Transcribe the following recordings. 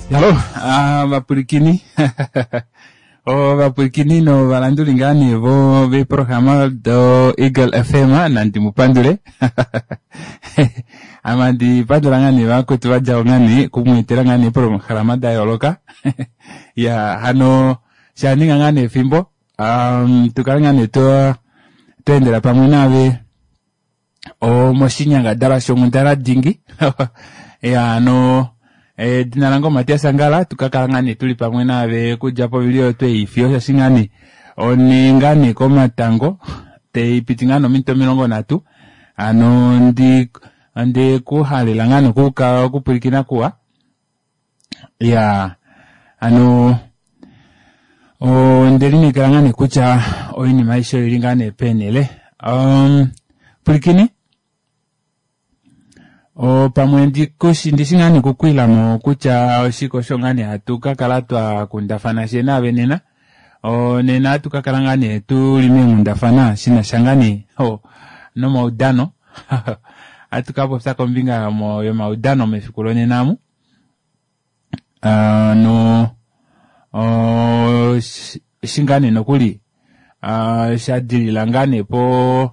Halo, vapwilikini ovapwilikini novalanduli ngaa nee vo veeprograma do Eagle FM nandi mu pandule ame andi pandula ngaa nee vakwetu vadja ngaa nee kumweetela ngaa nee eeprograma da yooloka ya hano shaninga ngaa nee efimbo um, tukale ngaa nee twa tweendela pamwe naave omoshinyangadalwa shonghundana dingi ya hano edina lange oMatias Angala tukakala ngaa nee tuli pamwe naave okudja povili oyo tweifiyo shaashi ngaa nee one ngaa nee komatango taipiti ngaa nee ominute 30 hano ndi ondekuhalela ngaa nee okupwilikina kuwa ya hano ondelineekela ngaa nee kutya oinima aishe oili ngaa nee peenhele um, pwilikini pamwe ndikushi ndishi ngaa nee okukwilamo kutya oshike osho ngaa nee hatu ka kala twa kundafana she naave nena nena hatu ka kala ngaa nee tuli meenghundafana shinasha ngaa nee nomaudano hatu ka popya kombinga yomaudano mefiku lonena amu no eshi ngaa nee nokuli sha dilila ngaa nee po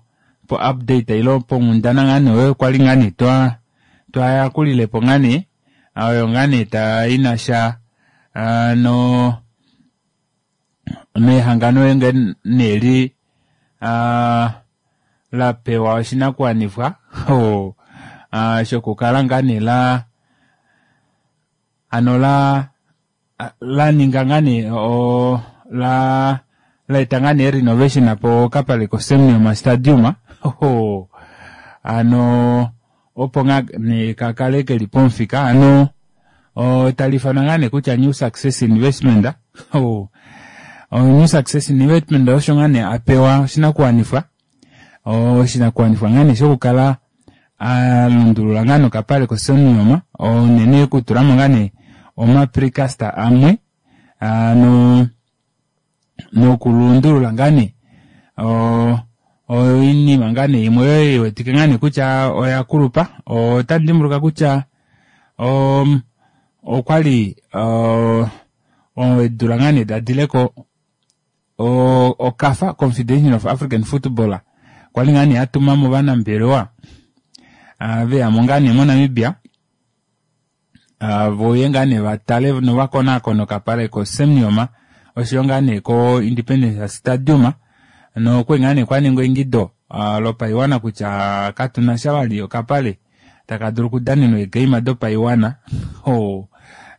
po update ilo ponghundana ngaa nee oyo kwali ngaa nee twa twayakulilepo ngaa nee oyo ngaa nee ta inasha no mehangano nee li la pewa oshinakuwanifwa shokukala ngaa nee la hano la la ninga ngaa nee la laeta ngaa nee renovation po kapale ko Sam Nujoma Stadium hano opo ngaa nee kakale keli pomufika hano tali ifanwa ngaa nee kutya New Success Investment New Success Investment osho ngaa nee apewa oshinakuwanifwa oshinakuwanifwa ngaa nee shokukala alundulula ngaa nee okapale ko Sam Nujoma unene okutulamo ngaa nee omaprecast amwe ano nokulundulula ngaa nee oinima ngaa nee imwe oyo iwetike ngaa nee kutya oya kulupa. Otandi dimbuluka kutya okwali eedula ngaa nee dadileko okafa Confederation of African Football kwali ngaa nee atuma mo ovanambelewa veyamo ngaa nee moNamibia voye ngaa nee vatale novakonaakone okapale ko Sam Nujoma oshoyo ngaa nee ko Independence Stadium nokwali ngaa nee kwaningwa eingido lopaiwana kutya katuna sha vali okapale taka dulu okudanenwa eegeima dopaiwana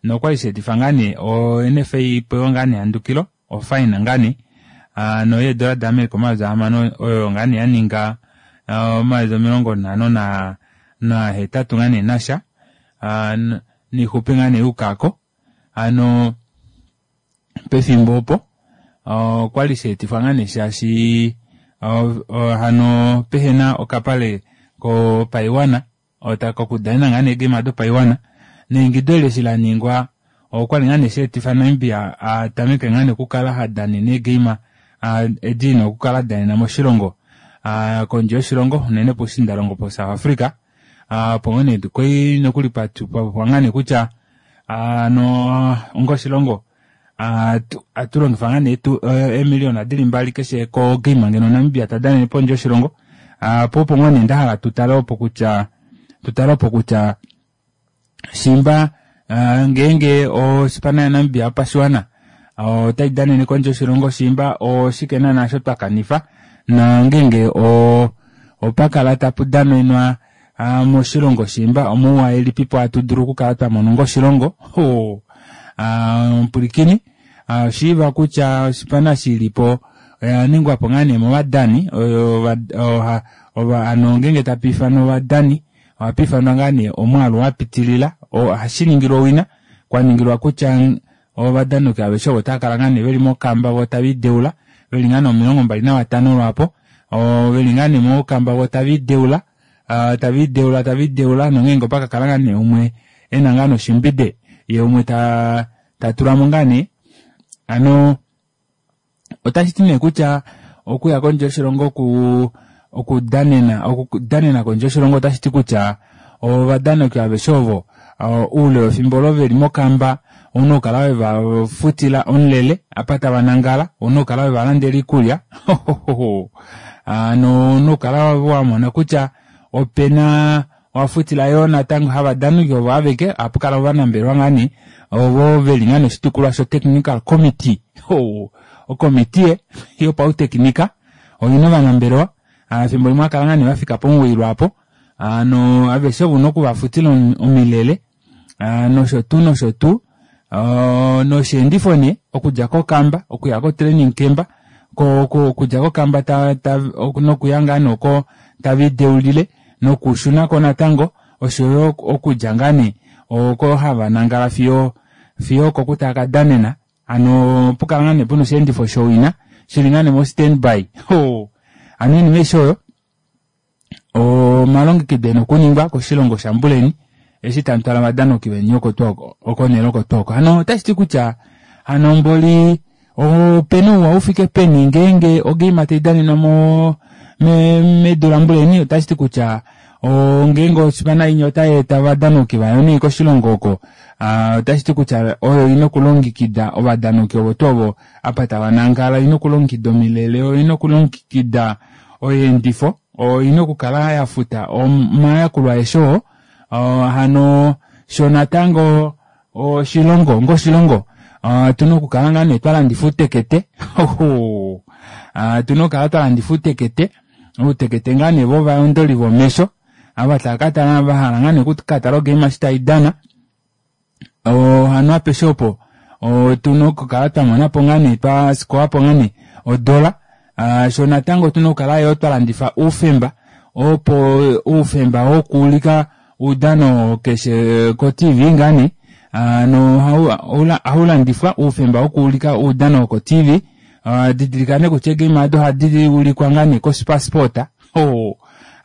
nokwali sheetifa ngaa nee o NFA ipewe ngaa nee ehandukilo ofine ngaa nee no yeedola da America 6000 oyo ngaa nee yaninga 58 ngaa nee nasha niixupi ngaa nee yuukako hano pefimbo opo okwali sheetifwa ngaa nee shaashi hano pehena okapale kopaiwana kokudanena ngaa nee eegame dopaiwana neingido eli eshi laningwa okwali ngaa nee sheetifa Namibia atameke ngaa nee okukala hadanene eegame edi ina okukala adanena moshilongo kondje yoshilongo unene poushiindalongo po South Africa opo ngoo nee kwali nokuli papwa ngaa nee kutya ano onga oshilongo atulongifa ngaa nee eemiliyona dili 2 keshe kogame ngeno Namibia tadanene pondje yoshilongo po opo ngoo nee ndahala tutale opo kutya shimba ngeenge osipana yaNamibia yopashiwana otai danene kondje yoshilongo shimba oshike naana osho twakanifa nongeenge opakala tapu danenwa moshilongo shimba omouwa elipipo hatu dulu okukala twamona onga oshilongo omupulikini oshiiva kutya osipana shilipo oya ningwapo ngaa nee movadani hano ngeenge tapa ifanwa ovadani ohapa ifanwa ngaa nee omwaalu wapitilila ohashi ningilwa owina kwaningilwa kutya ovadanoki aveshe ovo otava kala ngaa nee veli mokamba vo tava ideula veli ngaa nee 25 lwaapo veli ngaa nee mokamba vo tava ideula tava ideula nongeenge opakakala ngaa nee umwe ena ngaa nee oshimbide ye umwe tatulamo ngaa nee hano otashi ti nee kutya okuya kondje yoshilongo okudanena kondje yoshilongo otashi ti kutya ovadanoki aveshe ovo Oule wefimbo olo veli mokamba ouna okukala wevafutila omulele apa tava nangala, ouna okukala wevalandela oikulya hano ouna okukala wamona kutya opena owafutila yoo natango havadani ovo aveke ohapukala ovanambelewa ngaa nee ovo veli ngaa nee oshitukulwa sho technical committee okomitiye yopautekinika oina ovanambelewa efimbo limwe ohakala ngaa nee vafika pomuwoi lwaapo hano aveshe ovo una okuvafutila omilele nosho tuu nosho tuu nosheendifo nee okudja kokamba okuya ko training camp okudja kokamba nokuya ngaa nee oko tave lideulile nokushunako natango oshoyo okudja ngaa nee oko hava nangala fiyo fiyo okoku tava kadanena hano opukala ngaa nee puna osheendifo showina shili ngaa nee mo standby hano oinima aishe oyo omalongekido ena okuningwa koshilongo shambuleni eshi tamu twala ovadanoki veni oko tuu oko okonhele oko tuu oko hano otashi ti kutya hano mboli opena ouwa ufike peni ngeenge ogeima tai danenwa mo medu lambuleni otashi ti kutya ngeenge ospana inya otai eta ovadanoki vayo nee koshilongo oko otashi ti kutya oyo ina okulongekida ovadanoki ovo tuu ovo apa tava nangala oina okulongekida omilele oina okulongekida oyeendifo oina okukala ya futa omayakulo aeshe oo hano sho natango oshilongo onga oshilongo otuna okukala ngaa nee twa landifa uutekete otuna okukala twa landifa uutekete uutekete ngaa nee vovayondoli vomesho ava tava ka tala vahala ngaa nee okukatala ogame eshi taidana hano apeshe opo otuna okukala twa monapo ngaa nee twa sikowapo ngaa nee odola sho natango otuna okukala yoo twa landifa oufemba opo oufemba wokuulika oudano keshe ko-tv ngaa nee hano ohaulandifwa oufemba wokuulika oudano woko-tv didilika nee kutya eegame ado ohadi ulikwa ngaa nee koSuperSport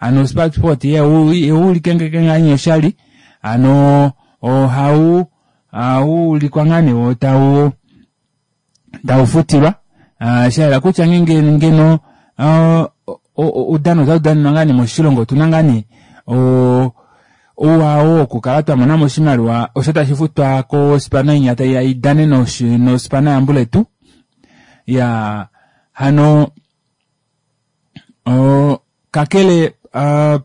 hano SuperSport ihaulike ngaa nee oshali hano ohau ulikwa ngaa nee wo tau taufutilwa shayela kutya ngeenge ngeno oudano otau ngaa nee moshilongo otuna ngaa nee ouwa oo wokukala twa monamo oshimaliwa osho tashi futwa kospana inya taiya idane nospana yambuletu ya hano kakele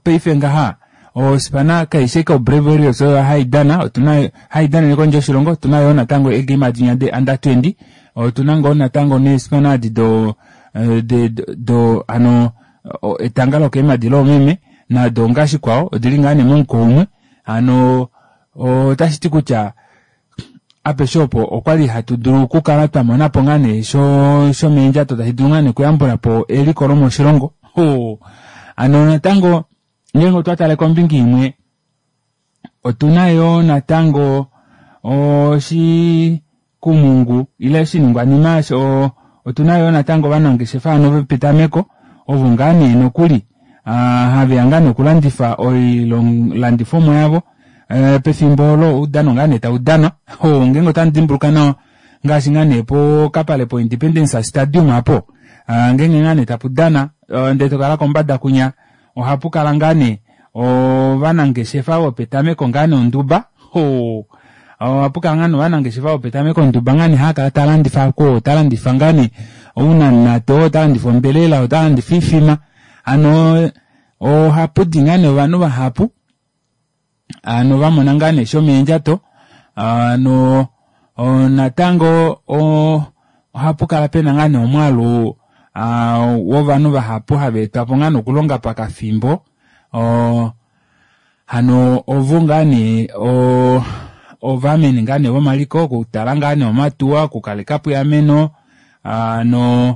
paife ngaha ospana kaishe ko Brave Warriors oyo haidana otuna haidanene kondje yoshilongo otuna yoo natango eegame adinya de under 20 otuna ngoo natango neespana adi do do hano etanga lokeemadi loomeme nado ngaashi kwao odili ngaa nee momuko umwe hano otashi ti kutya apeshe opo okwali hatu dulu okukala twa monapo ngaa nee shomeendjato tashi dulu ngaa nee okuyambulapo eliko lomoshilongo hano natango ngeenge otwa tale kombinga imwe otuna yoo natango oshikumungu ile oshiningwanima otuna yoo natango ovanangeshefa hano vopetameko ovo ngaa nee nokuli haveya ngaa nee okulandifa oilandifomwa yavo pefimbo olo oudano ngaa nee taudanwa ngeenge otamu dimbuluka nawa ngaashi ngaa nee pokapale po Independence Stadium apo ngeenge ngaa nee tapu dana ndee tokala kombada kunya ohapu kala ngaa nee ovanangeshefa vopetameko ngaa nee onduba ohapu kala ngaa nee ovanangeshefa vopetameko onduba ngaa nee haakala talandifa ko talandifa ngaa nee ounanato otalandifa ombelela otalandifa oifima hano ohapudi ngaa nee ovanhu vahapu hano vamona ngaa nee shomeendjato hano natango ohapu kala pena ngaa nee omwaalu wovanhu vahapu hava etwapo ngaa nee okulonga pakafimbo hano ovo ngaa nee ovameni ngaa nee vomaliko okutala ngaa nee omatuwa okukalekapo eameno hano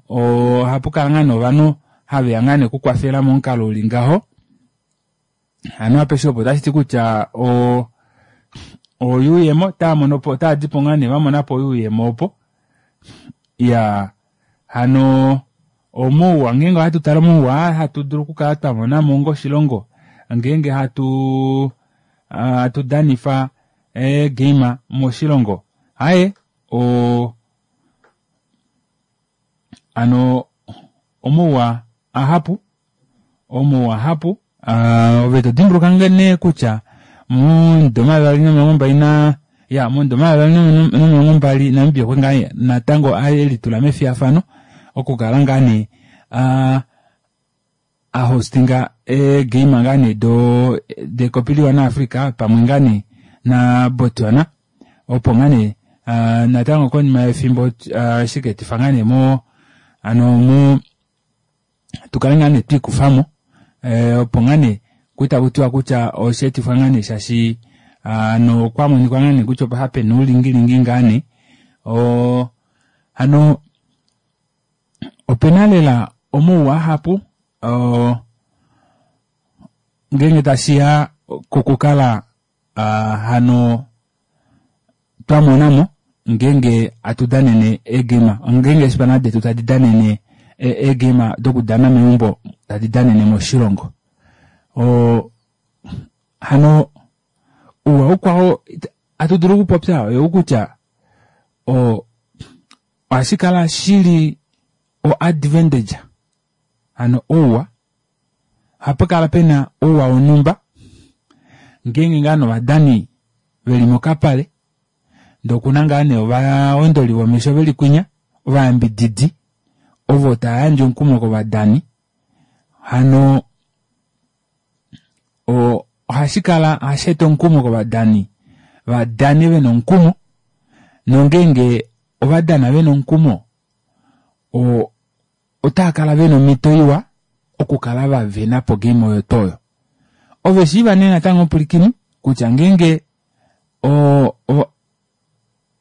ohapu kala ngaa nee ovanhu haveya ngaa nee okukwafela momukalo uli ngaho hano apeshe opo otashi ti kutya oyuuyemo otaamonopo otaadipo ngaa nee vamonapo oyuuyemo opo iya hano omouwa ngeenge ohatu tale omouwa hatu dulu okukala twamonamo onga oshilongo ngeenge hatu danifa eegame moshilongo aaye hano omouwa ahapu omouwa ahapu ove todimbuluka nee kutya Momudo 2020 na ya momudo 2020 Namibia okwe ngaa natango elitula mefiyafano okukala ngaa nee a hostinga eegame ngaa nee do dekopi liwa naAfrica pamwe ngaa nee na Botswana opo ngaa nee natango konima yefimbo shikeetifa ngaa nee mo ano mo tukale ngaa nee twiikufamo opo ngaa nee kutakutiwa kutya osheetifwa ngaa nee shaashi ano okwamonika ngaa nee kutya opa pena oulingilingi ngaa nee hano opena lela omauwa ahapu ngeenge tashiya kokukala hano twamonamo ngeenge atu danene eegame ngeenge eespana detu tadi danene eegame dokudana meumbo tadi danene moshilongo hano ouwa ukwao atu dulu okupopya oyou kutya ohashi kala shili o advantage hano ouwa ohapa kala pena ouwa wonhumba ngeenge ngaa novadani veli mokapale ndee okuna ngaa nee ovaondoli vomesho veli kwinya ovayambididi ovo tava yandje omukumo kovadani hano ohashi kala ohashi eta omukumo kovadani vadane vena omukumo nongeenge ovadana vena omukumo otaakala vena omhito iwa okukala vavena po game oyo tuu oyo. Ove shiiva nee natango omupulikini kutya ngeenge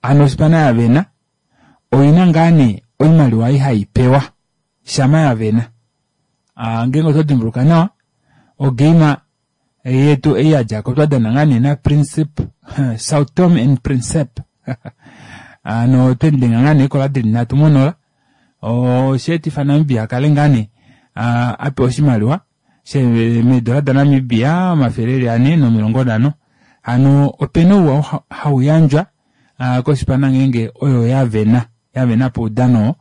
hano ospana yavena oina ngaa nee oimaliwa ei haipewa shama yavena. Ngeenge oto dimbuluka nawa ogame yetu ei yadjako twadana ngaa nee naPrincip Sao Tome and Principe hano otwemudenga ngaa nee eekola dili 3-0 osheetifa Namibia akale ngaa nee apewa oshimaliwa meedola daNamibia 450 hano opena ouwa hauyandjwa koshipana ngeenge oyo yavena yavena poudano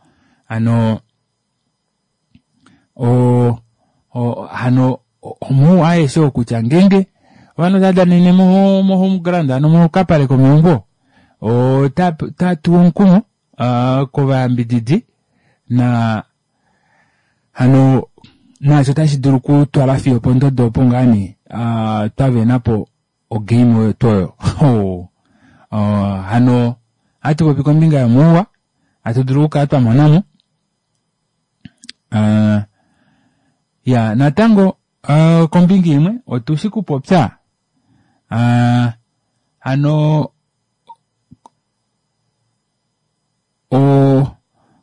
hano hano omauwa aeshe oo kutya ngeenge ovanhu otava danene mo home ground hano mokapale komeumbo otatuwa omukumo kovayambididi na hano naasho otashi dulu okutwala fiyo opondodo opo ngaa nee twavenapo ogame oyo tuu oyo hano ohatu popi kombinga yomauwa hatu dulu okukala twamonamo ya natango kombinga imwe otushi kupopya hano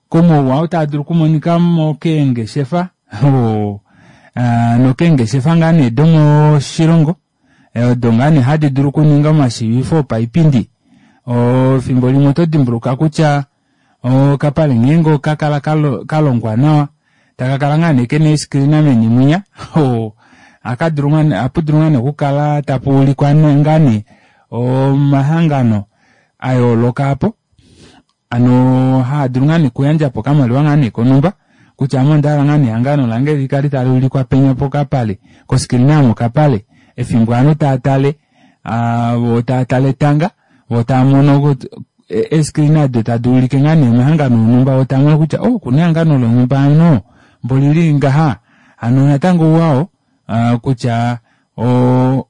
komauwa oo taa dulu okumonika mo keengeshefa nokeengeshefa ngaa nee domoshilongo odo ngaa nee hadi dulu okuninga omashiivifo opaipindi efimbo limwe oto dimbuluka kutya okapale ngeenge okakala kalongwa nawa takakala ngaa nee kena eescreena meni mwinya ohapu dulu ngaa nee okukala tapu ulikwa ngaa nee omahangano ayooloka apo hano haadulu ngaa nee okuyandjapo okamaliwa ngaa nee konhumba kutya ame ondahala ngaa nee ehangano lange likale tali ulikwa penya pokapale koscreena yomokapale efimbo ovanhu taatale vo taatale etanga vo taamono eescreena ado tadi ulike ngaa nee omahangano onhumba vo taamono kutya oh okuna ehangano lonhumba hano mbolili ngaha hano natango ouwa oo kutya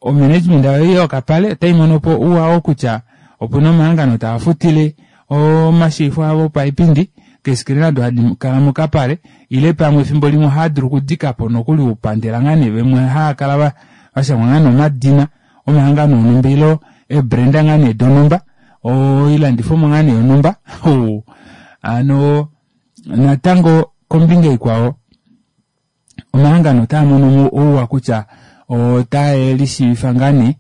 omanagement oyo yokapale otaimonopo ouwa oo kutya opuna omahangano taa futile omashiifo avo opaipindi keescreena ado hadi kala mokapale ile pamwe efimbo limwe ohaadulu okudikapo nokuli oupandela ngaa nee vamwe haakala vashangwa ngaa nee omadina omahangano onhumba ile eebrand ngaa nee donhumba oilandifomwa ngaa nee yonhumba hano natango kombinga ikwao omahangano otaa mono ouwa kutya otae lishiivifa ngaa nee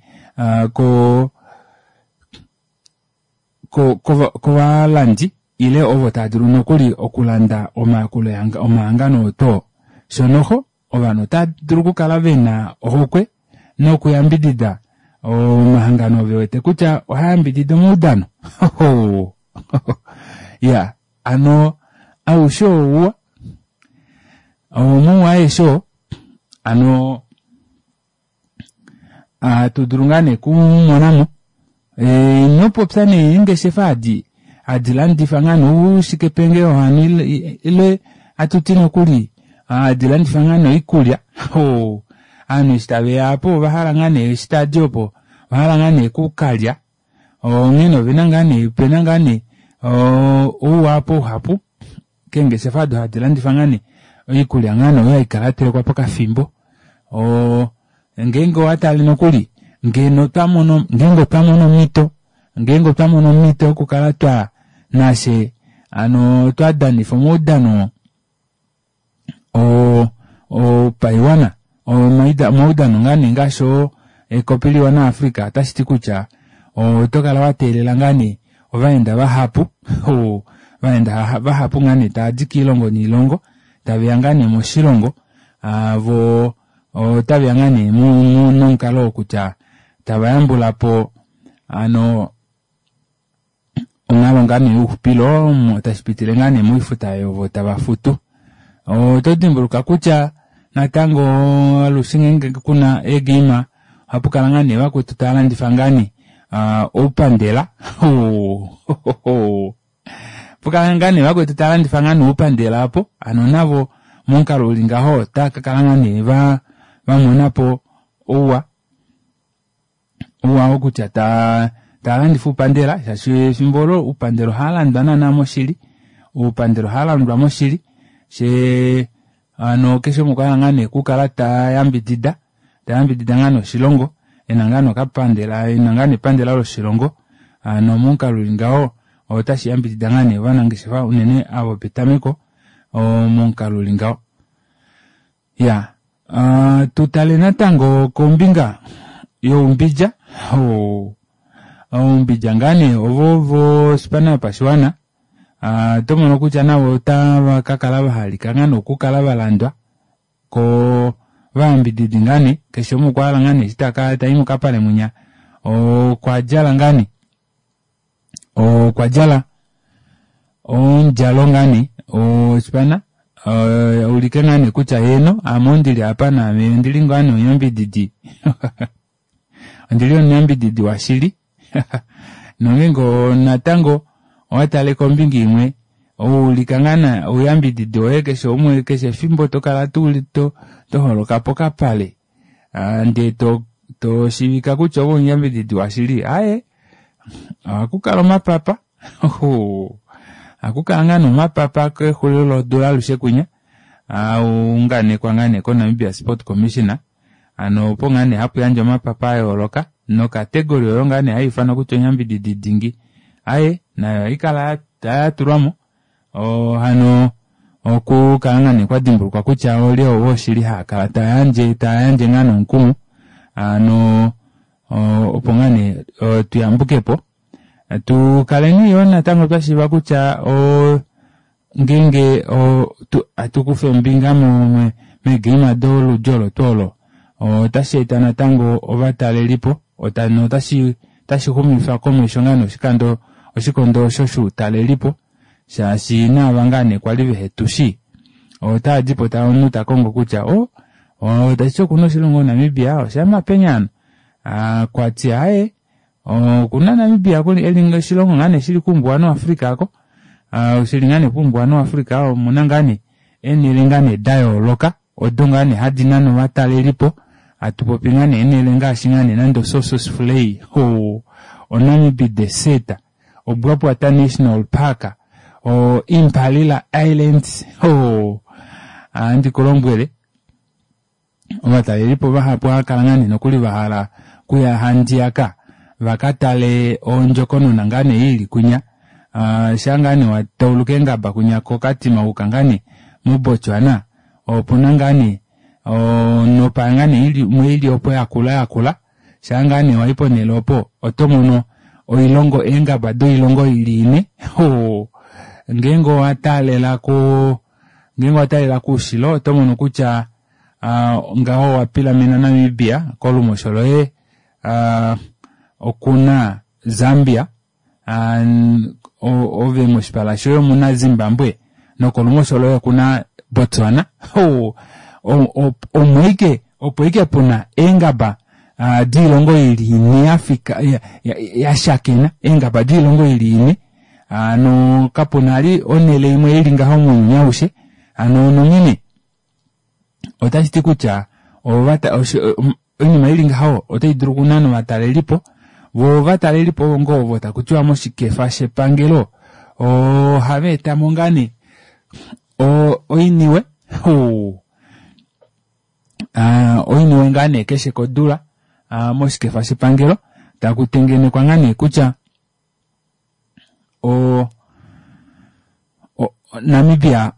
kovalandi ile ovo tava dulu nokuli okulanda omayakulo omahangano oo shonoho ovanhu otava dulu okukala vena ohokwe nokuyambidida omahangano vewete kutya ohaayambidida omaudano ya hano aushe ouwa omauwa aeshe oo hano Hatu dulu ngaa nee kumonamo inopopya nee eengeshefa adi hadi landifa ngaa nee oushikependjewo hano ile hatuti nokuli hadi landifa ngaa nee oikulya hoo ovanhu eshi taveya aapo ovahala ngaa nee eshi tavadi opo ovahala ngaa nee okukalya onghene ovena ngaa nee opena ngaa nee ouwa aapo uhapu keengeshefa odo hadi landifa ngaa nee oikulya ngaa nee oyo haikala yatelekwa pokafimbo oo ngeenge owatale nokuli ngeno otwamono ngeenge otwamono omito ngeenge otwamono omito yokukala twa nafye hano twadanifa omaudano opaiwana omaudano ngaa nee ngaashi oo ekopi liwana Africa otashiti kutya otokala wateelela ngaa nee ovaenda vahapu ovaenda vahapu ngaa nee tavadi koilongo noilongo taveya ngaa nee moshilongo voo otaveya ngaa nee nomukalo wokutya tava yambulapo hano onghalo ngaa nee youxupilo tashipitile ngaa nee moifuta oyo tava futu. Oto dimbuluka kutya natango alushe ngeenge kuna eegeima ohapukala ngaa nee vakwetu tava landifa ngaa nee oupandela pukala ngaa nee vakwetu tava landifa ngaa nee oupandela aapo hano navo momukalo uli ngaho otava kakala ngaa nee vamonapo ouwa ouwa oo kutya taalandifa oupandela shaashi efimbo olo oupandela ohaalandwa naana moshili oupandela ohaalandwa moshili shee hano keshe umwe okwahala ngaa nee okukala tayambidida tayambidida ngaa nee oshilongo ena ngaa nee okapandela ena ngaa nee epandela loshilongo hano momukalo uli ngaho otashi yambidida ngaa nee ovanangeshefa unene ava vopetameko momukalo uli ngaho Iyaa tutale natango kombinga youmbidja oumbidja ngaa nee ovo vospana yopashiwana otomono kutya navo otava kakala vahalika ngaa nee okukala valandwa kovayambididi ngaa nee keshe umwe okwahala ngaa nee eshi tayi mokapale munya okwadjala ngaa nee okwa djala omudjalo ngaa nee ospana aulike ngaa nee kutya heeno ame ondili apa naame ondili ngaa nee omuyambididi ondili omuyambididi washili nongeenge natango owatale kombinga imwe oulika ngaa nee ouyambididi woye keshe umwe keshe efimbo tokala toholoka pokapale ndee toshiivika kutya ove omuyambididi washili aaye ohakukala omapapa ohakukala ngaa nee omapapa kexulilo lodula alushe kwinya aunganekwa ngaa nee ko Namibia Sport Commission hano opo ngaa nee hapu yandjwa omapapa ayooloka nokategori oyo ngaa nee haifanwa kutya omuyambididi dingi aaye nayo ohaikala yatulwamo hano okukala ngaa nee kwadimbulukwa kutya olye ovo shili haakala tayandje tayandje ngaa nomukumo hano opo ngaa nee tuyambukepo tukaleni yoo natango twashiiva kutya ngeenge hatukufa ombinga meegeima doludi olo tuu olo otashi eta natango ovatalelipo notashi xumifa komesho ngaa nee oshikando oshikondo osho shoutalelipo shaashi naava ngaa nee kwali vehetushi otavadipo omunhu takongo kutya o tashiti okuna oshilongo Namibia oshama peni hano kwati aaye okuna Namibia eli oshilongo ngaa nee shili kuumbuwanhu wa Africa aako shili ngaa nee kuumbuwanhu wa Africa omuna ngaa nee eenele ngaa nee dayooloka odo ngaa nee hadi nane ovatalelipo hatupopi ngaa nee eenele ngaashi ngaa nee nande oSossusvlei oNamib Desert oBwabwata National Park o Impalila Islands ohandi kulombwele ovatalelipo vahapu ohava kala ngaa nee nokuli vahala okuya handiyaka vakatale ondjokonona ngaa nee ili kwinya shaa ngaa nee watauluka eengaba kwinya koKatima wayuka ngaa nee moBotswana opuna ngaa nee onopa ngaa nee imwe ili opo yakula yakula shaa ngaa nee wayi ponele opo otomono oilongo eengaba doilongo ili ine ngeenge owataalela ngeenge owataalela koushilo otomono kutya ngaho owapilamena Namibia kolumosho loye okuna Zambia ove moshipala shoye omuna Zimbabwe nokolumosho loye okuna Botswana omo ashike opo ashike puna eengaba Doilongo ili ine yafika yashakena, eengaba doilongo ili ine. Hano kapuna vali onhele imwe ili ngaho mounyuni aushe. Hano nonghene otashi ti kutya oinima ili ngaho otai dulu okunana ovatalelipo, voo ovatalelipo ovo ngoo ovo taku tiwa moshikefa shepangelo ohava etamo ngaa nee oiniwe oiniwe ngaa nee keshe kodula moshikefa shepangelo taku tengenekwa ngaa nee kutya Namibia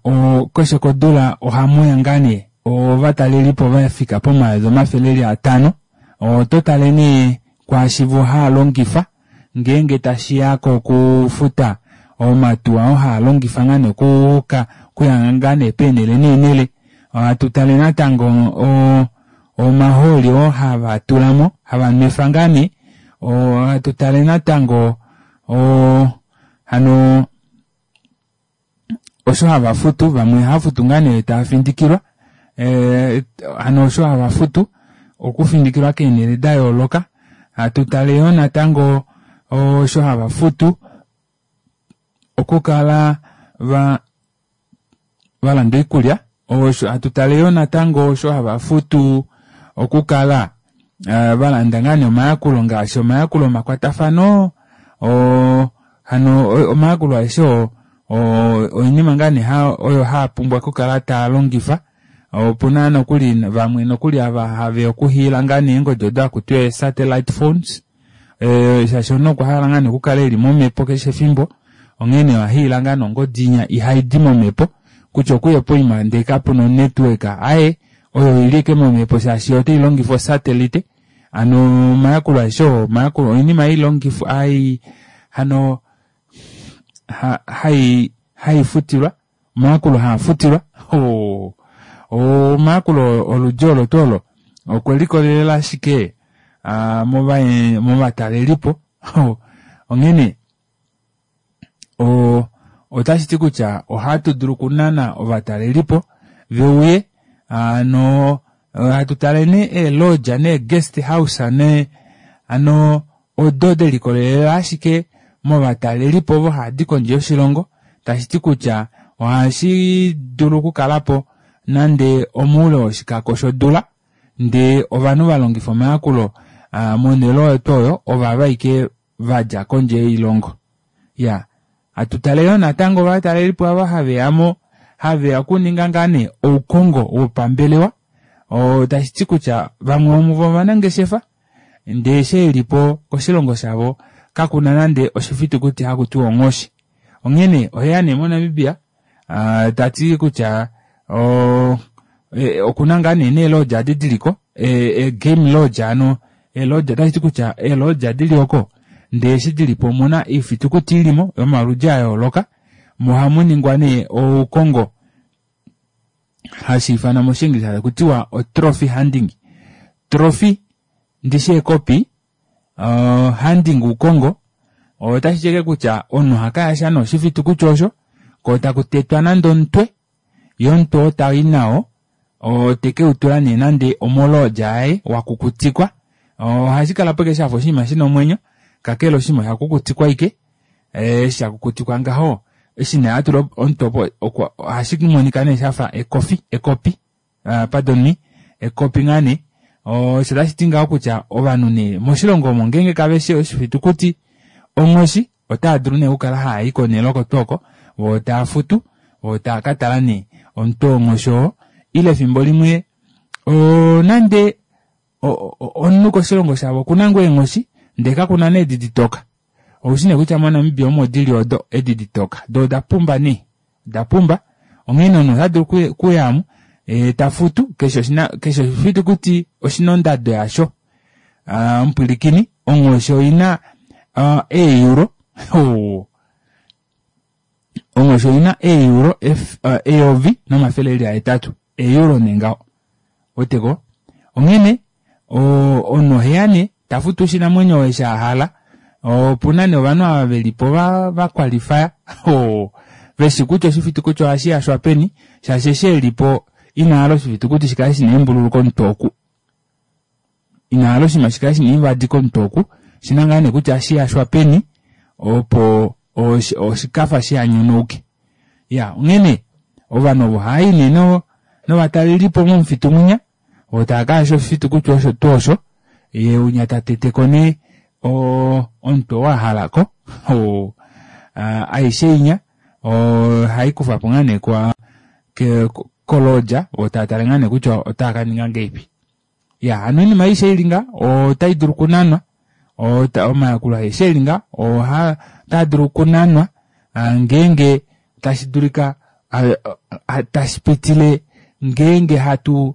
keshe kodula ohamuya ngaa nee ovatalelipo vafika pomayovi 500. Oto tale nee kwaashi vo haalongifa ngeenge tashiya kokufuta omatuwa oo haalongifa ngaa nee okuya ngaa nee peenele neenele. Ohatu tale natango omahooli oo hava tulamo hava nwefa ngaa nee. Ohatu tale natango hano osho hava futu, vamwe ohava futu ngaa nee tava findikilwa hano osho hava futu okufindikilwa keenhele da yooloka. Hatu tale yoo natango osho hava futu okukala va valanda oikulya, hatu tale yoo natango osho hava futu okukala valanda ngaa nee omayakulo ngaashi omayakulo omakwatafano, hano omayakulo aeshe oo oinima ngaa nee oyo haapumbwa okukala taalongifa. Opuna nokuli vamwe nokuli ava haveya okuhiila ngaa nee eengodi odo hakutiwa ee satellite phones, shaashi omunhu okwa hala ngaa nee okukala eli momhepo keshe efimbo, onghee oha hiila ngaa nee ongodi inya ihaidi momhepo kutya okuye poima ndee kapuna onetwork, aaye oyo oili ashike momhepo shaashi otai longifa osatelite. Hano omayakulo aeshe oo omayakulo oinima hailongifwa hai hano haifutilwa omayakulo haafutilwa omayakulo oludi olo tuu olo okwe likolelela ashike movatalelipo. Onghene otashi ti kutya ohatu dulu okunana ovatalelipo veuye hano hatu tale nee eelodge nee guest house nee hano odo delikolelela ashike movatalelipo ovo haadi kondje yoshilongo, tashi ti kutya ohashi dulu okukalapo nande omoule woshikako shodula ndee ovanhu valongifa omayakulo monhele oyo tuu oyo ovava ashike vadja kondje yoilongo. Ya hatu tale yoo natango ovatalelipo ava haveyamo haveya okuninga ngaa nee oukongo wopambelewa, tashi ti kutya vamwe vomuvo ovanangeshefa ndee eshi elipo koshilongo shavo kakuna nande oshifitukuti haku tiwa onghoshi. Onghene oheya nee moNamibia tati kutya okuna ngaa nee neelodge adi diliko game lodge, hano eelodge otashi ti kutya eelodge dili oko ndee eshi dilipo omuna oifitukuti ilimo yomaludi ayooloka mo ohamu ningwa nee oukongo hashi ifanwa moshienglisa taku tiwa otrophy hunting. Trophy ndishi ekopi, hunting oukongo, otashi ti ashike kutya omunhu ohakayasha nee oshifitukuti osho ko taku tetwa nande omutwe, ye omutwe oo tai nao teke utula nee nande omolodge yaye wakukutikwa. Ohashi kalapo ashike shafa oshinima shina omwenyo, kakele oshinima osha kukutikwa ashike. Eshi shakukutikwa ngaho eshi nee atula omutwe opo ohashi monika nee shafa ekofi, ekopi, pardon me, ekopi ngaa nee. Osho tashi ti ngaho kutya ovanhu nee moshilongo omo ngeenge kaveshi oshifitukuti onghoshi otava dulu nee okukala haayi konhele oko tuu oko voo tava futu voo tava katala nee omutwe wonghoshi oo, ile efimbo limwe nande omunhu koshilongo shavo okuna ngoo eenghoshi ndee kakuna nee edi ditoka. Oushi nee kutya moNamibia omo dili odo edi ditoka doo oda pumba nee, oda pumba. Onghee omunhu ota dulu okuyamo tafutu keshe oshifitukuti oshina ondado yasho. Omupwilikini, onghoshi oina eeuro onghoshi oina eeuro 1800, eeuro nee ngaho weteko. Onghene omunhu oheya nee tafutu oshinamwenyo eshi ahala. Opuna nee ovanhu ava velipo vakwalifaya veshi kutya oshifitukuti ohashi yashwa peni, shaashi eshi elipo ina hala oshifitukuti shikale shina eembululu komutwe oku. Ina hala oshinima shi kale shina oivadi komutwe oku, oshina ngaa nee kutya ohashi yashwa peni opo oshikafa shiha nyonauke. Iyaa, onghene ovanhu ovo ohava i nee novatalelipo momufitu mwinya, vo tava ka yasha oshifitukuti osho tuu osho, ye unya ta teteko nee omutwe oo a halako. Aishe inya ohai kufwa po ngaa nee kolodja vo tava tale ngaa nee kutya otava ka ninga ngahelipi. Ya hano oinima aishe ili nga otai dulu okunanwa omayakulo aeshe eli nga otaa dulu okunanwa ngeenge tashi dulika tashi pitile ngeenge hatu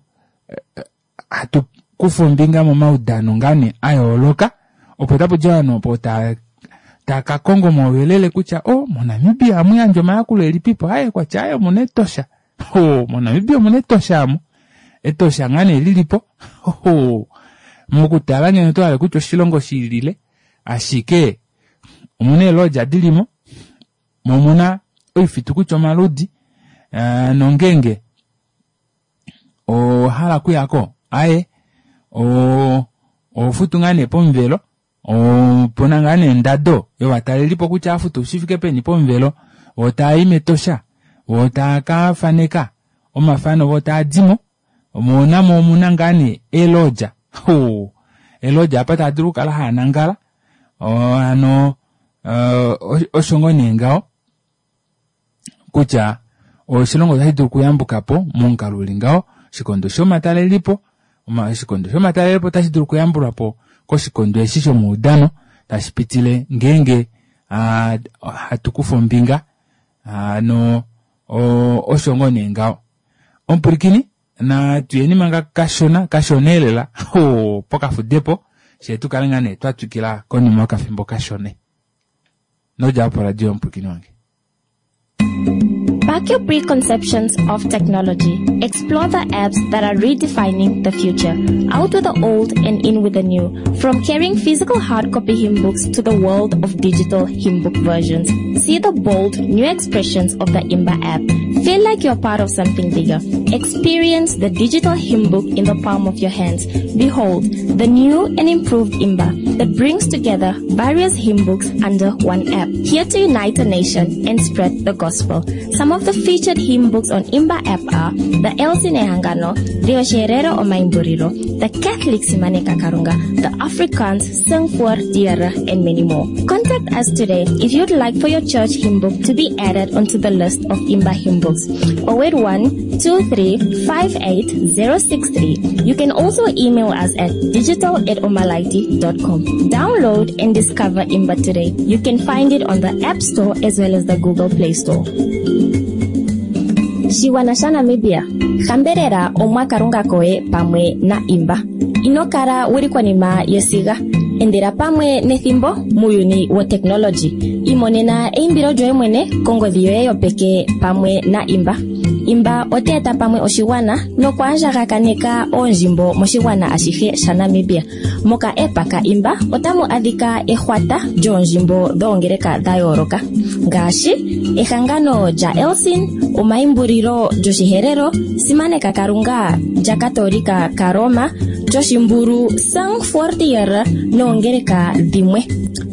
hatu kufa ombinga momaudano ngaa nee a yooloka opo tapu di ovanhu opo taa taka konga omauyelele kutya o oh, moNamibia ohamu yandjwa omayakulo elipipo aye kwatya aye omuna Etosha oh, moNamibia omuna Etosha amu Etosha ngaa nee lilipo oh, mokutala ngeno oto hale kutya oshilongo shiilile ashike omuna eelodja dilimo mo omuna oifitukuti omaludi uh, nongeenge owa hala okuyako aye oho futu ngaa nee pomuvelo opuna ngaa nee ondado yovatalelipo kutya afutu shi fike peni pomuvelo vo tava i metosha vo tava ka faneka omafano vo tava dimo mo namo omuna ngaa nee eelodja eelodja apa tava dulu okukala hava nangala hano osho ngoo nee ngaho kutya oshilongo otashi dulu okuyambuka po momukalo uli ngaho oshikondo shomatalelipo oshikondo shomatalelepo otashi dulu okuyambulwa po koshikondo eshi shomaudano tashi pitile ngeenge hatu kufa ombinga hano osho ngoo nee ngaho omupwilikini natuyeni manga kashona kashona elela pokafudepo shee tukale ngaa nee twa twikila konima yokafimbo kashone Nodja opo radio yomupwilikini wange. Back your preconceptions of technology. Explore the apps that are redefining the future. Out with the old and in with the new. From carrying physical hard copy hymn books to the world of digital hymn book versions. See the bold new expressions of the Imba app. Feel like you're part of something bigger. Experience the digital hymn book in the palm of your hands. Behold, the new and improved Imba that brings together various hymn books under one app. Here to unite a nation and spread the gospel. Some of the featured hymn books on Imba app are the Elsin Ehangano, the Osherero Omaimburiro, the Catholic Simaneka Karunga, the Afrikaans Sing voor Diere, and many more. Contact us today if you'd like for your church hymn book to be added onto the list of Imba hymn books. 081 2358063. You can also email us at digital at omalaiti.com. Download and discover Imba today. You can find it on the App Store as well as the Google Play Store. Shigwana shaNamibia, hambelela Omwa Kalunga koye pamwe na Imba. Ino kala wu li konima yesiga. Endela pamwe nethimbo muuyuni woteknologi. Imonena eimbilo lyoye mwene kongodhi yoye yopeke pamwe na Imba. Imba ote eta pamwe oshigwana nokwaandjagakaneka oondjimbo moshigwana ashihe shaNamibia. Moka app ka Imba otamu adhika ehwata lyoondjimbo dhoongeleka dha yooloka ngaashi ehangano lyaElcin, omaimbulilo lyOshiherero, Simaneka Kalunga lyaKatoolika kaRoma, lyOshimbulu Sang Fortier noongeleka dhimwe.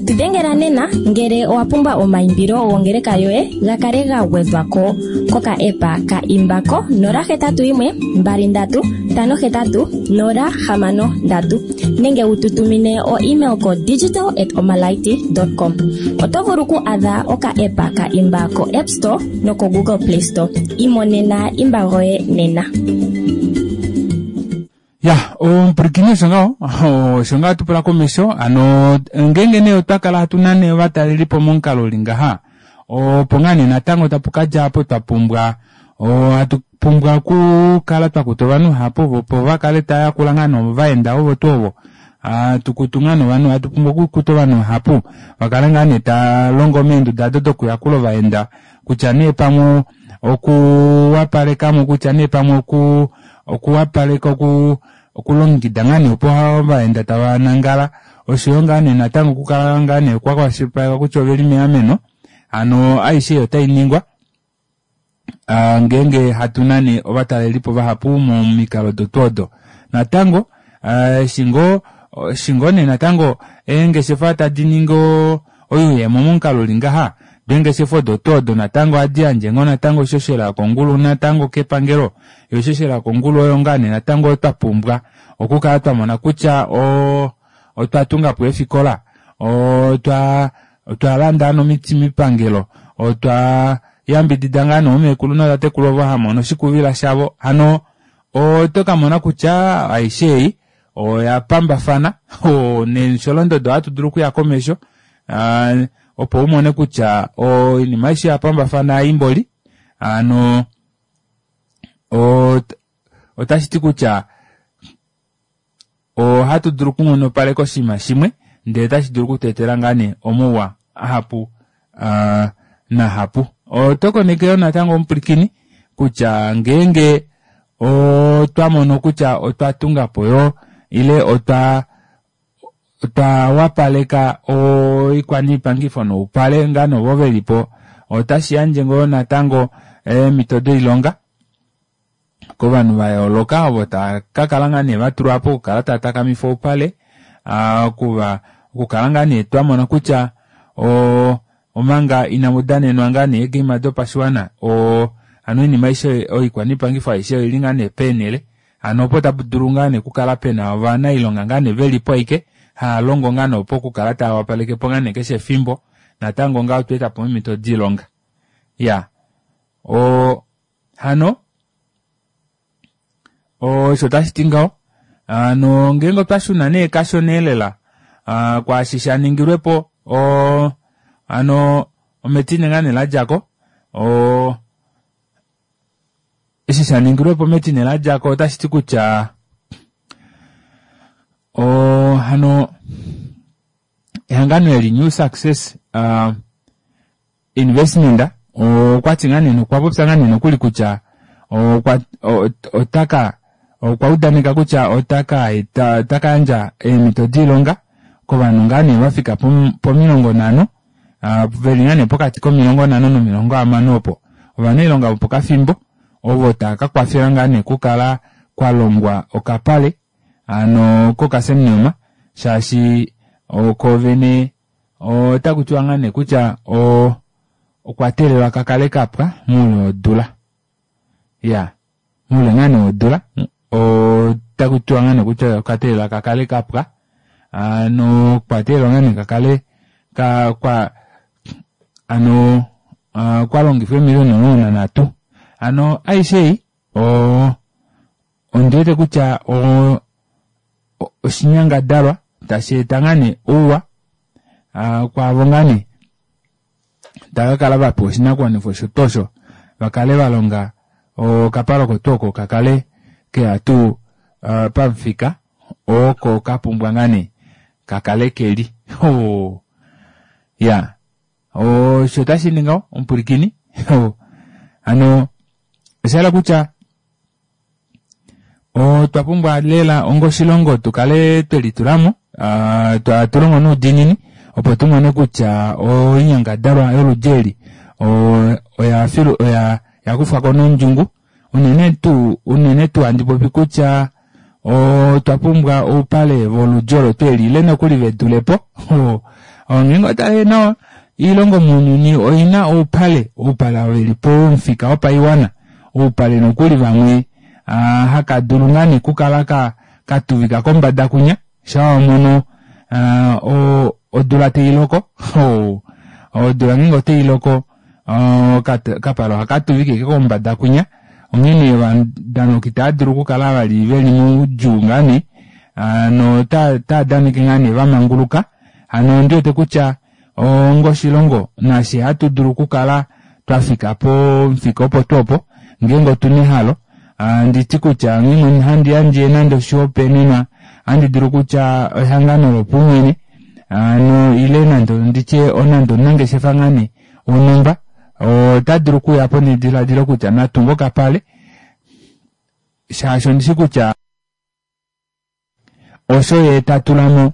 Tu dhengela nena ngele owa pumbwa omaimbilo gongeleka yoye ga kale ga gwedhwa ko koka app ka Imba ko 081 23 58 063 nenge wu tu tumine o email ko digital at omalaiti com. Oto vulu ku adha oka app ka Imba ko App Store noko Google Play Store. Imonena Imba goye nena. Ya, omupwilikini osho ngaho, osho ngaho hatu pula komesho. Hano ngeenge nee otwa kala hatu nane ovatalelipo momukalo uli ngaha, opo ngaa nee natango tapu ka dja apo twa pumbwa ohatu pumbwa okukala twa kuta ovanhu vahapu opo va kale tava yakula ngaa nee ovaenda ovo tuu ovo. Hatu kutu ngaa nee ovanhu, hatu pumbwa okukuta ovanhu vahapu va kale ngaa nee tava longo meenduda odo dokuyakula ovaenda kutya nee pamwe okuwapalekamo kutya nee pamwe oku okuwapaleka oku okulongekida ngaa nee opo ovaenda tava nangala oshoyo ngaa nee natango okukala ngaa nee kwa kwashilipalekwa kutya oveli meameno hano aishe eyi otai ningwa ngeenge hatu nane ovatalelipo vahapu momikalo dotu odo natango. Eshi ngoo eshi ngoo nee natango eengeshefa tadi ningi oyuuyemo momukalo uli ngaha doo eengeshefa odo tuu odo natango ohadi yandje ngoo natango oishoshela yokongulu natango kepangelo yoo oishoshela yokongulu oyo ngaa nee natango twapumbwa okukala twamona kutya otwa tungapo eefikola otwa otwalanda nomiti moipangelo otwa yambidida ngaa nee oomekulu nootatekulu ovo hamono oshikuvila shavo hano oto kamona kutya aishe ei oya pambafana nemisholondodo ohatu dulu okuya komesho opo umone kutya oinima aishe oya pambafana aimboli hano otashiti kutya ohatu dulu okunghonopaleka oshinima shimwe ndee otashi dulu okutweetela ngaa nee omauwa ahapu nahapu. Oto koneke yoo natango omupwilikini kutya ngeenge otwa mono kutya otwa tungapo yoo ile otwa otwa wapaleka oikwaniipangifo noupale ngaa nee ovo velipo otashi yandje ngoo natango eemhito doilonga kovanhu va yooloka ovo tava ka kala ngaa nee vatulwa po okukala tava takamifa oupale okuva okukala ngaa nee twamona kutya omanga inamu danenwa ngaa nee eegame dopashiwana hano oinima aishe oikwaniipangifo aishe oili ngaa nee peenhele hano opo tapu dulu ngaa nee okukala pena ovanailonga ngaa nee velipo ashike haalongo ngaa nee opo okukala tava wapalekepo ngaa nee keshe efimbo natango ngaho otwa etapo eemhito doilonga iyaa hano osho tashi ti ngaho hano ngeenge otwa shuna nee kashona elela kwaashi sha ningilwepo hano ometine ngaa nee ladjako eshi sha ningilwepo metine ladjako otashi ti kutya hano ehangano eli New Success Investment okwati ngaa nee okwa popya ngaa nee nokuli kutya okwa otaka okwa udaneka kutya otaka eta otaka yandja eemhito doilonga kovanhu ngaa nee vafika pomilongo nhano veli ngaa nee pokati komilongo nhano nomilongo hamano opo ovanailonga vopokafimbo ovo tava ka kwafela ngaa nee okukala kwa longwa okapale hano kokaSam Nujoma shaashi oko vene Ota kutiwa ngaa nee kutya okwa teelelwa ka kale kapwa moule wodula. Iyaa, moule ngaa nee wodula ota kutiwa ngaa nee kutya oka teelelwa ka kale kapwa. Hano okwa teelelwa ngaa nee ka kale ka kwa hano kwa longifwa eemiliona 13. Hano aishe ei ondi wete kutya oshinyangadalwa tashi eta ngaa nee ouwa kwaavo ngaa nee tava ka kala vapewa oshinakuwanifwa osho tuu osho vakale valonga okapale oko tuu oko kakale keya tuu pamufika oko kapumbwa ngaa nee kakale keli iyaa osho tashi ningi ngaho omupwilikini hano osha hala kutya Otwa pumbwa lela onga oshilongo tu kale twe litulamo hatu longo noudiinini opo tu mone kutya oinyangadalwa yoludi eli oya oya kufwa ko nondjungu unene tuu unene tuu handi popi kutya otwa pumbwa oupale voludi olo tuu eli ile nokuli ve dulepo onghee otale nawa oilongo mounyuni oina oupale oupale veli pomufika wopaiwana oupale nokuli vamwe haka dulu ngaa nee okukala ka katuvika kombada kunya shaa wamono odula tailoko odula ngeenge otailoko okapale ohaka tuvike ashike kombada kunya onghene ovadanauki itava dulu okukala vali veli moudjuu ngaa nee notava daneke ngaa nee vamanguluka hano ondiwete kutya Onga oshilongo, nafye ohatu dulu okukala twa fika pomufika opo tuu opo, ngeenge otu na ehalo. Handi ti kutya ngeenge handi yandje nande oshihopaenenwa, ohandi dulu kutya ehangano lopaumwene hano ile nande nditye nande omunangeshefa ngaa nee wonhumba ota dulu okuuya po nediladilo kutya natunge okapale shaashi ondishi kutya osho ye ta tula mo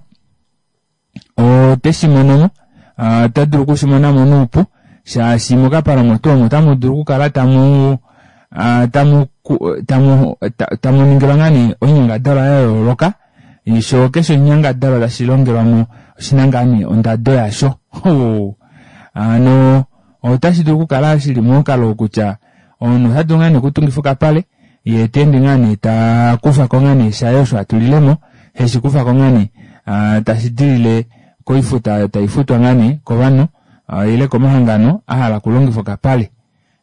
ote shi mono mo ota dulu oku shi mona mo nuupu shaashi mokapale omo tuu omo otamu dulu okukala tamu tamu tamu tamu ningilwa ngaa nee oinyangadalwa ya yooloka. Sho keshe oshinyangadalwa tashi longelwa mo oshina ngaa nee ondado yasho. Hano otashi dulu okukala shili momukalo wokutya omunhu ota dulu ngaa nee okutungifa okapale yee ta ende ngaa nee ta kufa ko ngaa nee shaye osho a tulile mo, heshi kufa ko ngaa nee tashi dilile koifuta oyo tai futwa ngaa nee kovanhu ile komahangano a hala okulongifa okapale.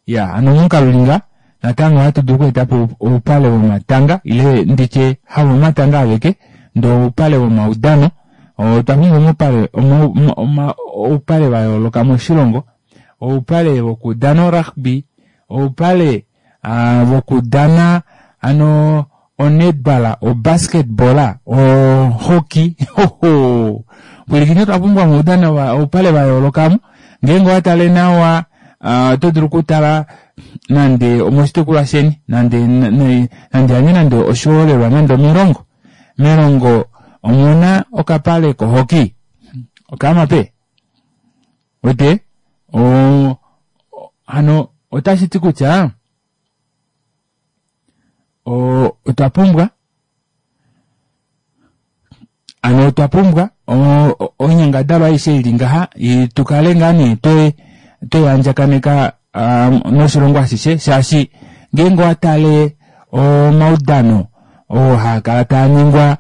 Iyaa, hano momukalo uli nga, natango ohatu dulu okweeta po oupale vomatanga ile nditye havomatanga aveke ndee oupale vomaudano. Otwa pumbwa omaupale oupale va yooloka moshilongo, oupale vokudana orugby, oupale vokudana hano onetball, obasketball, ohockey hoho pwilikine otwa pumbwa omaudano oupale va yooloka mo. Ngeenge owa tale nawa oto dulu okutala nande omoshitukulwa sheni nande nande yandje nande oshiholelwa nande omelongo. Melongo omuna okapale kohockey okaamape wete hano otashi ti kutya otwa pumbwa ano otwa pumbwa oinyangadalwa aishe ili ngaha tu kale ngaa nee twe andjakaneka noshilongo ashishe shaashi ngeenge owa tale omaudano oo haa kala taa ningwa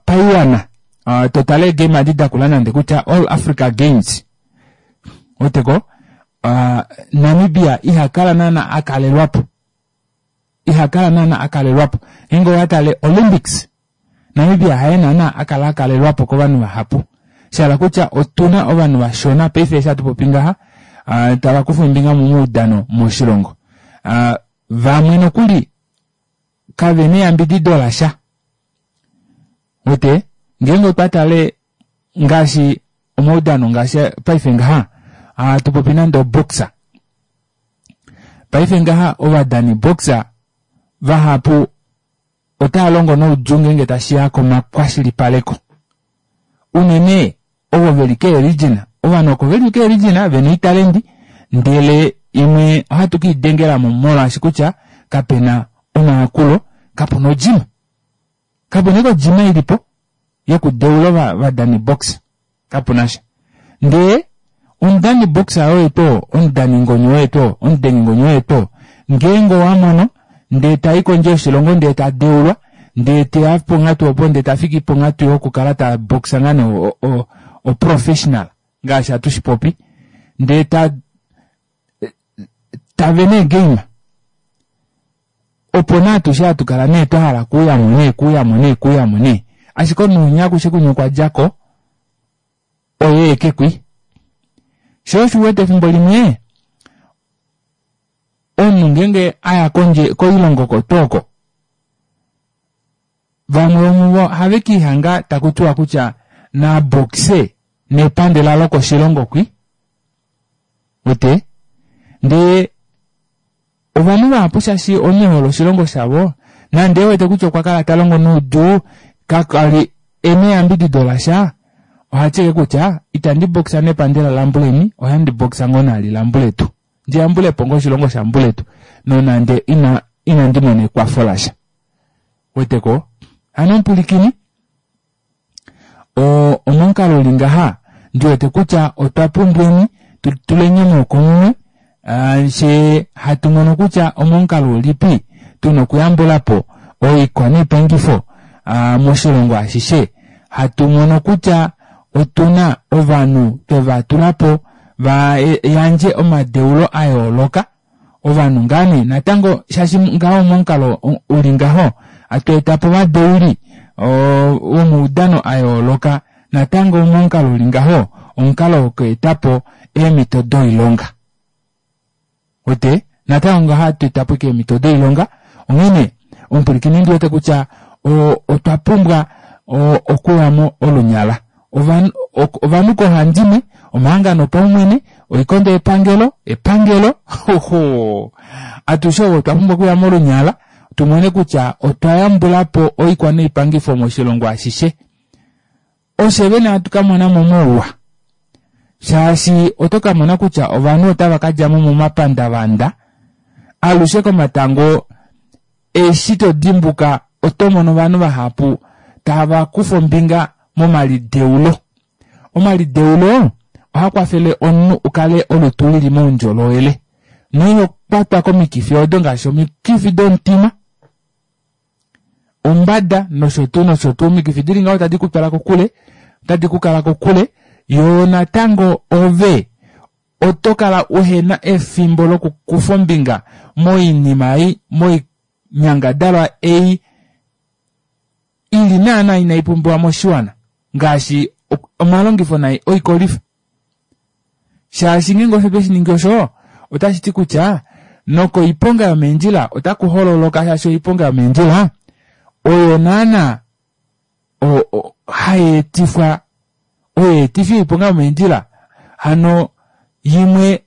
paiwana to tale eegame adi dakula nande kutya All Africa Games weteko Namibia iha kala naana a kalelwapo iha kala naana a kalelwapo ngeenge owa tale Olympics Namibia haye naana a kala a kalelwapo kovanhu vahapu shahala kutya otuna ovanhu vashona paife eshi hatu popi ngaha tava kufa ombinga momaudano moshilongo vamwe nokuli kavena eyambidido lasha wete ngeenge otwa tale ngaashi omaudano ngaashi paife ngaha hatu popi nande oboxer paife ngaha ovadani boxer vahapu otava longo noudjuu ngeenge tashi ya komakwashilipaleko unene ovo veli keerijina ovanhu oko veli keerijina vena oitalendi ndele imwe ohatu kiidengelamo molwaashi kutya kapena omayakulo kapuna ojima Kapena eke ojima ilipo yokudeula ovadani box kapuna sha. Ndee omudani box oye tuu oo, omudani ngonyo oye tuu oo, omudengi ngonyo oye tuu oo, ngeenge owa mono ndee tai kondje yoshilongo ndee ta deulwa ndee teya ponghatu opo ndee ta fiki ponghatu yokukala ta boxa ngaa nee oprofessional ngaashi hatu shi popi ndee ta tave nee game opo nee atushe hatu kala nee twa hala kuuyamo nee kuuyamo nee kuuyamo nee ashike omunhu winya akushe kunya okwa djako oye eke kwi sho osho uwete efimbo limwe omunhu ngeenge aya kondje koilongo oko tuu oko vamwe vomuvo ohave kiihanga taku tiwa kutya na boxe nepandela lokoshilongo kwi wete ndee ovanhu vahapu shaashi omunhu ehole oshilongo shavo nande ewete kutya okwa kala ta longo noudjuu kakali ena eyambidido lasha ohati eke kutya itandi boxa nepandela lambuleni ohandi boxa ngoo naali lambuletu ndi yambulepo ngoo oshilongo shambuletu nonande ina inandi mona ekwafo lasha weteko hano omupwilikini omomukalo uli ngaha ndi wete kutya otwa pumbweni tu tuleni omaoko mumwe fye hatu mono kutya omomukalo ulipi tuna okuyambula po oikwa noipangifo moshilongo ashishe hatu mono kutya otuna ovanhu tweva tula po va yandje omadeulo a yooloka ovanhu ngaa nee natango shaashi ngaho momukalo uli ngaho atu eta po ovadeuli vomaudano a yooloka natango momukalo uli ngaho omukalo woku eta po eemhito doilonga wete natango ngaho hatu eta po eemhito doilonga onghene omupwilikini ndi wete kutya otwa pumbwa okuya mo olunyala ovanhu koohandimwe omahangano opaumwene oikondo yepangelo epangelo hoho atushe ovo otwa pumbwa okuya molunyala tu mone kutya otwa yambula po oikwa noipangifo moshilongo ashishe oshe vene hatu ka mona mo mouwa shaashi oto ka mona kutya ovanhu otava ka dja mo momapandavanda alushe komatango eshi to dimbuka. Oto mono ovanhu vahapu tava kufa ombinga momalideulo. Omalideulo ohaa kwafele omunhu u kale olutu lili moundjolowele noiho kwatwa komikifi odo ngaashi omikifi domutima, ombada nosho tuu nosho tuu. Omikifi dili ngaho tadi ku twala kokule, otadi ku kala kokule, yoo natango ove oto kala uhena efimbo lokukufa ombinga moinima ei, moinyangadalwa ei ili naana inai pumbiwa moshiwana ngaashi omalongifo nai oikolifa. Shaashi ngeenge osho tweshi ningi osho, otashi ti kutya nokoiponga yomeendjila otaku hololoka shaashi oiponga yomeendjila oyo naana hai etifwa oyo etifi yoiponga yomeendjila hano yimwe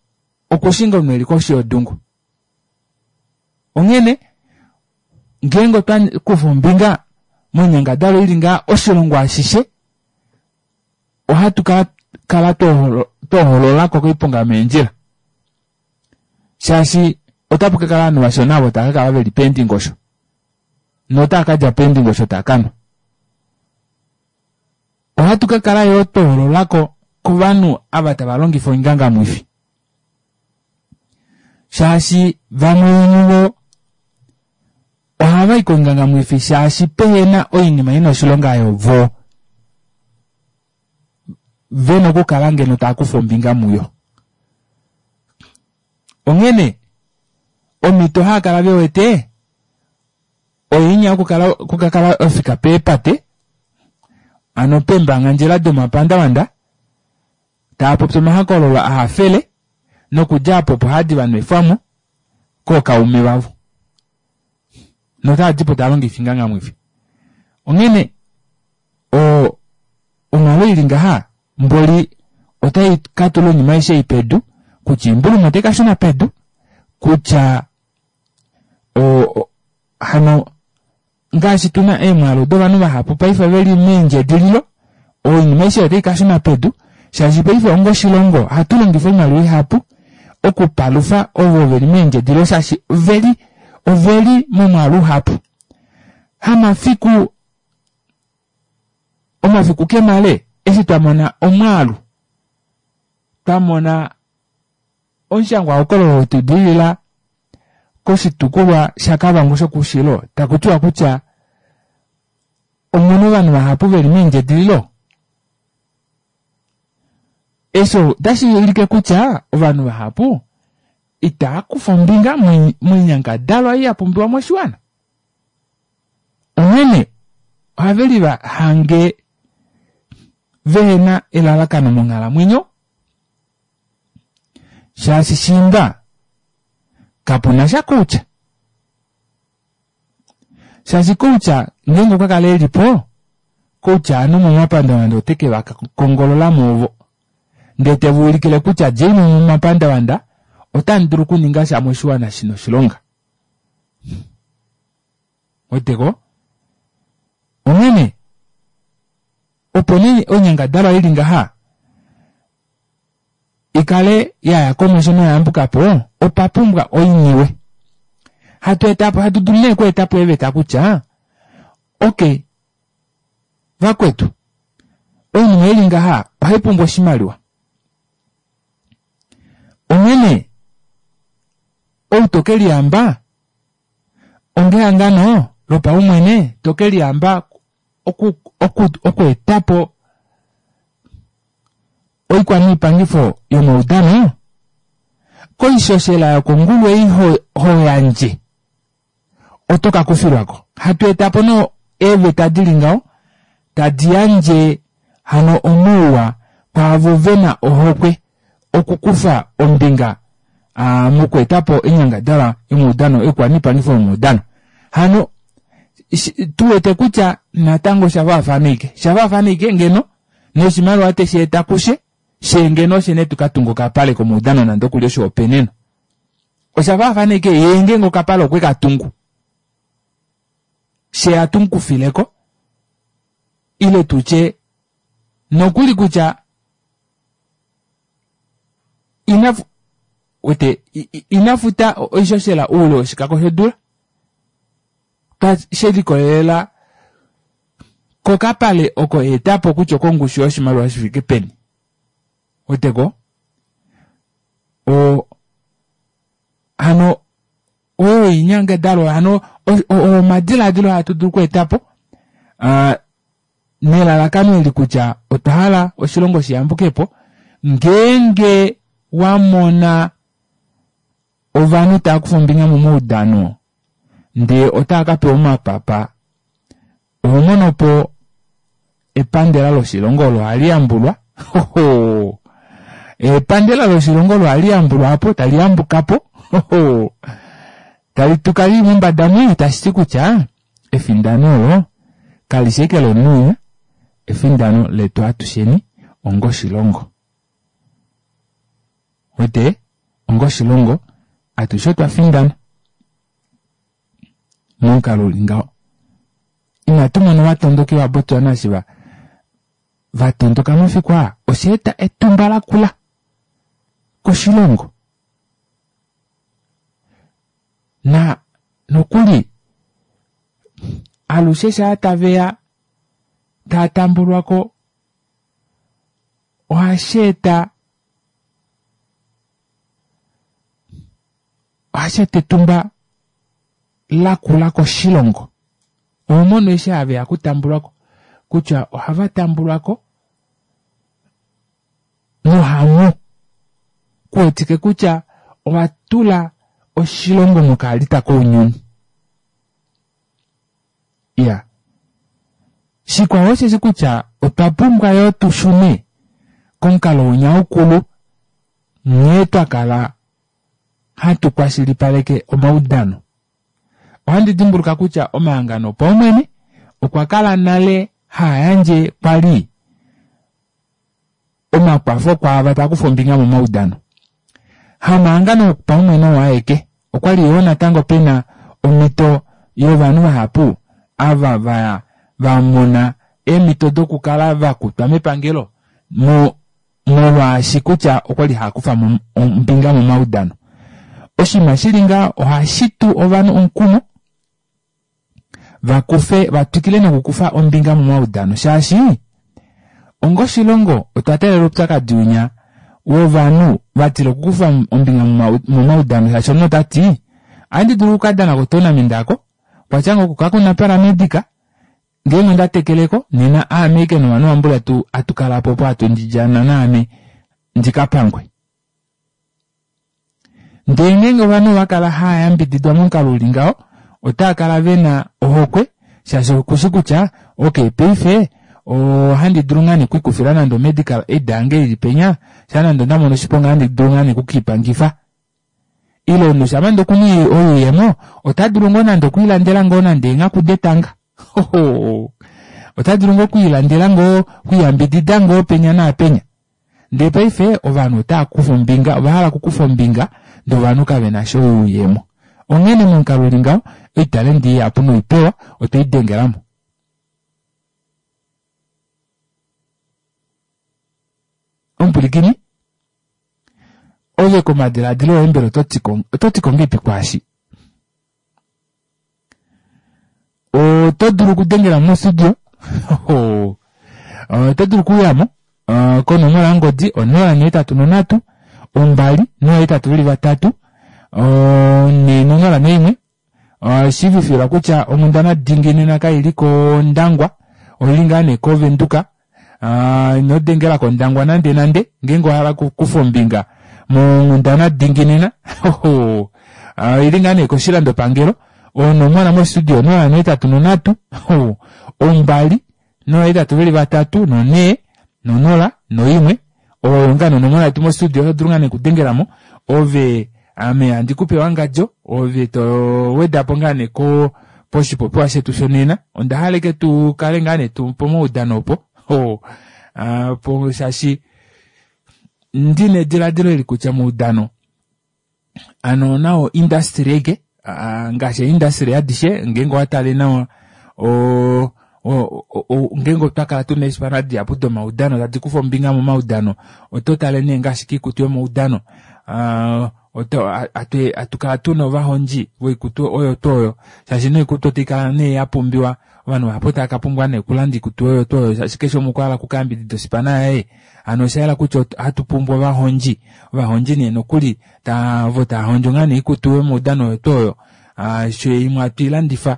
okushinga omunhu eli koshi yodungu. Onghene ngeenge otwa kufa ombinga monyangadalwa ili ngaa oshilongo ashishe ohatu ka kala twohololako koiponga yomeendjila shaashi otapu ka kala ovanhu vashona ovo tava ka kala veli peendingosho notava ka dja peendingosho tava kanwa. Ohatu ka kala yoo twohololako kovanhu ava tava longifa oingangamwifi shaashi vamwe vomuvo ohava i koingangamwifi shaashi pehena oinima ina oshilonga oyo vo vena okukala ngeno tava kufa ombinga muyo. Onghene omhito hava kala ve wete oinya yokukala okukakala ofika peepate ano peembangandjela domapandavanda tava popi omahokololo ahafele nokudja apo opo hadi va nwefwamo kookaume vavo notava dipo tava longifa oingangamwifi. Onghene o onghalo ili ngaha mboli otai ka tula oinima aishe ei pedu kutya oimbuluma otai ka shuna pedu kutya o hano ngaashi tuna eemwaalu dovanhu vahapu paife veli meendjedililo oinima aishe otai ka shuna pedu shaashi paife onga oshilongo ohatu longifa oimaliwa ihapu okupalufa ovo veli meendjedililo shaashi oveli oveli momwaalu uhapu. Hamafiku omafiku kemale eshi twa mona omwaalu twa mona omushangwahokololo wetu dilila koshitukulwa shaKavango shokoushilo taku tiwa kutya omuna ovanhu vahapu veli meendjedililo. Eshi otashi ulike kutya ovanhu vahapu itava kufa ombinga moinyangadalwa ei ya pumbiwa moshiwana. Onghene ohave liva hange vehena elalakano monghalamwenyo shaashi shiimba kapuna sha koutya. Shaashi koutya ngeenge okwa kala eli po, koutya ovanhu momapandavanda ote ke va kongolola mo ovo. Ndee te va ulikile kutya djei mo momapandavanda otamu dulu okuninga sha moshiwana shina oshilonga. Weteko? Onghene opo nee oinyangadalwa ili ngaha i kale ya ya komesho noya yambuka po, opa pumbwa oiniwe. Hatu eta po, hatu dulu nee okweeta po eeveta kutya okay vakwetu oinima ili ngaha ohai pumbwa oshimaliwa. Onghene ou to ke liyamba ongehangano lopaumwene to ke liyamba oku oku okweeta po oikwaniipangifo yomaudano koishoshela yokongulu ei ho, ho yandje oto ka kufilwa ko. Hatu eta po no eeveta di li ngaho tadi yandje hano omauwa kwaavo ve na ohokwe okukufa ombinga a mokweeta po oinyangadalwa yomaudano oikwaniipangifo yomaudano. Hano tu wete kutya natango osha faafana ike sha faafana ike ngeno noshimaliwa teshi eta kushe she ngeno oshe ne tu ka tunga okapale komaudano nande okuli oshihopenenwa. Osha faafana ike yee ngeenge okapale okwe ka tungu she atu mu kufileko ile tutye nokuli kutya ina wete ina futa oishoshela oule woshikako shodula. She likolelela kokapale oko etapo kutya okongushu yoshimaliwa shifike peni. Weteko? Hano oyo oinyangadalwa hano omadilaadilo hatu dulu okweetapo nelalakano eli kutya otwa hala oshilongo shiyambukepo ngeenge wamona ovanhu tava kufa ombinga momaudano ndee otava kapewa omapapa oho monopo epandela loshilongo olo hali yambulwa epandela loshilongo olo hali yambulwa apo tali yambukapo tali tuka lili mombada mwi tashi ti kutya efindano olo kalishi eke lomunhu efindano letu atusheni ongoshilongo. Wete ongoshilongo atushe otwa findana momukalo uli ngaho. Inatu mona ovatondoki vaBotswana eshi vatondoka mafiku aa osha eta etumba lakula koshilongo. Na nokuli alushe shaa taveya taa tambulwako ohashi eta etumba lakula koshilongo. Oho mono eshi haveya okutambulwako kutya ohava tambulwako nohamu kuwetike kutya ova tula oshilongo mokaalita kounyuni. Iya. Shikwao osheshi kutya otwa pumbwa yoo tushune komukalo winya ukulu nghee twa kala hatu kwashilipaleke omaudano. Ohandi dimbuluka kutya omahangano opaumwene okwa kala nale haa yandje kwali omakwafo kwaava tava kufa ombinga momaudano. Hamahangano opaumwene oo aeke, okwali yoo natango pena omhito yovanhu vahapu ava va mona eemhito dokukala vakutwa mepangelo molwaashi kutya okwali haa kufa ombinga momaudano. Oshinima shili ngaho ohashi tu ovanhu omukumo vakufe vatwikile nokukufa ombinga momaudano shaashi ongoshilongo otwa taalela oupyakadi winya wovanhu vatila okukufa ombinga momaudano shaashi omunhu otati ohandi dulu okukadana kotournament ako kwatya ngoo kakuna paramedic ngeenge onda tekeleko nena aame ike novanhu vambula atukalapo opo hatu ndidjana naame ndikapangwe. Ndee ngeenge ovanhu ova kala haa yambididwa momukalo uli ngaho otava kala vena ohokwe shaashi okushi kutya okay paife ohandi dulu ngaa nee okwiikufila nande omedical aid yange ili penya shaa nande onda mono oshiponga ohandi dulu ngaa nee okukiipangifa. Ile omunhu shamha nande okuna oyuuyemo ota dulu ngoo nande okwiilandela ngoo nande eenghaku detanga. Ota dulu ngoo okwiilandela ngoo okwiiyambidida ngoo penya naapenya. Ndee paife ovanhu otava kufa ombinga ova hala okukufa ombinga ndee ovanhu kavena sha oyuuyemo. Onghene momukalo uli ngaho oitalendi ihapu noipewa otwei dengelamo. Omupwilikini ove komadilaadilo oye mbela oto ti ko ngeipi kwaashi? Oto dulu okudengela mostudio oto dulu okuyamo konomola yongodi 083 2 083 401. Shiivifilwa kutya onghundana dingi nena kaili kOndangwa oili ngaa nee koVenduka. Ino dengela kOndangwa nande nande ngeenge owahala okukufa ombinga monghundana dingi nena oili ngaa nee koshilandopangelo onomola mostudio 083 2 083 4 0 1. Oyo ngaa nee onomola yetu mostudio oto dulu ngaa nee okudengelamo ove ame handi kupe wangadjo ove to wedapo ngaa nee ko poshipopiwa shetu shonena. Onda hala ike tu kale ngaa nee pomaudano opo po shaashi ndina ediladilo eli kutya moudano ano nao industry eke ngaashi eindustry adishe ngeenge owatale nawa ngeenge otwa kala tuna eespana dihapu domaudano tadi kufa ombinga momaudano oto tale nee ngaashi kiikutu yomaudano. Hatu kala tuna ovahondji voikutu oyo tuu oyo shaashi noikutu otai kala nee yapumbiwa ovanhu vahapu otava kapumbwa nee okulanda oikutu oyo tuu oyo shaashi keshe umwe okwahala okukayambidida ospana yaye hano oshayela kutya ohatu pumbwa ovahondji ovahondji nee nokuli ovo tava hondjo ngaa nee oikutu yomaudano oyo tuu oyo sho imwe hatu ilandifa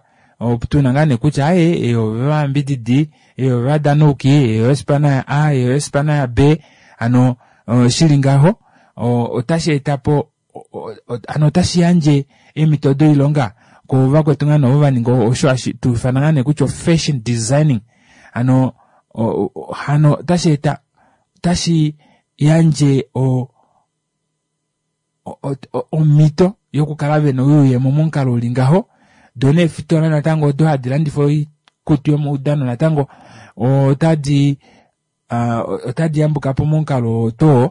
tuna ngaa nee kutya aaye ei oyovayambididi ei oyovadanauki ei oyospana ya A ei oyospana ya B hano shili ngaho otashi etapo hano otashi yandje eemhito doilonga kovakwetu ngaa nee ovo vaninga osho hashi tu ifana ngaa nee kutya fashion designing hano hano otashi eta otashi yandje omhito yokukala vena oyuuyemo momukalo uli ngaho doo neefitola natango odo hadi landifa oikutu yomaudano natango otadi otadi yambukapo momukalo oo tuu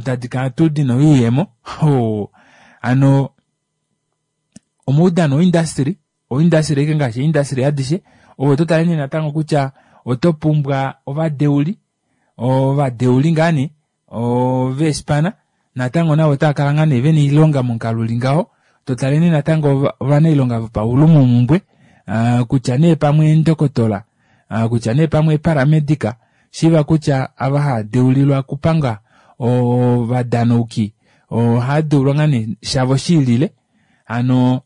tadi kala tuu dina oyuuyemo hano omaudano oindustry oindustry ashike ngaashi eindustry adishe ove oto tale nee natango kutya oto pumbwa ovadeuli ovadeuli ngaa nee oveespana natango navo otava kala ngaa nee vena oilonga momukalo uli ngaho to tale nee natango ovanailonga vopaulumomhumbwe kutya nee pamwe eendokotola kutya nee pamwe eparamedica shiiva kutya ava hava deulilwa okupanga ovadanauki ohava deulwa ngaa nee shavo shiilile hano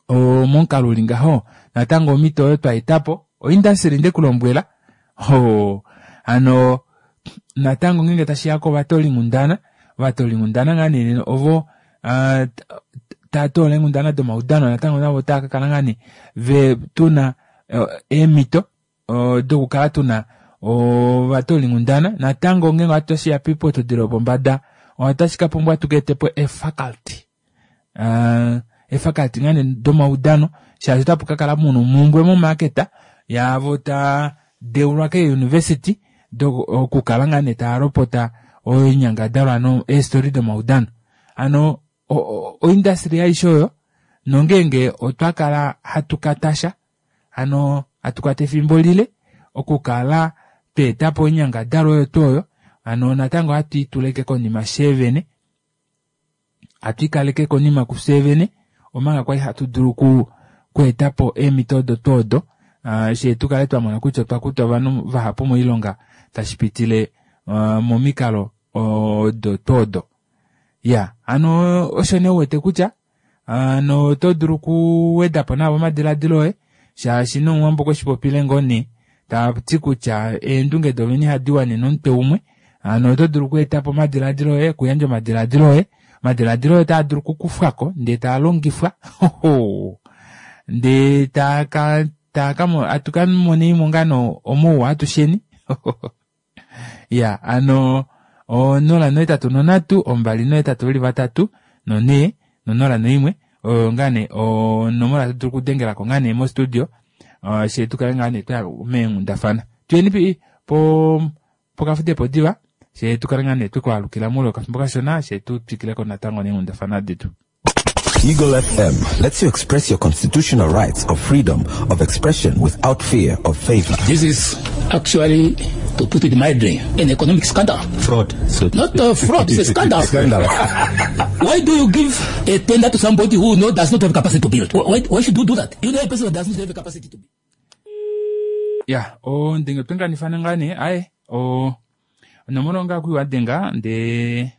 momukalo uli ngaho natango omhito oyo twa etapo oindustry ndekulombwela hano natango ngeenge tashiya kovatoolinghundana ovatoolinghundana ngaa nee ovo tava toola eenghundana domaudano natango navo otava kakala ngaa nee ve tuna eemhito dokukala tuna ovatoolinghundana natango ngeenge otashiya poiputudilo yopombada otashi kapumbwa tuka etepo eefaculty eefaculty ngaa nee domaudano shaashi otapu kakala muna omhumbwe momarket yaavo taa deulwa keeuniversity okukala ngaa nee tava lopota oinyangadalwa hano eestori domaudano hano oindustry aishe oyo nongeenge otwa kala hatu katasha hano hatu kwata efimbo lile okukala tweetapo oinyangadalwa oyo tuu oyo hano natango ohatu ituleke konima sheevene hatu ikaleke konima kufye vene omanga kwali hatu dulu okweetapo eemhito odo tuu odo shee tukale twamona kutya otwa kuta ovanhu vahapu moilonga tashi pitile momikalo odo tuu odo ya hano osho nee uwete kutya hano oto dulu okuwedapo navo omadiladilo oye shaashi nomuwambo okwe shipopile ngoo nee tati kutya eendunge dovene ihadi wanene omutwe umwe hano oto dulu okweetapo omadiladilo oye okuyandja omadiladilo oye omadiladilo oye otaa dulu okukufwako ndee taa longifwa ndee atu ka monenimo ngaa nee omauwa atusheni ya hano 083 283 4 no01 oyo ngaa nee onomola to dulu okudengelako ngaa nee mostudio shee tukale ngaa nee twaya meenghundafana tuyeni pokafudepo diva shee tukale ngaa nee twekwaalukila moule wokafimbo kashona shee tutwikileko natango neenghundafana detu. Eagle FM lets you express your constitutional rights of freedom of expression without fear of favor. This is actually, to put it mildly, an economic scandal. Fraud. So Not a fraud, it's a scandal. Scandal. Why do you give a tender to somebody who does not have capacity to build? Why should you do that? You know a person who does not have capacity to build. Ya, ondenge otwenganifana ngaa nee, aye, onomola onga kuiwadenga ndee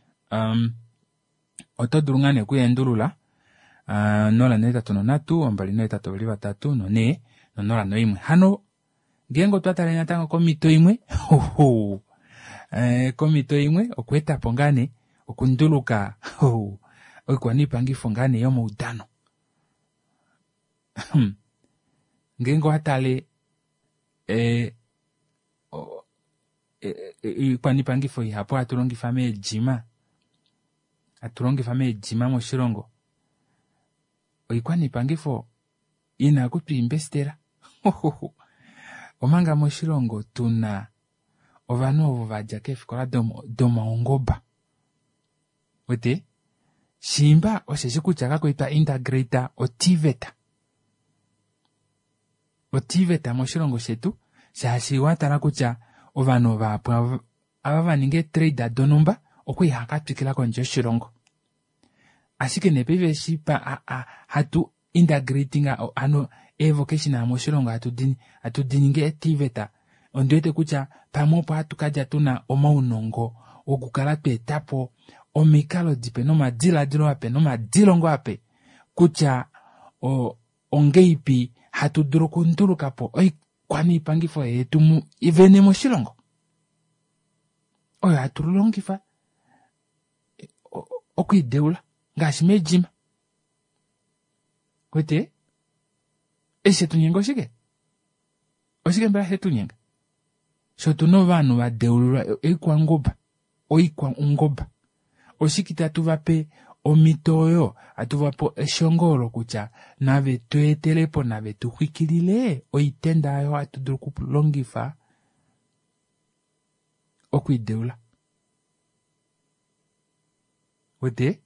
oto dulu ngaa nee okuyeendulula 083 283 4 no01 hano ngeenge otwa tale natango komhito imwe komhito imwe okweetapo ngaa nee okunduluka oikwaniipangifo ngaa nee yomaudano ngeenge owa tale oikwaniipangifo ihapu hatu longifa meejima hatu longifa meejima moshilongo oikwaniipangifo ina okutwiimbestela omanga moshilongo tuna ovanhu ovo vadja keefikola domaungoba wete shimba osheshi kutya kakwali twa integrate oTVET oTVET moshilongo shetu shaashi watala kutya ovanhu vahapu ava vaninga eetrade donhumba okwali hava katwikila kondje yoshilongo. Ashike nee paife eshi hatu integrating hano eevocational moshilongo hatu di ningi eeTVET, ondi wete kutya pamwe opo hatu kadja tuna omaunongo wokukala twa eta po omikalo dipe nomadiladilo ape nomadilongo ape kutya ongeipi hatu dulu okunduluka po oikwaniipangifo yetu vene moshilongo oyo hatu longifa okwiideula ngaashi meedjima. Wete eshi shetu nyenga oshike? Oshike mbela shetu nyenga? Sho tuna ovanhu va deulilwa oikwanguba, oikwaungoba, oshike itatu va pe omhito oyo, hatu va pe eshongo olo kutya nave tu etele po, nave tu xwikilile oitenda oyo hatu dulu okulongifa okwiideula. Wete?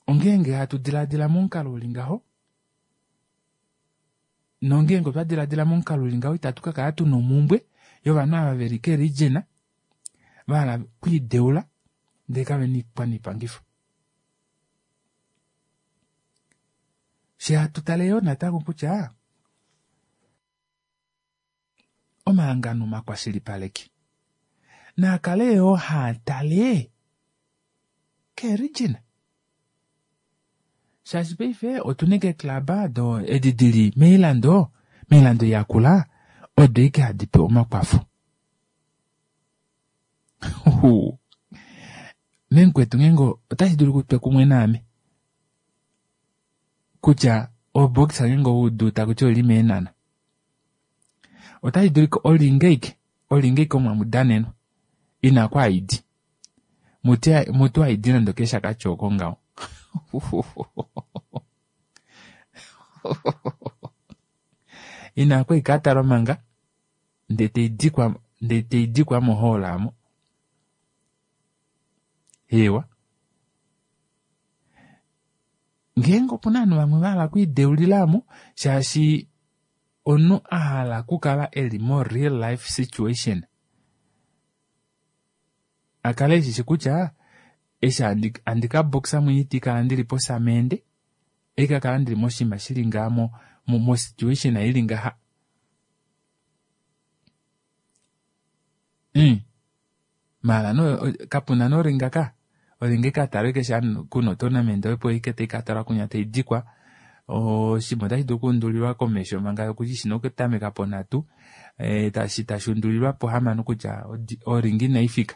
Ongeenge hatu diladila momukalo uli ngaho, nongeenge otwa diladila momukalo uli ngaho itatu ka kala tuna omumbwe yovanhu ava veli keeregion va hala okwiideula ndele kave na oikwaniipangifo. Fye hatu tale yoo natango kutya omahangano omakwashilipaleki naa kale yoo haa tale keeregion. Shaashi paife otuna eke eeklaba do edi dili moilando, moilando yakula odo ike hadi pewa omakwafo. Memukwetu ngeenge otashi dulu kutwe kumwe naame kutya oboxa ngeenge owaudu takuti oili meenhana, otashi dulika olinga ike omo hamu danenwa ina ku haidi mutu haidi nande okeshakati oko ngaho. Ina ku ikatalwa manga ndee taidikwa mohall aamo. Eewa. Ngeenge opuna ovanhu vamwe vahala okwiideulila aamo shaashi omunhu ahala okukala eli mo real life situation akale eshishi kutya eshi handi ka boxa mwenye iti kala ndili posamende ika kala ndili moshinima shili ngaha mo situation ili ngaha. Maala no kapuna noringa ka oringa ikatalwa ike sha kuna otournament opo ike taikatalwa kunya taidikwa oshinima otashi dulu okuundulilwa komesho manga okuti shina okutameka ponhatu tashi undulilwa pohamano kutya oringa inaifika.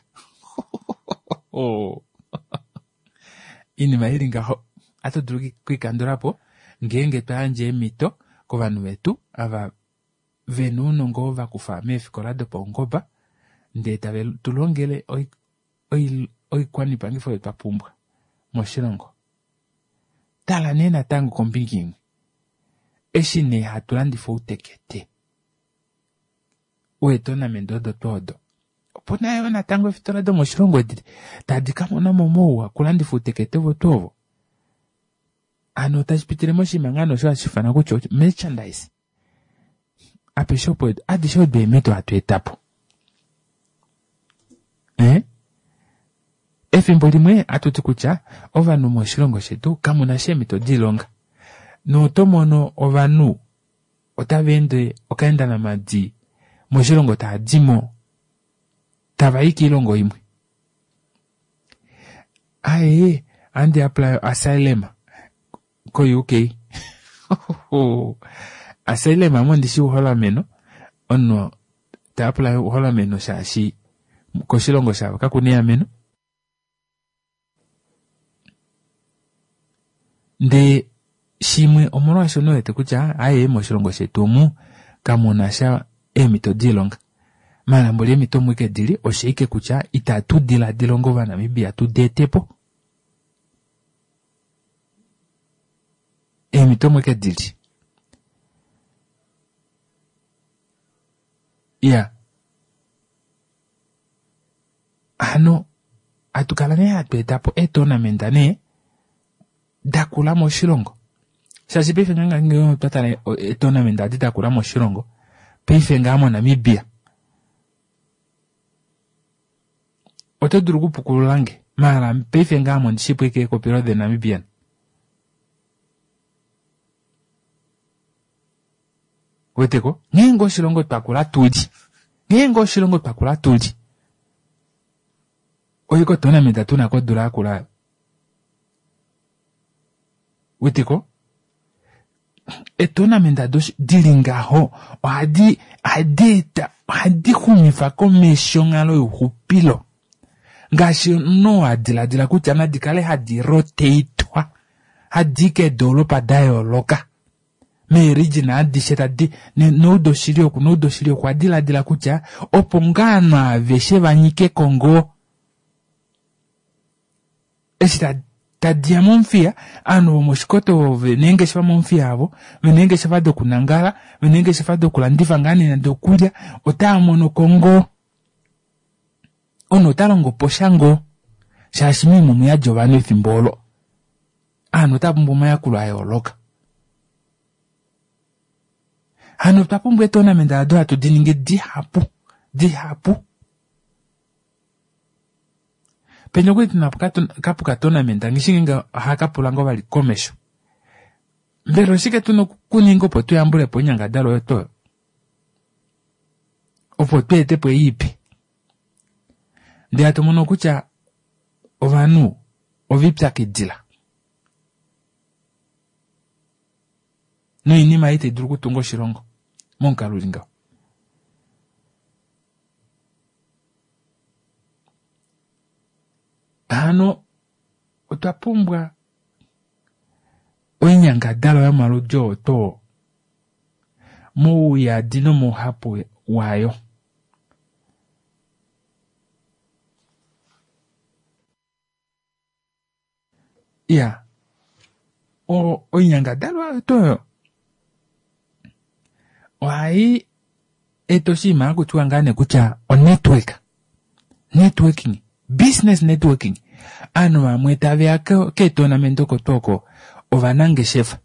Oinima ili ngaho ohatu dulu okuikandulapo ngeenge twa yandja eemhito kovanhu vetu ava vena ounongo oo vakufa meefikola dopaungoba ndee tave tu longele oikwanipangifo oyo twa pumbwa moshilongo. Tala nee natango kombinga imwe eshi nee hatu landifa outekete weetournament odo tuu odo, opuna yoo natango eefitola domoshilongo edi tadi ka mona mo mouwa okulandifa outekete ovo tuu ovo. Hano tashi pitile moshinima ngaa nee osho hashi ifanwa kutya merchandise. Apeshe opo adishe odo eemhito hatu eta po. Efimbo limwe hatu ti kutya ovanhu moshilongo shetu kamuna sha eemhito doilonga. Noto mono ovanhu otava ende okaenda namadi moshilongo tava dimo tava i koilongo imwe. Aye, handi apply asylum ko UK. Asylum amo ndishi uholameno, omunhu ta apply uholameno shaashi koshilongo shavo kakuna eameno. Ndee shimwe omolwaashono wete kutya aye moshilongo shetu omu kamuna sha eemhito doilonga. Maala mboli eemhito omu ike dili oshaike kutya itatu diladila onga Ovanamibia tu di ete po. Eemhito omu ike dili. Iya. Hano hatu kala nee hatu eta po eetournament nee dakula moshilongo. Shaashi paife ngaa ngenge otwa tala eetournament adi dakula moshilongo, paife ngaa moNamibia oto dulu okupukulula nge. Maala paife ngaa ame ondishipo ike ekopi lo The Namibian. Weteko? Ngeenge oshilongo twa kula tuli. Ngeenge oshilongo twa kula tuli. Oiko tournament tuna kodula yakula. Weteko? Etournament dili ngaho ohadi eta ohadi xumifa komesho onghalo youxupilo. Ngaashi omunhu a diladila kutya nadi kale hadi rotatwa hadi keedoolopa da yooloka meeregion adishe tadi noudoshili oku noudoshili oku adiladila kutya opo ngaa ovanhu aveshe va nyike ko ngoo eshi tadiya mOmuthiya ovanhu vomoshikoto vena eengeshefa mOmuthiya avo vena eengeshefa dokunangala vena eengeshefa dokulandifa ngaa nee nande okulya otaa mono ko ngoo omunhu ota longo po sha ngoo shaashi moima omuyadi ovanhu efimbo olo ovanhu otava pumbwa omayakulo a yooloka. Hano otwa pumbwa eetournament ado hatu di ningi dihapu dihapu. Penya okuli tuna kapuka tournament ngishi ngeenge ohaka pula ngoo vali komesho. Mbela oshike tuna okuninga opo tuyambule po oinyangadalwa oyo tuu oyo? Opo tu ete po ei ipe. Ndele hatu mono kutya ovanhu ovipyakidila noinima ei tai dulu okutunga oshilongo momukalo uli ngaho. Hano otwa pumbwa oinyangadalwa yomaludi oo too mouyadi nomouhapu wayo. Iya, oinyangadalwa oyo tuu oyo ohai eta oshinima haku tiwa ngaa nee kutya onetwork, networking, business networking. Ovanhu vamwe taveya keetournament oko tuu oko ovanangeshefa.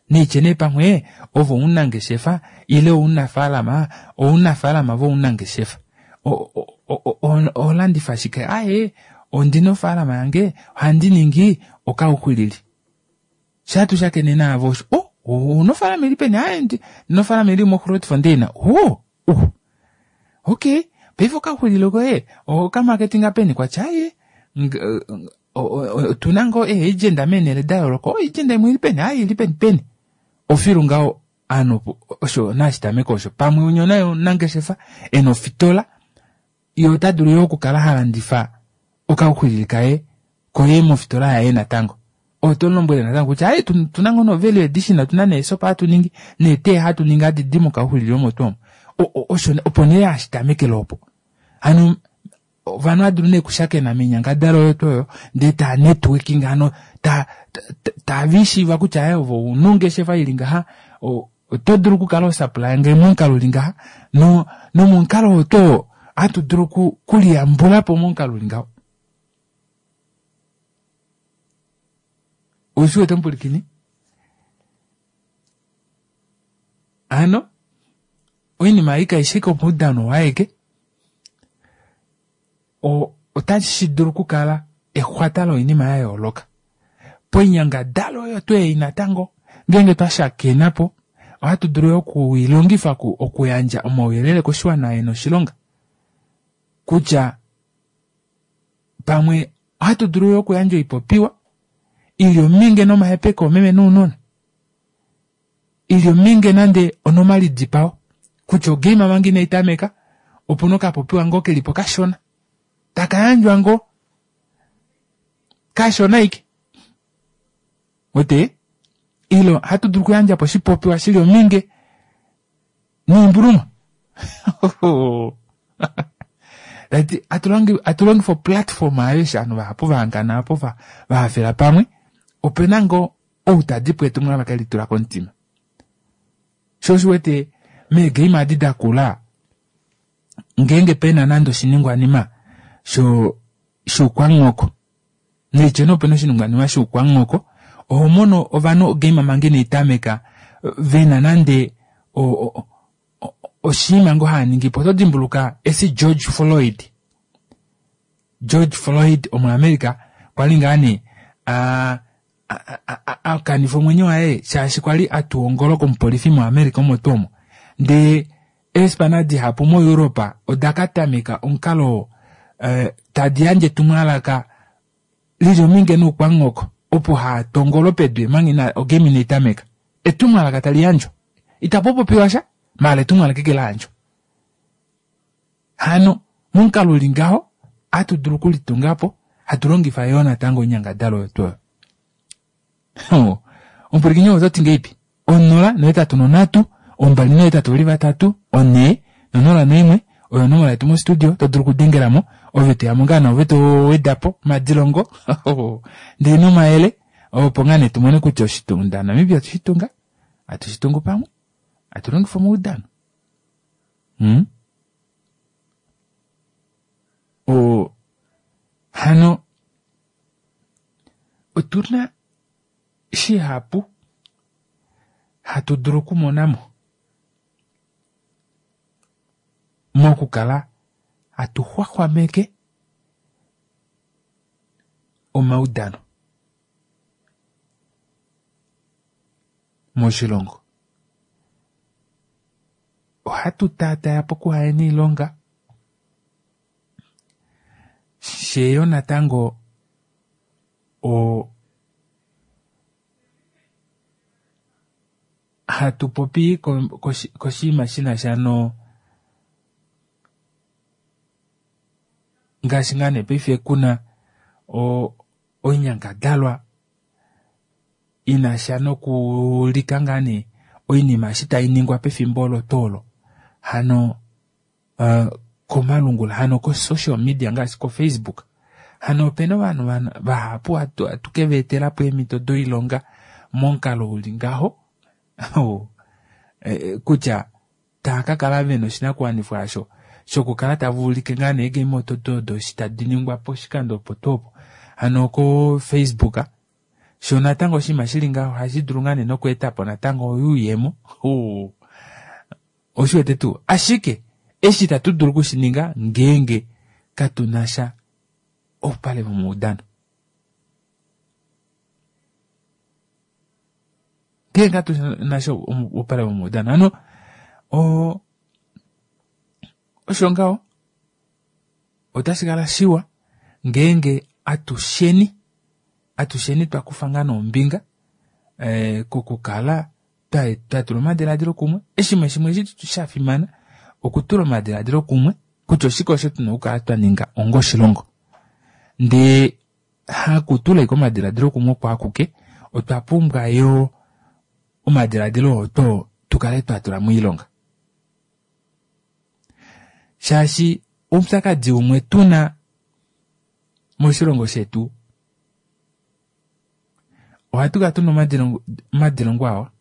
Neitye nee pamwe ove omunangeshefa ile ounafaalama, ounafaalama vounangeshefa. Oho landifa shike? Aaye, ondina ofaalama yange, ohandi ningi okauxwilili. Shaa tushakene naavo osho, oh, ouna ofaalama ili peni? Aaye, ndina ofaalama ili moGrootfontein. Oh, uh, okay, paife okauxwilili koye ohokamarketinga peni? Kwatya aaye, otuna ngoo eeagenda meenhele da yooloka. Oh, agenda imwe ili peni? Aaye, ili peni peni. Ofilu ngaho ovanhu osho nashi tameke osho. Pamwe umwe naye omunangeshefa ena ofitola, ye ota dulu yo okukala ha landifa okauxwilili kaye koye mofitola yaye natango. Oto mulombwele natango kutya aye tuna ngoo no value addition, otuna neesopa hatu ningi, neetee hatu ningi hadi di mokauxwilili omo tuu omo. Osho opo nee hashi tamekele opo. Hano ovanhu ohava dulu nee okushakena moinyangadalwa oyo tuu oyo ndee taa networking hano tave ishiiva kutya aye ove ouna ongeshefa ili ngaha, oto dulu okukala hosupplya nge momukalo uli ngaha nomomukalo oo tuu oo ohatu dulu okuliyambulapo momukalo uli ngaho. Oushi wete omupwilikini? Hano oinima ei kaishi ashike omaudano oo aeke, otashi dulu okukala exwata loinima ya yooloka. Poinyangadalwa oyo tuu ei natango ngeenge twa shakena po ohatu dulu yo okuilongifa okuyandja omauyelele koshiwana e na oshilonga kutya pamwe ohatu dulu yo okuyandja oipopiwa ili ominge nomahepeko oomeme nounona. Ili ominge nande onomalidipao kutya ogame manga inai tameka opuna okapopiwa ngoo kelipo kashona taka yandjwa ngoo kashona ike wete ilo hatu dulu okuyandja po oshipopiwa shili ominge noimbuluma tati atu longifa oplatform aayo eshi ovanhu vahapu vahangana apo vahafela pamwe opena ngoo ou tadi po etumwalaka eli tula komutima. Sho osho wete meegame adi da kula ngeenge pena nande oshiningwanima shoukwangoko neityo nee opena oshiningwanima shoukwangoko oho mono ovanhu ogame manga inai tameka vena nande oshinima ngoo haaningi po. Oto dimbuluka eshi George Floyd. George Floyd omuAmerica kwali ngaa nee a a kanifa omwenyo waye shaashi kwali a tuwa ongolo komupolifi moAmerica omo tuu omo. Ndee eespana dihapu moEuropa oda ka tameka omukalo oo tadi yandje etumwalaka lili ominge noukwamuhoko opo haa tongolo pedu omanga ina ogame inai tameka. Etumwalaka tali yandjwa. Itapu popiwa sha, maala etumwalaka eke la yandjwa. Hano momukalo uli ngaho ohatu dulu okulitunga po hatu longifa yoo natango oinyangadalwa oyo tuu oyo. Omupwilikini oto ti ngeipi? 0 8 3 2 8 4 0 1 oyo onomola yetu mostudio to dulu okudengela mo ove toya mo ngaa naove to weda po omadilongo ndele nomayele opo ngaa nee tumone kutya oshitunda Namibia otu shi tunga hatu shi tungu pamwe hatu longifa omaudano hmm? O hano otuna shihapu hatu dulu okumona mo mokukala hatu xwaxwameke omaudano moshilongo. Ohatu taataya pokuhayena iilonga, sheyo natango o hatu popi koshinima shi na sha no ngaashi ngaa nee paife kuna oinyangadalwa i na sha nokuulika ngaa nee oinima eshi tai ningwa pefimbo olo tuu olo hano komalungula hano ko-social media ngaashi ko-Facebook hano opena ovanhu vahapu hatu ke va etela po eemhito doilonga momukalo uli ngaho kutya tava ka kala vena oshinakuwanifwa osho shokukala tava ulike ngaa nee eegame odo odo eshi tadi ningwa poshikando opo tuu opo hano ko-Facebook sho natango oshinima shili ngaho ohashi dulu ngaa nee nokweeta po natango oyuuyemo Oshi wete tuu? Ashike eshi itatu dulu oku shi ninga ngeenge katu na sha oupale vomaudano. Ngeenge katu na sha oupale vomaudano. Hano o osho ngaho otashi kala shiwa ngeenge atusheni atusheni twa kufa ngaa noombinga eh, kokukala twa tula omadiladilo kumwe. Eshimwe shimwe eshi sha fimana okutula omadiladilo kumwe kutya oshike osho tuna okukala twa ninga onga oshilongo. Ndee hakutula ashike omadiladilo kumwe oko akuke, otwa pumbwa yo omadiladilo oo to tu kale twa tula moilonga. Shaashi oupyakadi umwe tuna moshilongo shetu Ohatu kala tuna omadilongo awa,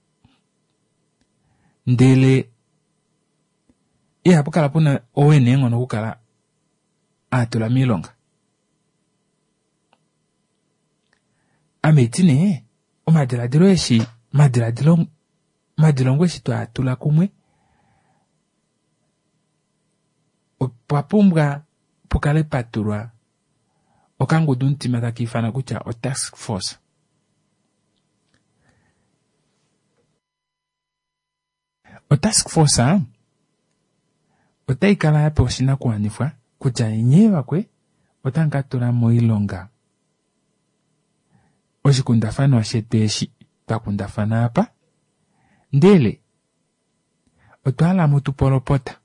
ndele ihapu kala puna ou ena eenghono okukala a tula miilonga. Ame iti nee omadiladilo eshi omadiladilo omadilongo eshi twaa tula kumwe opwa pumbwa pukale patulwa okangudumutima taka ifana kutya otask force. Otask force otai kala ya pewa oshinakuwanifwa kutya nyee vakwe otamu ka tula moilonga oshikundafanwa shetu eshi twa kundafana apa, ndele otwa hala mu tu polopota.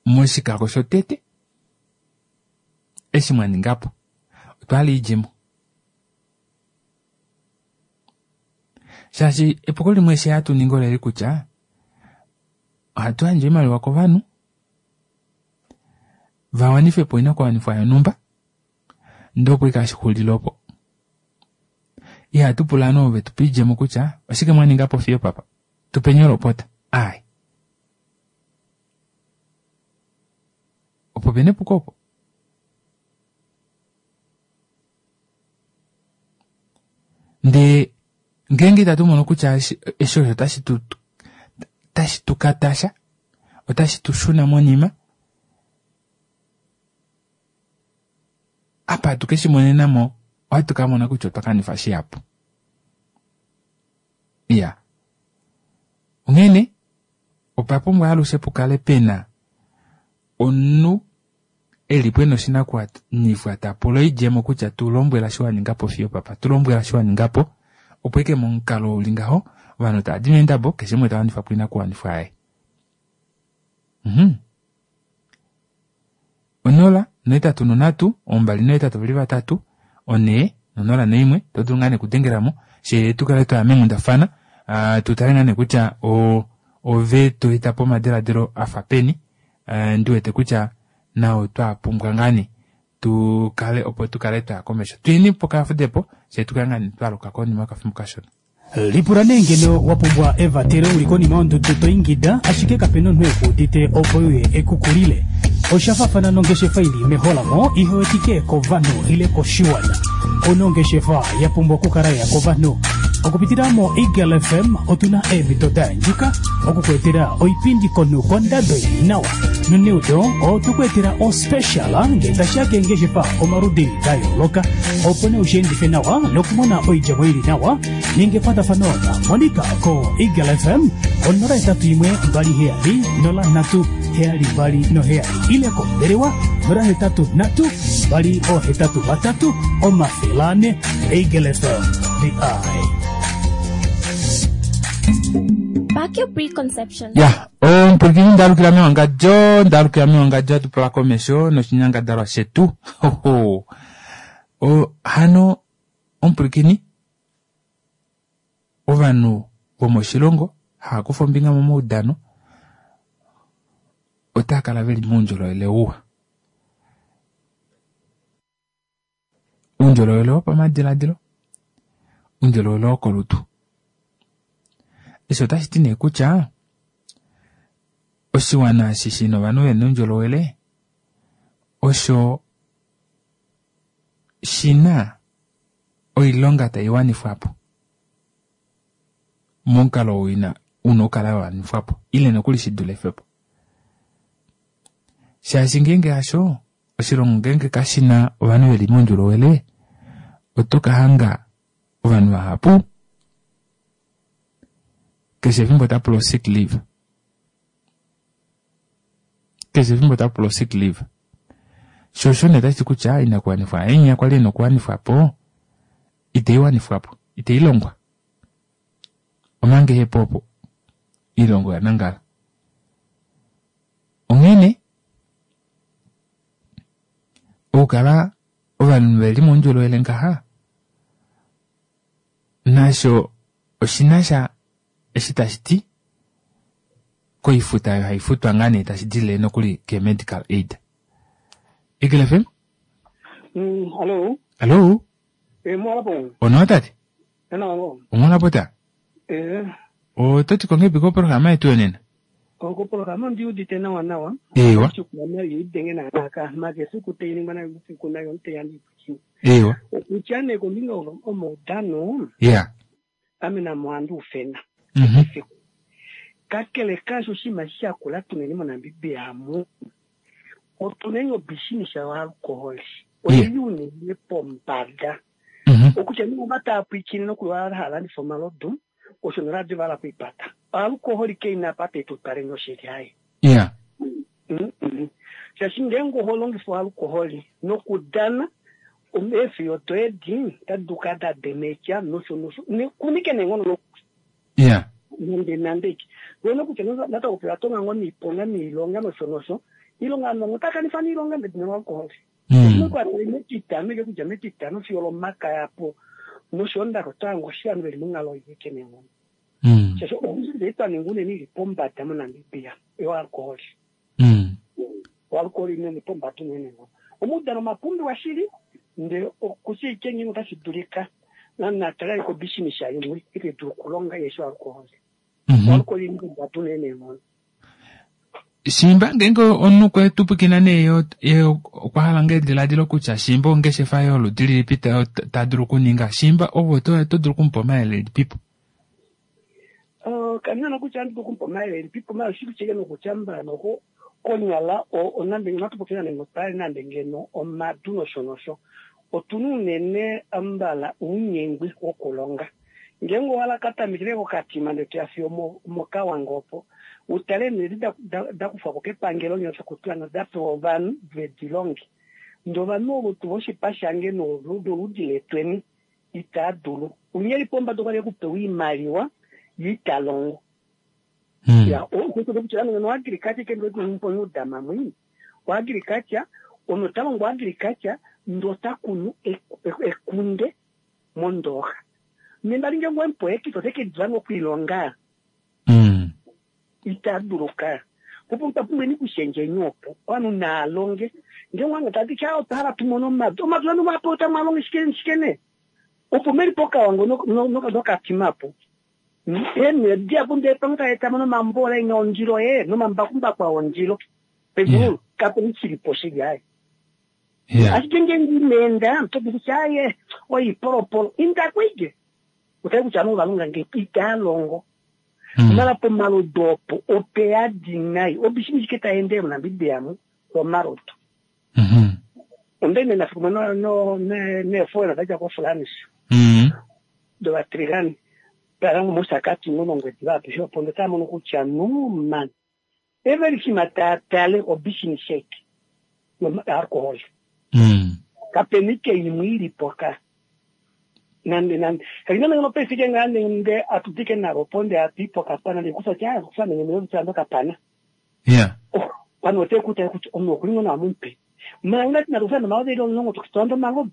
Moshikako shotete eshi mwa ninga po, otwa hala oidjemo. Shaashi epuko limwe eshi hatu ningi oleli kutya ohatu yandje oimaliwa kovanhu va wanife po oinakuwanifwa yonhumba ndee opo ashike hashi xulile opo. Ihatu pula ovanhu ovo vetu pa oidjemo kutya oshike mwa ninga po fiyo opapa, tupeni olopota. Aai. Opo pena epuko opo. Ndee ngeenge itatu mono kutya eshi osho otashi tu tashi tu katasha, otashi tu shuna monima. Apa hatu ke shi monena mo, ohatu ka mona kutya otwa kanifa shihapu. Iya. Onghene, opa pumbwa alushe pu kale pe na omunhu e li po e na oshinakuwanifwa ta pula oidjemo kutya tu lombwela shi wa ninga po fiyo opapa, tu lombwela shi wa ninga po, opo eke momukalo u li ngaho ovanhu tava di meendabo, keshe umwe ta wanifa po oinakuwanifwa yaye. Mhm. 0 8 3 2 8 2 4 0 1 to dulu ngaa nee okudengela mo she tu kale twaya meenghundafana tu tale ngaa nee kutya ove to eta po omadiladilo a fa peni ndi wete kutya nao twa pumbwa ngaa nee tu kale opo tu kale twaya komesho tuyeni pokafudepo she tu kale ngaa nee twaluka konima yokafimbo kashona. Lipula nee ngeno wa pumbwa evatelo u li konima yondudu to ingida ashike kape na omunhu e ku udite opo e uye e ku kulile. Osha faafana nongeshefa i li meholamo ihe wetike kovanhu ile koshiwana. Ou na ongeshefa ya pumbwa okukala ya kovanhu. Okupitila moEagle FM otu na eemhito da yandjuka oku ku etela oipindi komunhu kondado i li nawa. Noneudo otwe ku etela ospecial ngee tashi ya keengeshefa omaludi da yooloka opo nee ushiendife nawa nokumona oidjemo ili nawa. Ninga ekwatafano na Monica ko Eagle FM 081 27 03 72 ile kombelewa 083 283 400. Eagle FM, the eye. Pack your preconceptions. Ya, omupwilikini ndalukila mewangadjo, ndalukila mewangadjo hatu pula komesho noshinyangadalwa shetu. Hoho. O, hano omupwilikini ovanhu vomoshilongo hava kufa ombinga momaudano otava kala veli moundjolowele uwa. Uundjolowele wopamadiladilo, uundjolowele wokolutu. Eshi otashi ti nee kutya oshiwana eshi shina ovanhu vena oundjolowele osho shi na oilonga tai wanifwa po momukalo oo ina una okukala ya wanifwa po ile nokuli shi dulife po. Shaashi ngeenge hasho, oshilongo ngeenge kashi na ovanhu ve li moundjolowele, oto ka hanga ovanhu vahapu keshe efimbo ota pula o-sick leave. Keshe efimbo ota pula o-sick leave. Sho osho nee otashi ti kutya oinakuwanifwa ainya kwali ina okuwanifwa po itei wanifwa po, itei longwa. Omanga ehe po opo oilonga oya nangala. Onghene okukala ovanhu ve li moundjolowele ngaha nasho oshi na sha eshi tashi ti koifuta oyo hai futwa ngaa nee tashi dilile nokuli ke-medical aid. Eagle FM? Hallo. Hallo. Eh, mwalapo. Onawa tate? Onawa ngoo. Omwalapo ta? Eh. Oto ti ko ngahelipi koprograma yetu yonena? Koprograma ondi udite nawa nawa. Eewa. Oshikwama idenge naanaka makefiku tai ningwa nayo usiku nayo omutenya ndiipwikiwe. Eewa. Okutya nee kombinga omaudano. Yeah. Ame namo ohandi ufena efiku. Kakele kaasho oshinima eshi sha kula tuneni moNamibia amu, otuneni obishinisha yoalkoholi oili unene pombada. Okutya nee ova tava pwiikine nokuli ova hava landifa omalodu osho noradio ova hala okuipata. Oalkoholi kai na apa tai tu twaleni oshili haye. Shaashi ngeenge oho longifa oalkoholi nokudana eefiyo doye edi otadi dulu okukala da demekya nosho nosho kunike neenghono nokuli. Nande nande ike. Wena kutya natango oya tonga ngoo niiponga niilonga nosho nosho. Iilonga ovanhu vamwe otava kanifa niilonga medina loalkoholi. Osho metitano ike kudja metitano fiyo olomakaya po noshoondaxa oto hange oshivanhu veli monghalo ii ike neenghono. Shaashi ombinzi ei twa ninga unene ili pombada moNamibia yoalkoholi. Oalkoholi inene pombada unene neenghono. Omaudano omapumbiwa shili ndele okutya ike ngeenge otashi dulika natale kobishinisha imwe ite dulu okulonga yeshi oalkoholi. Oalkoholi ili pombada unene neenghono. Shimba ngeenge omunhu okwe tu pwikina nee ye okwa hala ngee ediladilo kutya shimba ongeshefa yoludi lilipi ta dulu okuninga, shimba ove oto dulu okumupa omayele elipipo? Kandi na nokutya ohandi dulu okumupa omayele elipipo, maala oshili shike nokutya mbala noko Konyala nande natu popye nande ngotwali nande ngeno omadu nosho nosho, otuna unene ambala ounyengwi wokulonga. Ngeenge owa ka tamekele kokatima ndele toya fiyo mOkawango opo, utale nee da kufwa ko kepangelo nyoo noda pewa ovanhu vedi longe. Ndee ovanhu ovo tuu voshipa shange noludi letweni itaa dulu. Unyeli li pombada okwali ekupewa oimaliwa ye ita longo. Ya, kutya no agriculture ke ndo mamwe. O agriculture ono ta longo agriculture ndo ta kunu ekunde mondooxa. Nenda linge ngwe mpoekito teke dula okuilonga. Ita dulu ka. Opo tapumbweni kushendjeni opo ovanhu naalonge. Ngenge wange tati kya otwa hala tu mone omadu. Omadu anu mapo otamwalonge shike shike ne. Opo meli pokawango nokatima po. Eenedi apo ndee pamwe taeta mo nomambola ina ondilo ye nomambakumbaku a ondilo. Pegulu kape shilipo shili aye. Ashike ngenge ineenda toti kutya aye oipolopolo inda kwike. Utale kutya ovanhu ovalonga nge itaa longo. Mala pomalodu opo ope yadi nai. Obishini shike taendele moNamibia mu omalodu. Onda ine nafiku no neefola dadja koFrance. Dovatrilani. Tala mOshakati nonOngwediva apishe opo ndee taa mono kutya no man. Everything taa tale obishini shake alcohol. Kapena ike imwe ilipo ka. Nande nande. Kalina nangeno paife ike ngaa nde atudike nalo po nde atuyi pokapana nde kufa kya kufa nenge nde nokapana. Pano ote kutale kutya omunhu okuli ngoo nawa momutwe. Manga ngati nalufa nomalodu eli omulongo tokitola omalodu.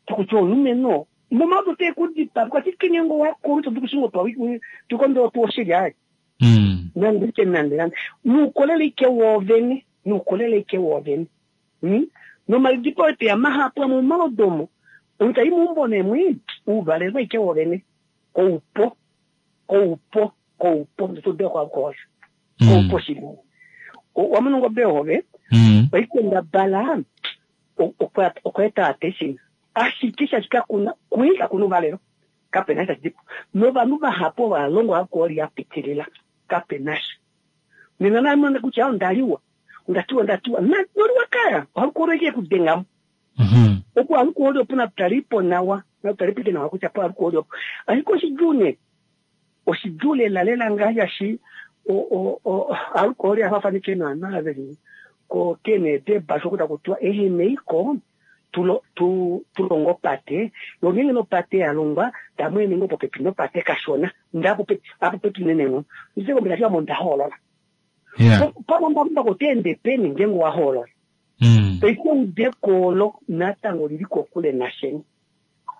Tokutya omulumenhu nomalodu ote kudipa kwati kenyengo wakulu to dukushingo twa tukondo tu oshili aye. Nande ike nande nande. Nuukolele ike woovene. Nuukolele ike woovene. Nomalidipo ete ya mahapu amwe omalodu omo. Omutai muumbo nemwi uuvalelwa ike woovene. Koupo. Koupo. Koupo. Ndotodea kwa alcohol. Koupo shili. Wamono ngombe hove. Oikendabala okweeta attention. Ashike shaashi kakuna kui kakuna uvalelo. Kapena sha dipo. Novanhu vahapu ova longwa alcohol ya pitilila. Kapena sha. Nena namona kutya ondaliwa. Ondatiwa ndatiwa. Noliwa kaya. Alcohol ike kudengamo. Opo alcohol opo natutalipo nawa. Natutalipo nawa kutya po alcohol opo. Ashike oshidjuu nee. Oshidjuu lela lela ngaashi alcohol ya fafanike naana veli ko kene debasho kuta kutiwa eheneiko tulongo opate yo ngenge nopate ya longwa tamweene ngo popepi nopate kashona nda apopepi neneno ndise kombela shiwa nda hoolola pamambakumbaku oteende peni ngenge wa hoolola paife eudeko natango lili kokule nasheni.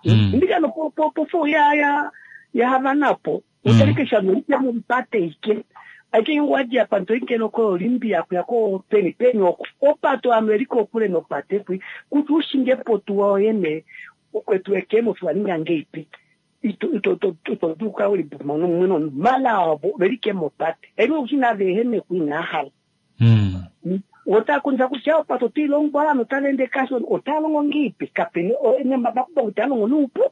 Ndikano pofo ya ya havanapo utalike shano ya mupate ike ake ngwaji apa ntoike noko Olympia kuya ko peni peni oko opato Amerika okule nopate kwi kuti ushinge potuwa oyene okwetu ekemo fiwaninga ngeipi ito ito ito ito duka uli mono mono mala abo velike mopate eno usina vehene kuina hala otakunza kutya opato tilongwa ano talende kasho otalongo ngipi kapeni nembakumbaku utalongo nuupu.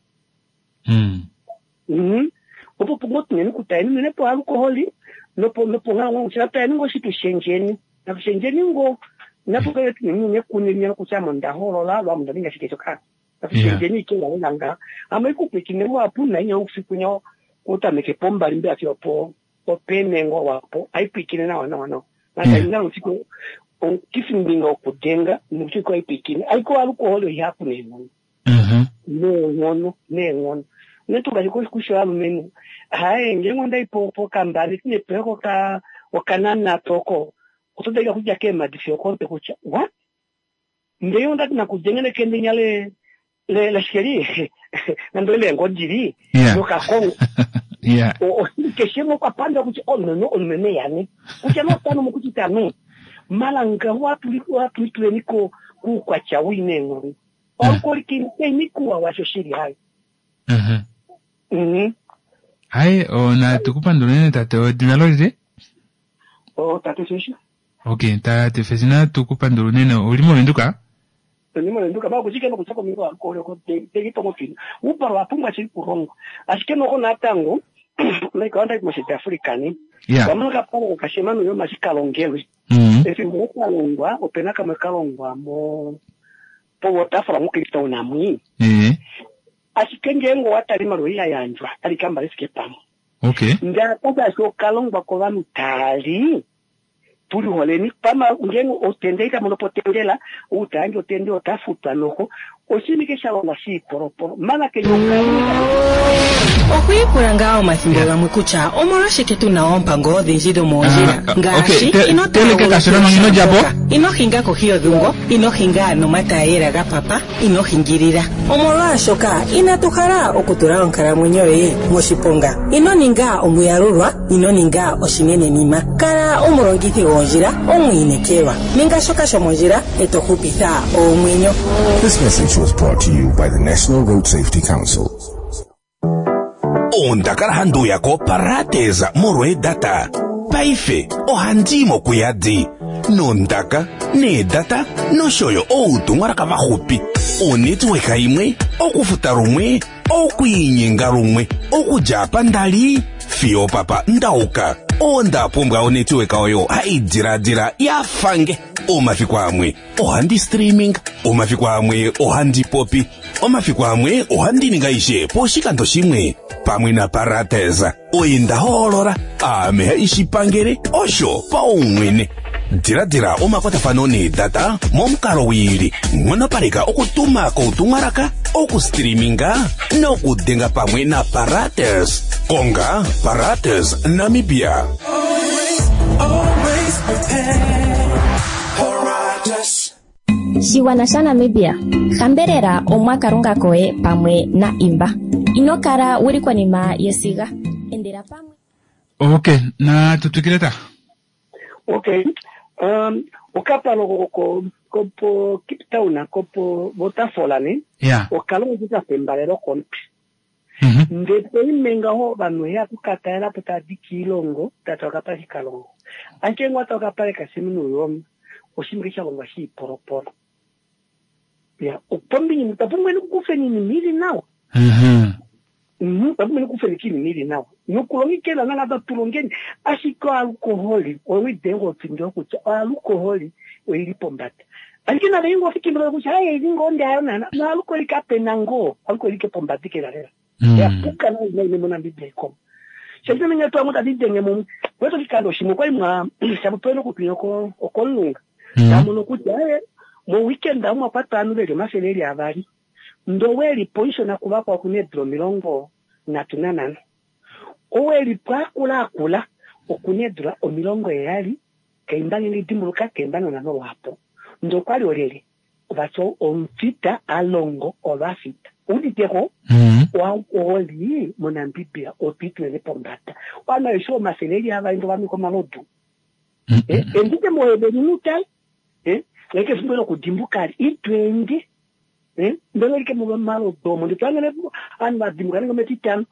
Opo pungo tunene kutaeni nene po alkoholi nopo nopo ngango kutya ngo shitu shenjeni nakushenjeni ngo napo tunene kunene kutya monda holola lwa munda ninga shike shoka nakushenjeni ike nga ama ikupwikine wapu na inyo usiku kutameke pombali mbe afyo po openengo wapo aipwikine nawa nawa nawa na usiku kisimbinga okudenga nusiku aipwikine aiko alkoholi ihapu neenghono neenghono neenghono netuka kusho alumenhu haye ngenge ondai pokambale tinepeko ka okanana toko otodalika kudja keemadi fiyo okomutwe kutya what ndee ondati nakudengele kendenya le le lashikeli nando leengodili nokakongo keshe mokwapanda kutya omumeno omumeno yane kutya notano mokuchita no malanga watulituleni ko kuukwatya wineenghono alkoholi keimikuwa washo shili hayo. Hayi natu kupanduleni tate edina lolile? O tate Feshi. Okay, tate Feshi natu kupandula unene. Uli movenduka? Ndi movenduka ba kuchike nokucha komingo alkoholi oko tegitongo twina. Uparo wapumbwa chili kulongwa. Ashike noko natango like onda mo South Africa ni. Wamona kapalo kashemano yo mashikalongelwe. Mm. Efimbo ka longwa opena kamwe ka longwa mo poWaterfall moCape Town amwi. Eh. Ashike ngeenge owa tala iimaliwa ei ya yandjwa otali kamba li fike pamwe. Okay. Ndele apa shaashi oka longwa kovanhu taali tu liholeni pama ngeenge otenda ita mono po otendela ou ta yandje otenda ota futwa noho oshinima ike sha longwa shiipolopolo mana kenya Okwiipula ngaa omathimbo gamwe kutya omolwashike tu na oompango odhindji dhomoondjila Ah, ngaashi okay, te- ino teleke kashona manga ino dja po. ino hinga kohi yodhungo, ino hinga nomatayela ga papa, ino hingilila. Omolwaashoka inatu hala okutula onkalamwenyo yoye moshiponga. Ino ninga omuyalulwa, ino ninga oshinenenima. Kala omulongithi goondjila omwiinekelwa. Ninga shoka shomondjila e to hupitha oomwenyo. This message was brought to you by the National Road Safety Council. Onda kala handi uya koParates molweedata. Paife ohandi i mokuyadi nondaka, needata nosho yo outumwalaka vaxupi. Onetwork imwe, okufuta lumwe, okwiinyenga lumwe, okudja apa nda li fiyo opapa nda uka. Onda pumbwa onetwork oyo hai diladila ya fange. Omafiku amwe ohandi streaming, omafiku amwe ohandi popi, omafiku amwe ohandi ninga aishe poshikando shimwe pamwe naParates. Oye nda hoolola, aame haishi pangele osho paumwene. Diladila omakwatafano needata momukalo wiili, nghonopaleka okutuma koutumwalaka, okustreaminga nokudenga pamwe naParates. Konga Parates Namibia. Always prepared. Paratus. Shigwana shaNamibia, hambelela Omwa Kalunga koye pamwe na imba. Ino kala wuli konima yesiga. Endela pamwe. Okay, na tutwikile ta. Okay. Um, okapalo ko kopo Cape Town kopo Waterfall ne Yeah. okalongo ka fembalelo kompi. Mhm. Ndele poime ngaho ovanhu ya kukatalela po tadi kiilongo tata okapale kalongo. Ashike ngwata okapale kaSim Nujoma oshinima sha longwa shiipolopolo. Ya, opombinyi tapumbwa nikukufeni iinima ili nawa. Mhm. Tapumbwa nikufeni kiinima ili nawa. Nokulongekela nangaba tulongeni ashike oalkoholi owidenga ofindo kutya oalkoholi oili pombada. Ashike nale ingo ofikimbo kutya haye ili ngoo ndayo nana noalkoholi kapena ngoo alkoholi ke pombada ke lela. Ya puka na ina ine moNamibia ikomo. Shakina menye twa muta didenge mu weto kikando shimwe kwali mwa shabupelo kutunya ko okolunga. Tamono kutya eh, mo weekend amwe kwatwa anu veli omafele eli avali. Ndoweli poishona kuvakwa kune eedula 35. Oweli pwakula akula okuna eedula 70 keimba ngenge dimbuluka keimba nonano lwapo. Ndokwali olyelye vati omufita alongo ovafita. Uditeko oalkoholi moNamibia otwiitulele pombada. Wana esho omafele eli avali ndovamika omalodu. Eh, endike mohebeni nutale. Eh, leke efimbo lokudimbuka itwendi. Eh, ndele like mumalodu omo nditwangene anhu vadimbuka nenge metitano.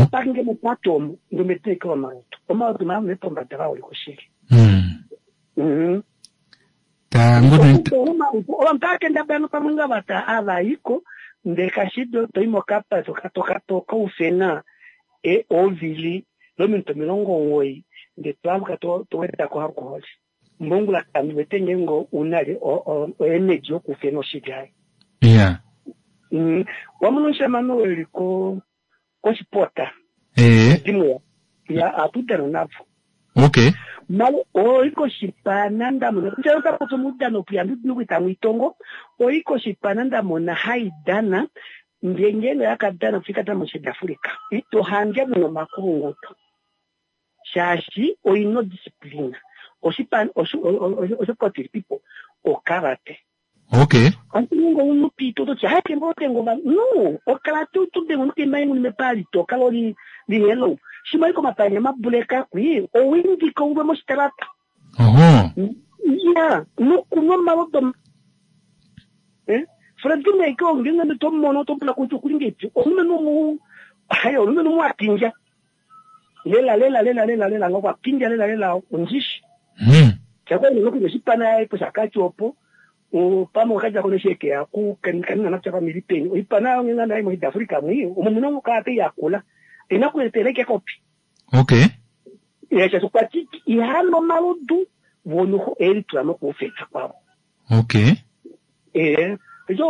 Opakinge mupato omo ndometeke omalodu. Omalodu maamune pombada vaoliko shili. Mhm. Ta ngono Ovanhu taakendabala pamwe nga vata avayiko ndele kashido toyi mokapa tokaufena e ovili lominute 90 ndele toaluka towedako alkoholi mbongula kandi wete ngeenge unali oenergy yokufena oshili ayo. Yeah. Wamona omushamane oo eli ko koshipota Eh. dimwe ya atudana navo. Okay. Malo oyi koshipana ndamona kutya otapotsa omudano puyambi nokuita mwiitongo oyi koshipana ndamona haidana ndee ngeenge yakadana kufika moSouth Africa ito hange muna omakulunguto shaashi oina odisciplina oshipana oshokotilipipo okarate. Okay. Antingo unupito toti hayi kembo tengo va no okarate utudengo nukemba mepali to kala oli li hello shimwe iko mapanya mabuleka kwi owindika ulwe moshitalata. Oho. Ya, nokunwa omalodu eh Fredine ke ongenga to mono to pula kutu kulinge omulumenhu omu hayi omulumenhu mwapinja. Lela lela lela lela lela ngokwa pinja lela lela ondishi. Chakwa ni nokuno shipana ipo shakati opo. Pamwe okaja kono sheke ya ku kanina na chapa milipeni. Oipana ngenga nayi mo Africa mwi omulumenhu ka yakula. Ina kueteleke kopi. Okay. Ya cha kwati ihano malodu Vonoho elitula mokuufeta kwavo. Okay. Ee, ejo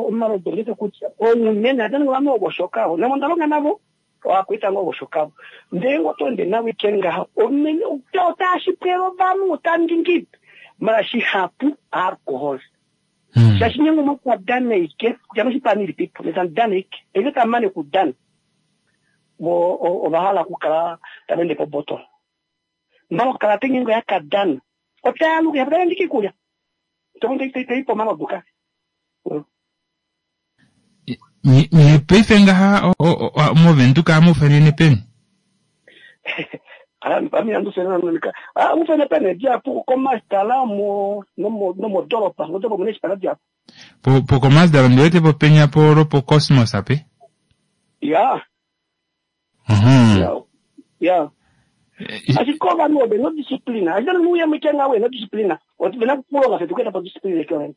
omalodu ngete kutya ounene ate ningi ovanhu ovoshoka namo ndalonga navo oakwiita ngoo ovoshoka ndee ngo oto ende navo ike ngaha omene otaashipwela ovanhu otandingi mara shihapu alcohol shaashi nyengo mokwadana ike kutya noshipani ilipipo netandana ike eke tamane kudana vo ovahala okukala tava ende pobotolo mara okukala tenyengo yakadana otaaluka yapatalendika ikulya teipo omalodu ka. Nye paife ngaha movenduka amufenene peni? Ami amufene peni diapu komasdala mo nomodoropa modoropa mune chipala diapu. Po po komasdala ndiwete po penya po lopo Cosmos ape? Ya. Ya. Ashike ovanhu ove nodisciplina ashike nomuuya mwitenga we nodisciplina vena kukulonga fetu kueta po disciplina ekyo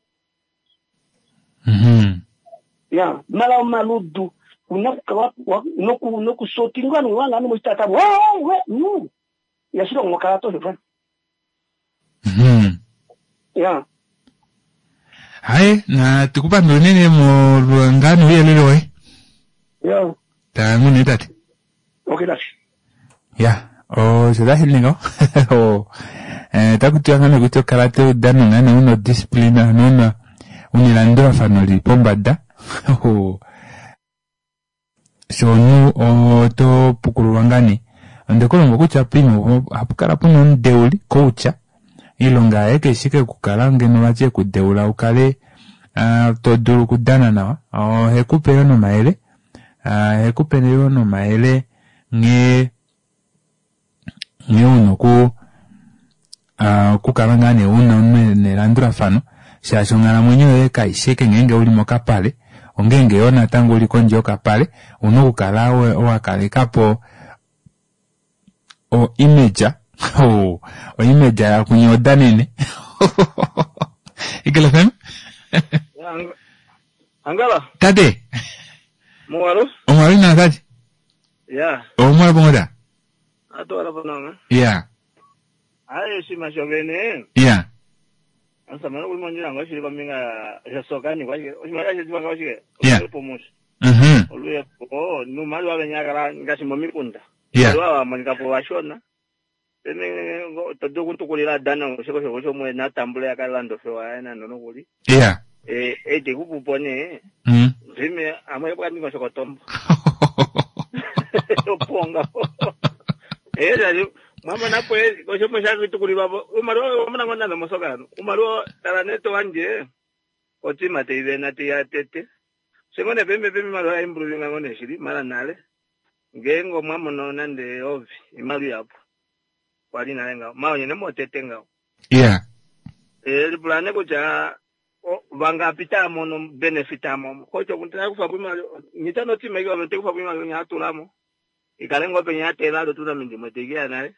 Ya, mala omaludu una kukala noku nokusotingwa nuwanga nomuchitata we we no yashilongo kala to zvo. Ya. Hayi na tikupandula unene molwa nuuyelele woye. Ya. Tangune tate. Okay that's. Ya, osho tashi ninga. Taku tiwa ngane kutya okala te udano ngane una odisciplina ano una elandulafano lili pombada. Sho omuntu oto pukululwa ngane onde ku longo kutya poima ohapu kala puna omudeuli coach iilonga yaye kaishi ike okukala ngeno vati ekudeula ukale to dulu okudana nawa ohekupe yoo nomayele ohekupe yoo nomayele nghee nghee una oku okukala ngaa nee una nelandulafano shaashi onghalamwenyo yoye kaishi ike ngeenge uli mokapale ongeenge yoo natango uli kondje yokapale ouna okukala wakalekapo o image o image yakunya odanene Eagle FM. Angala. Tate. Muwalo. Omwalo ina tate. Ya. Omwalo pongoda. Ato wala ponanga. Ya. Aye shima shovene. Ya. Ansamana kuli mondjila ngo shili kombinga ya sokani kwa oshimaliwa shetu vanga oshike. Ya. Oluyepo Oluyepo nuumaliwa venyakala ngaashi momikunda. Ya. Iimaliwa wa monika po vashona. Pene to dulu okutukulila dana oshiko shoko shomwe natambule yakalanda ofewa yaye nando nokuli. Ya. Eh, ete kupupo nee. Ndime amwe kwandingo shokotombo. Oponga. Eh, shali mwamona po oshomo shakitukulilwa po. Umaliwa wamona ngona nomosoka. Umaliwa tala neto wanje. Otima te ivena te ya tete. Sengone pembe pembe imaliwa improving ngone shili mara nale. Ngeenge mwamono nande ovi imaliwa yapo. Kwali nale ngaho. Mawo nyene motete ngaho. Yeah. Eh, lipulane kutya vangapi taamono benefit amomo kocho kuntaka kufa kwimaliwa nyitano tima ikiwa vete kufa kwimaliwa nyatulamo ikale ngope nyatela alo tuna mindimo tekia naye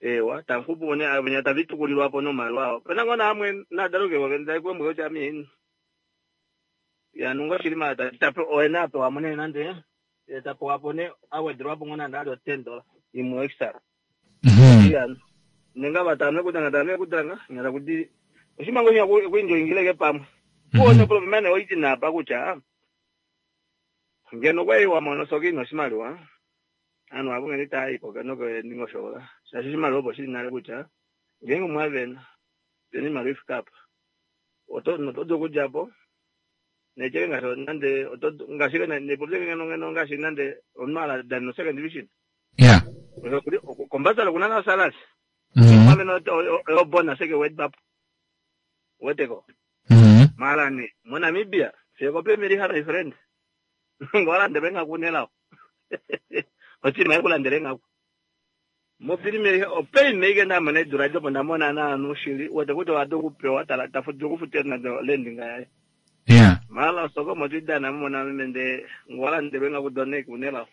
ewa tankupu one avenya tavitukulilwapo nomaliwa awo pena ngona amwe nadaluke wakenda kwemwe cha mini ya nungo shilima tape oena apewa mune nande tapewa pone awedrwapo ngona ndalo $10 imwe extra. Ya nenga vatame kutanga tame kutanga nyala kuti oshimango nya kuinjoingileke pamwe kuone problema oiti napa kutya ngeno kwaiwa mono soki noshimaliwa anhu avo ngene taayiko noko ndingoshola shaashi oshimaliwa opo shili nale kutya ngeenge mwavena pena imaliwa ifika apa oto dulu okudjapo necheke ngaashi nande ngaashi nepopye ngeno ngeno ngaashi nande omunhu ala dani no second division. Yeah. Kombasala kuna na salasi. Mwavena obona seke wedbapo weteko. Mara ni moNamibia fye ko Premier League friend. Ngolandele ngakunelawo. Otima ikulandele ngaku. Mo Premier League o Premier League ndamona edura jopo ndamona naanu shili wete kuti wade kupewa tala tafuti kufutira nando lendinga yaye. Yeah. Mala soko motidana mona mende ngolandelwe ngakudone kunelawo.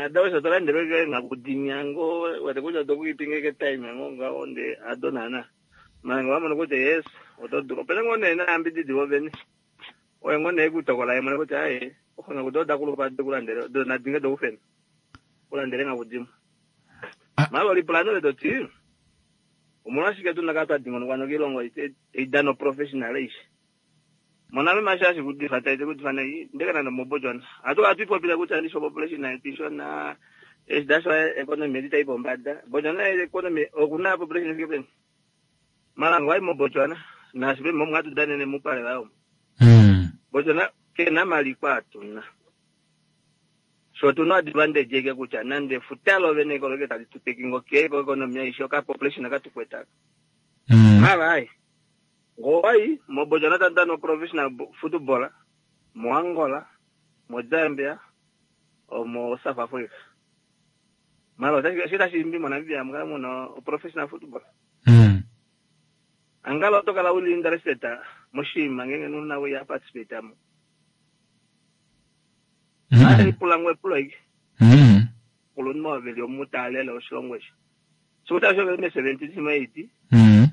Adawesa tolandelwe ngakudinyango wete kuti atokuipinga time ngo ngawo nde adonana. Mara ngwamona kuti yes otoduro pena ngone na ambididi vovene. Oye ngone ekutokola yemone kuti aye okhona kuti oda kulupa kulandele do nadinga do kufena. Kulandele ngakudimo. Malo lipula nole toti omolwashike tuna kala twa dingonokwa nokiilongo ei dana oprofessional aishe. Monale mashi hashi kudifa taite kudifa nai ndeke nande moBotswana. Ohatu kala twipopile kutya ndisho population yetu ishona eshi dasho economy yetu itai pombada. Botswana economy okuna population ifike peni? Malango wayi moBotswana naashi peni momu hatu danene mupale vayo. Botswana kena maliko atuna. Sho tuna advantage eke kutya nande efuta lovene koloke tali tu taking okay ko economy aishe oka population aka tukwetaka. Mara ai. Ngowai moBotswana tamu dana professional football moAngola, moZambia, omo South Africa. Mara otashi tashi imbi moNamibia mukale muna professional football. Angala oto kala uli interested moshinima ngenge nuna we participate mo. Ai pula ngwe epulo ike. Kulunhu oveli omutalele oshilongo eshi. Sikuta sho me 70 sima 80.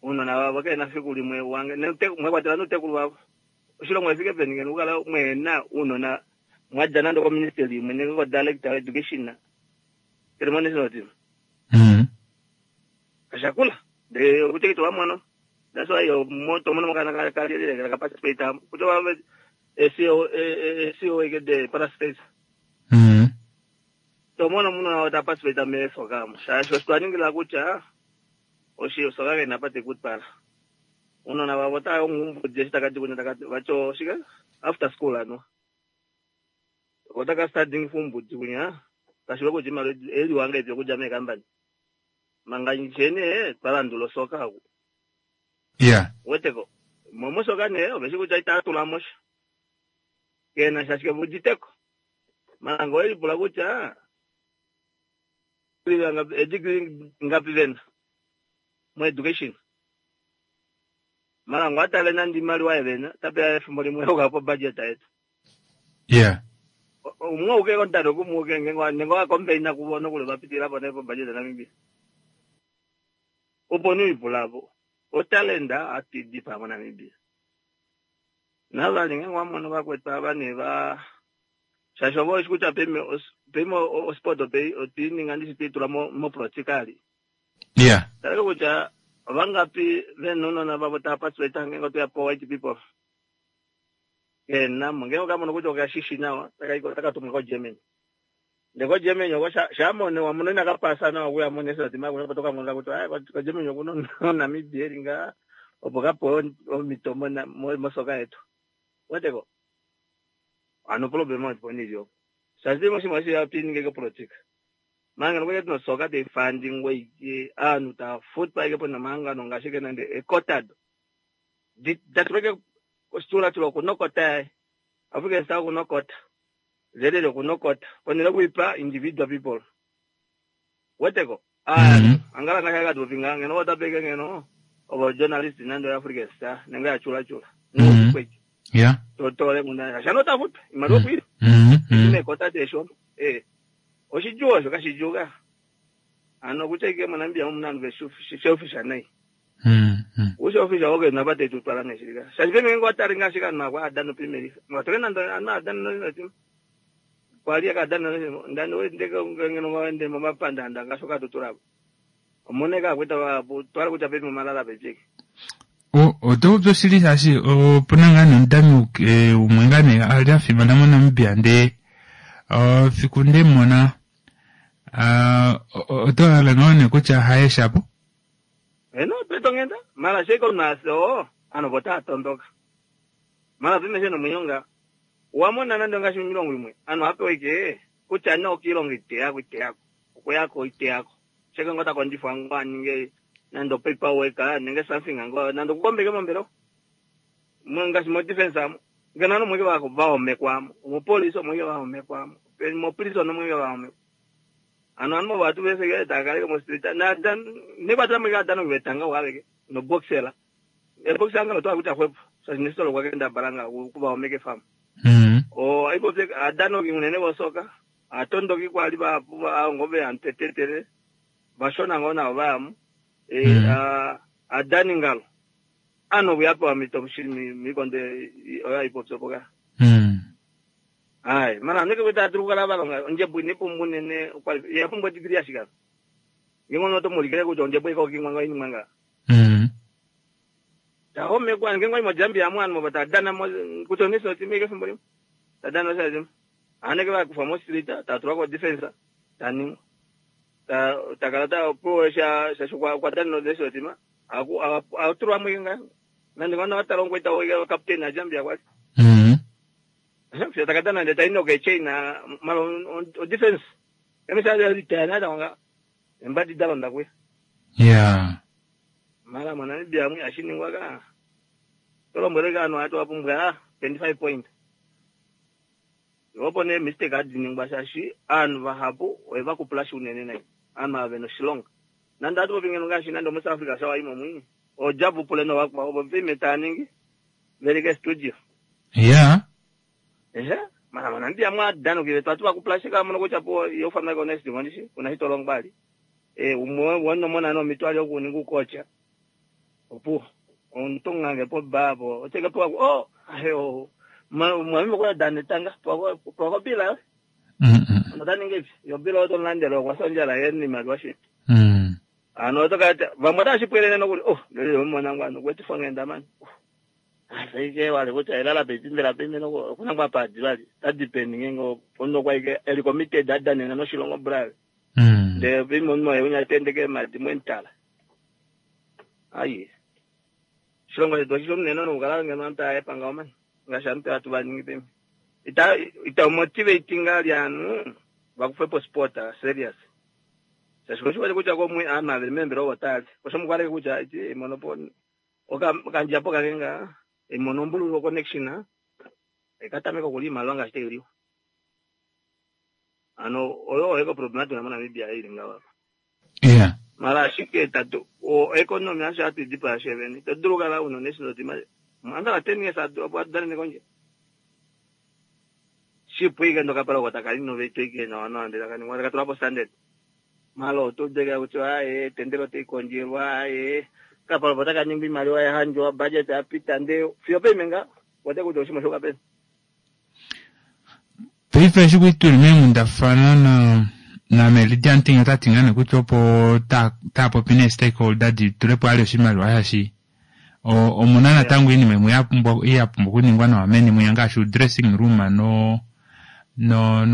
Uunona wavo kena fiku limwe wange mwekwatela nuutekulu wavo. Oshilongo efike peni ngeno ukala mwena uunona mwadja nande ko ministry imwe nenge ko director education. Kele mo national team. Kashakula. De kutekiti wa mono. That's why yo moto mono makana ka ka ka participate kuto wa SEO SEO ike de parastate. To mono muno wa participate me soka mo. Shasho twaningila kutya oshi soka ke napate kutpala. Uunona wavo taa ngumbu jeshi takati kunya takati vacho shika after school ano. Otaka starting fumbudzi kunya kashiwe kuti mali eli wanga ibyo kuja me company. Manga nchene twalandula soka aku. Yeah. Weteko. Momo soka ne obeshi kuja itatula mosha. Kena shashike vujiteko. Manga eli pula kutya degree ngapi vena mo education. Mara ngwatale nandi imaliwa yevena tapea efimbo limwe okapo budget yetu. Yeah. Umwe uke kontano kumuke ngengo nengo akombeina kubona kule bapitira po nepo budget Namibia. Opo ni ipulapo. Otalenda atidi pa Namibia. Navali ngengo amono bakwetwa abane ba shasho bo isikuta peme peme osport pe otininga ndisititula mo mo practically. Yeah. Taleka kutya vangapi venunona vavo tapasweta ngengo toya po white people. Kena ngengo kamono kutya okashishi nawa takaiko takatumwa ko Germany. Ndeko Germany oko shamone wamono inakapasa nawa kuya mone sati mako patoka mona kuti ai ko Germany okuno Namibia eringa opo kapo omito mona mosoka yetu. Weteko. Ano problem opo nilyo. Shazimo shimwe shi yapinge ko politika. Manga nokuti tinosoka teifandingwa ike anhu tafutwa ike pona mahangano ngaashi nande ekotado. Datuleke ositulatula kunokota yaye. African Star kunokota. Zelele kunokota. Ponele kuipa individual people. Weteko. Ah, angala ngaka katupinga ngeno watapeke ngeno obo journalist nando African Star nenge ya chula chula. Yeah. Totole muna shano tafutwa imali okwili. Imekota tesho. Eh. Oshijuwa osho kashijuka. Ano kutya ike moNamibia omuna anhu veselfish nai. Uselfish oke nabate tutwala neshilika. Shashi peme ngo atari ngashika anhu akwa adano primary. Ngatore nando anhu adano no kwali akadano ndani wendeke ngeno wende mapanda nda ngashoka tuturapo. Omoneka kweta wa twala kutya peme malala pecheke. Oto oshili shaashi opuna ngaa nomudami umwe ngaa nee ali afimana moNamibia ndee fiku ndemona oto hala ngoo nee kutya haye shapo? Eno petongenda mara sheko naso ano bota tondoka. Mara pime sheno munyonga wamona nando ngashi milongo imwe ano apewe ike kutya no kilongo ite yako okuyako ite yako. Sheko ngota kondifwa ngwa ninge nando paperwork nenge something ngo nando kukombeke mombero. Mwengashi mo defense amo. Ngena no mweke wako baomekwamo. Mo police mweke baomekwamo. Mo prison mweke baomekwa. Ano ano batu bese ke takale mo street na dan ne batla mweke adano betanga wabeke no boxela. E boxela ngalo to akuta khwepo. Sa nesolo kwa kenda balanga kuba omeke farm. O aipo se adano ki unene bosoka. Atondo ki kwali ba ngobe antetetere. Bashona ngona bamu. Adani ngalo. Ano buyapa mito mishimi mikonde oya ipopsopoka. Ai, mana neke kuita dulu kukala valonga ondjembo ine pumbwa unene ya pumbwa degree yashika. Ngenge oto mulikile kutya ondjembo iko kimwa nga inimwa nga. Tahomekwa ngenge wai moJambia mwana mo tadana mo kutya oneso timike fimbo limwe. Tadana osha aneke vakufa mo street tatulwa ko defense taningwa. Ta takala ta po sha sha kwa kwa dana oneso tima. Aku atulwa mwinga. Nande ngona watalongwa ita wa captain na Jambia kwa. Takadana ndeta inoke China malo o defense. Emisa ya tena da embadi dalonda kwe. Yeah. Mara moNamibia mwe ashiningwa ka. Tolombwele ano atu apumbwa 25 point. Yopo ne mistake adiningwa shashi anu vahapu eva kuplasha unene nai. Anu ave no shilonga. Nanda atu popingeno ngashi nando mu South Africa shawa imo mwinyi. Ojabu pule no wakwa obo vime taningi. Verike studio. Yeah. Ehe. Mara moNamibia mwa dano kile twatu vakuplasha kama no kuchapo yofana ko next mondishi kuna hitolongwali. Umwe wono mona no mitwali okuninga ukocha. Opo ontonga po babo oteka po oh ayo mwami kwa danetanga po po bila. Nodaninge yo bila oto landelo kwa sonjala yeni malwashi. Ano toka vamwe tashipwelene nokuli oh lelo mwana ngwano kwetu fangenda man. Aseike wale kuti ilala bezimbela pembe noko kuna kwa padi bali tadepending ngo pondo kwa ike eli committed adanena no shilongo brave. De vimo mo yunya tendeke madi mwentala. Ayi. Shilongo chetu chilomneno nokukala ngeno antu ayepanga omani ngaashi antu atu vaningi pembe. Ita ita motivating lyanu vakufepo sport serious. Sashiko kutya komwe ama remember over osho kutya iti monopo oka kandjapo kakenga emonombululo connection ekatameka kulima lwanga shiteliwa. Ano oyo eko problematic na Namibia ili ngawa. Yeah. Mara ashike tatu o economy asha atu dipa sheveni. Taduluka la uno national team. Manda 10 years adu apo adane nekonje. Shipu ike ndo kapala kwa takali no vetu ike na wana ndela kani mwa katula po standard. Malo tudega kuti aye tendero te konjelwa aye kapala potaka nyingi mali wa hanjo budget apita nde fio pemenga wote kuti oshima shoka pesa. Paife eshi tuli meengundafana na na Meridian Ting ota tingane kutya opo ta popi nee stakeholder di tulepo ali oshimaliwa shashi omuna natango iinima imwe ya pumbwa okuningwa nawa meni mwiya ngaashi dressing room no no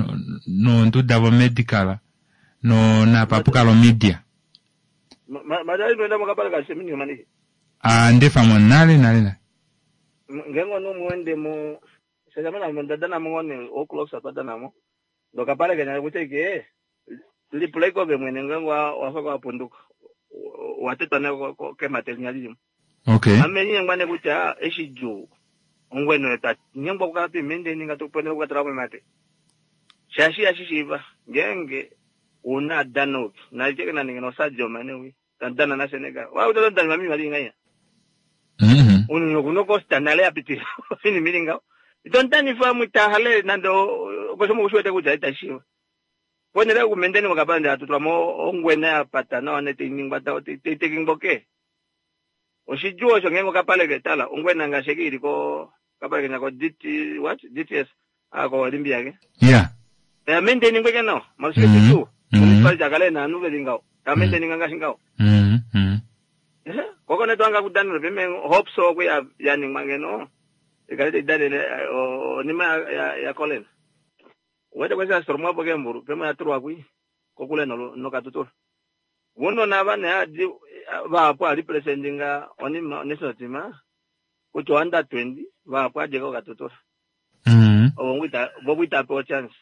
nonduda vo medical no napapukalo media. Madali nwenda mukapala kashemini mani. Ah ndefa mo nale nale na. Ngengo no muende mo sejamana ndadana mongone o'clock sapadana mo. Ndokapala kenya kuteke lipuleko be mwene ngengo wafaka wapunduka. Watetwa na ke material limo. Okay. Amenye ngwane kutya eshiju ongweno eta nyengwa kukapi mende ninga tukupone kukatala kwa mate. Shashi ashishiva ngenge una dano na cheke na ninga nosajo mane wi tandana na Senegal. Wa utodana mami mali ngaya. Uno kuno costa nale apiti fini milinga. Itontani famu tahale nando kosomo kushwete kutya itashiwa. Kwenele kumendeni wakapanda atutwa mo ongwena yapata na wanete ningwa ta te Oshijuo osho ngengo kapale ketala ongwena ngasheki iliko kapale kenya ko DT what DTS ako Olimpia ke. Yeah. Ya mendeni ngweke nao malusike tu. Municipality akale na nuve lingao. Ya mendeni nganga shingao. Koko netwanga kudanilo pime hope so kwe ya yani mangeno. Ikalete idane onima ya ya Colin. Wete kwesa stormwa poke mburu pema yaturwa kwi kokule no no katutura. Wono na bana ya vapo representinga onima national team kucho under 20 vapo ajeka katutura. Obongwita bobwita po chance.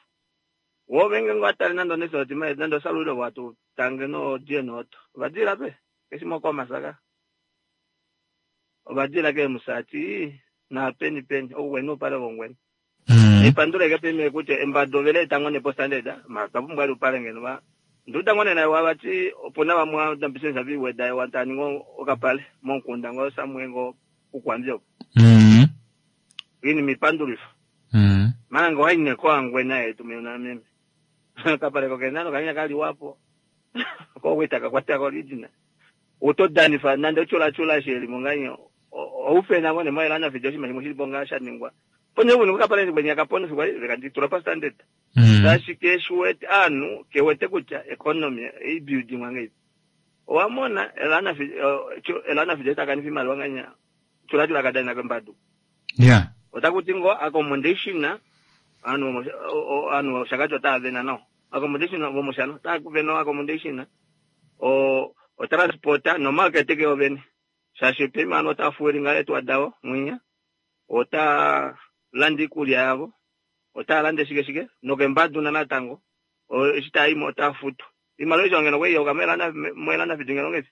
Wo venge ngwatali nando national team nando salulo watu tange no jenoto. Vadira pe kesimo kwa masaka. Obadira ke musati na peni peni oweno pale bongweni. Ipandule ke peme kuti embadovele tangone postanded makapumbwa lupale ngeno ba nduta ngone na wabati opona bamwa ndambisesa biweda watani ngo okapale monkunda ngo samwengo kukwambyo. Ini mipandulifa. Mana ngo haine kwa ngwena yetu mina mimi. Kapale kokena kanya kali wapo. Ko wita kakwata ko original. Utodanifa nande chula chula sheli munganyo. Oufe na ngone mailana video shima shimo bonga shaningwa. Ponye vuni kukapale kwenya kapone fikwa vikaditula pa standard. Shaashi keshiwete aanhu kewete kutya economy eibuilding ngeipi. Owamona elana fi elana fi takanifa imaliwa nganya chula chula kadana kembadu. Yeah. Otakuti ngo accommodation anhu anhu shakacho taavena no. Accommodation vomoshano taakuvena accommodation o o transport no market ke ovene. Shaashi pema anhu otafuelinga etwa dawo mwinya. Ota landa iikulya yavo. Ota landa shike shike nokembadu na natango. Eshi taayimo ota futu. Imaliwa isho ngeno kweyoka mwelana mwelana fitu ngeno ngezi.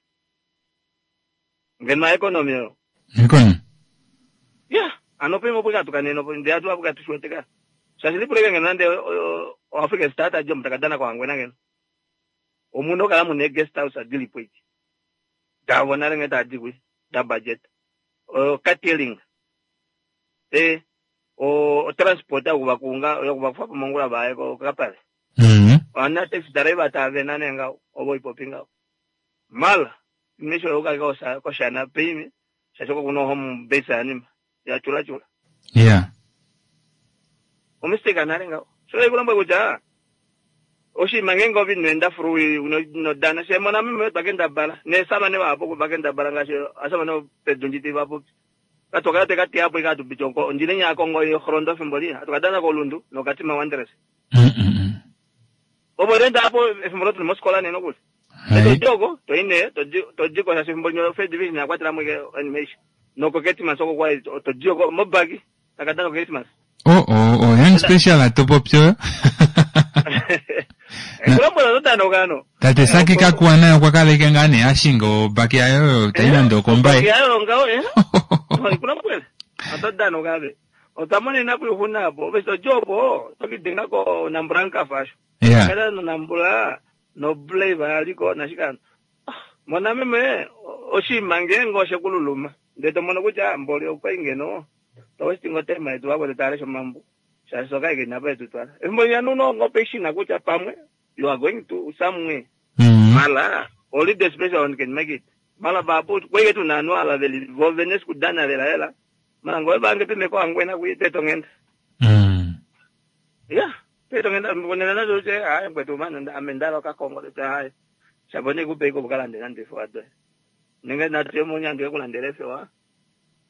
Ngeno economy yo. Economy. Yeah, ano pema pokatuka neno ndi atu apo katushweteka. Shaashi lipuleke ngeno nande o African Star ajo mtakadana kwa ngwena ngeno. Omunhu okala mune guest house adilipo ichi. Davona renge tadikwi da budget. O catering. Eh o transport akuvakunga yokuvakufa pomongula vaye ko kapale. Ana taxi driver tavena nenga obo ipopinga. Mala misho yoka ko koshana pimi shashoko kuno home base anima ya chula chula. Yeah. Omistake nalenga. So ikulamba kutya oshima ngenge ovinwenda furu no dana shemona mime bakenda bala nesama ne vapo bakenda bala ngashi asama no pedunjiti vapo katoka te kati apo ikatu bichonko ndine nyakongo yo khrondo fimbo atukadana kolundu nokatima wanderers. Obo renda apo efimbo lotu moskola neno kuti. Hai. Tojogo toine tojiko sa fimbo nyo first division yakwatira mwike animation. Noko Christmas oko kwa tojiko mobagi takadana ko Christmas. Oh oh oh young special atopopyo. Kulombola totano kano. Tate saki kakuwa nayo kwa kale kengane ashingo baki ayo taina ndo kombae. Yayo ngao eh. Kulombola. Atodano kabe. Otamone napo yuhunapo. Beso jobo tokidenga ko nambranka fasho. Yeah. Kada no nambula no blave aliko nashikana. Mona meme oshima ngengo shekululuma. Ndeto mono kutya mboli okwa ingeno. Tawestingo tema yetu wako tare mambo. Shasoka ike napa yetu twala. Embo ya nuno ngopeshina kutya pamwe you are going to somewhere. Mala only the special one can make it. Mala babu kweke tunano ala veli vovenes kudana vela hela. Mala ngoe bange pime kwa ngwena kuite tongenda. Yeah, peto ngenda mbonela nazo che hayi ngwetu mana amendalo ka Kongo le hayi. Shabone kupe ko bukalande nande fo adwe. Ninge na temo nyando ekulandele fewa.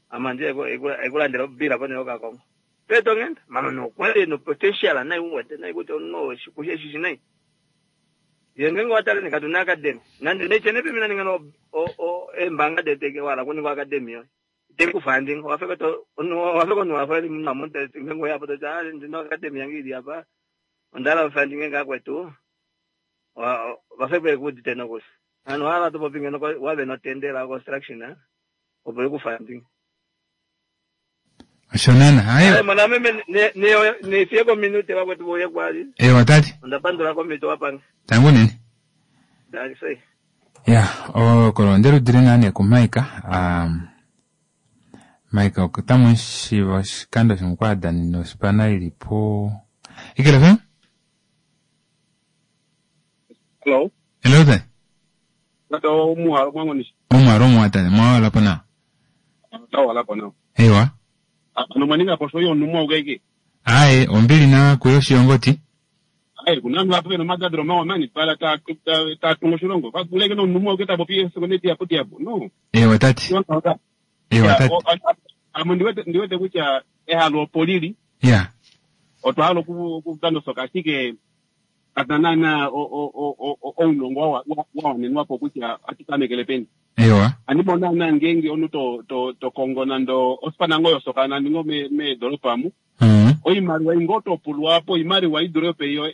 Amanje ko ekulandela bila pone ka Kongo. Peto ngenda mama no kwele no potential na uwete na ikuti no shikushe shishi nai. Yenge watale nikatuna academy. Nandi nechene pimina ningano o o embanga deteke wala kuni kwa academy yo. Teku funding wafika to no wafika no wafika na monte ngengo yapo to cha ndino academy yangi ili apa. Ondala funding ngakwetu. Wa wafika kuti tena kusi. Ano hala to popinga no wabe no tendera construction eh. Opo ku funding. Shonana hayo. Ay mwana meme ne ne ne fieko minute wakwetu boye kwali. Ewa tati. Ndapandula komito wapanga. Tangu nini? Ndali Ya, o kolondelo dire nane ku Maika. Maika okutamu shiva oshikando shimwe kwa dani nosipana ilipo. Ikele FM? Hello. Hello tati. Kato muhalo mwangu ni Omwaro omwa tati mwawala pona. tawala pona. Ewa. Ano maninga poso yo numwa ugeke. Aye, ombili na kuyo shiongoti. Ai kuna mtu apo no madadro mawa mani pala ta ta ta tungo shilongo. Kwa kuleke no numwa ugeta bopi sekonde ya poti yapo. No. Ewa tati. Ewa tati. Amo ndiwete ndiwete kutya ehalo polili Ya. otwalo ku ku tando soka shike katanana o o o o ounongo wa wa nenwapo kutya atikamekele peni. Ewa. Andibona na ngenge onu to to to Kongo nando osipana ngoyo soka nandingo me me doropa mu. Oimaliwa ingotopulwapo imaliwa idorope iyo.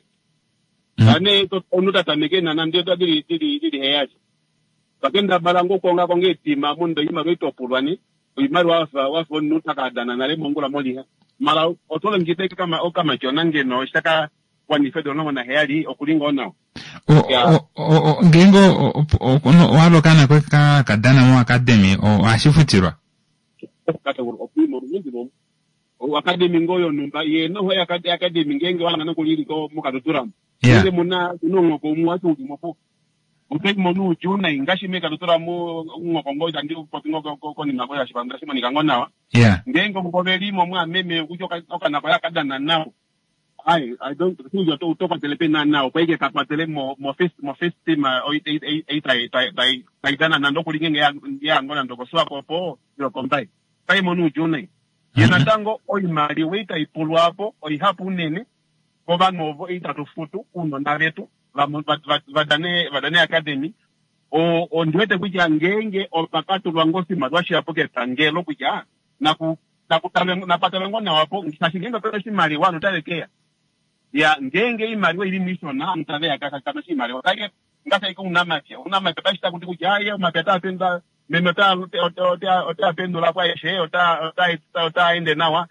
Ane to onu tatameke na nando dili dili dili heyacho. Bakenda balango konga konge tima mundo imaliwa itopulwa ni oimaliwa wafa wafa onu takadana nale mongula moliha. Mala otole ngite kama okama chona ngeno shaka wanifedo no na heyali okulinga onao. O o o ngengo walokana kwe ka kadana mo academy o ashifutirwa. O academy ngoyo numba ye no ho academy ngenge wana nokulili ko mukatutura. Yeah. Ngenge muna unongo ko muatu ngimopo. Uteki monu juna ingashi me katutura mu ngoko ngoja ndi popingo ko ko ni nakoya shibanda shimo nikango nawa. Yeah. Ngeenge ove li mo mwaameme kutya okana koye aka dana nawa. Ai, I don't think oto oto kwatele peni naana opo ike ka kwatele mo mo first mo first team ei ei tai tai tai tai dana nande okuli ngeenge ya ya ngo nande okoSwakopo ile okoMbaye. Tai mono oudjuu nai. Ye natango oimaliwa ei tai pulwa po oihapu unene kovanhu ovo itatu futu ounona vetu va va va dane va dane academy. O ondi wete kutya ngeenge opa ka tulwa ngoo oshimaliwa shihapu kepangelo kutya naku naku talwe napa talwe ngoo nawa po shaashi ngeenge opena oshimaliwa ovanhu otave keya. Ya ngeenge oimaliwa oili mo ishona ovanhu tave ya kana oshimaliwa. Kaike ngaashi ashike ounamapya. Ounamapya paife taku ti kutya aaye omapya otaa pendula meme ota ota ota pendula po aeshe ota ota otaa ende nawa.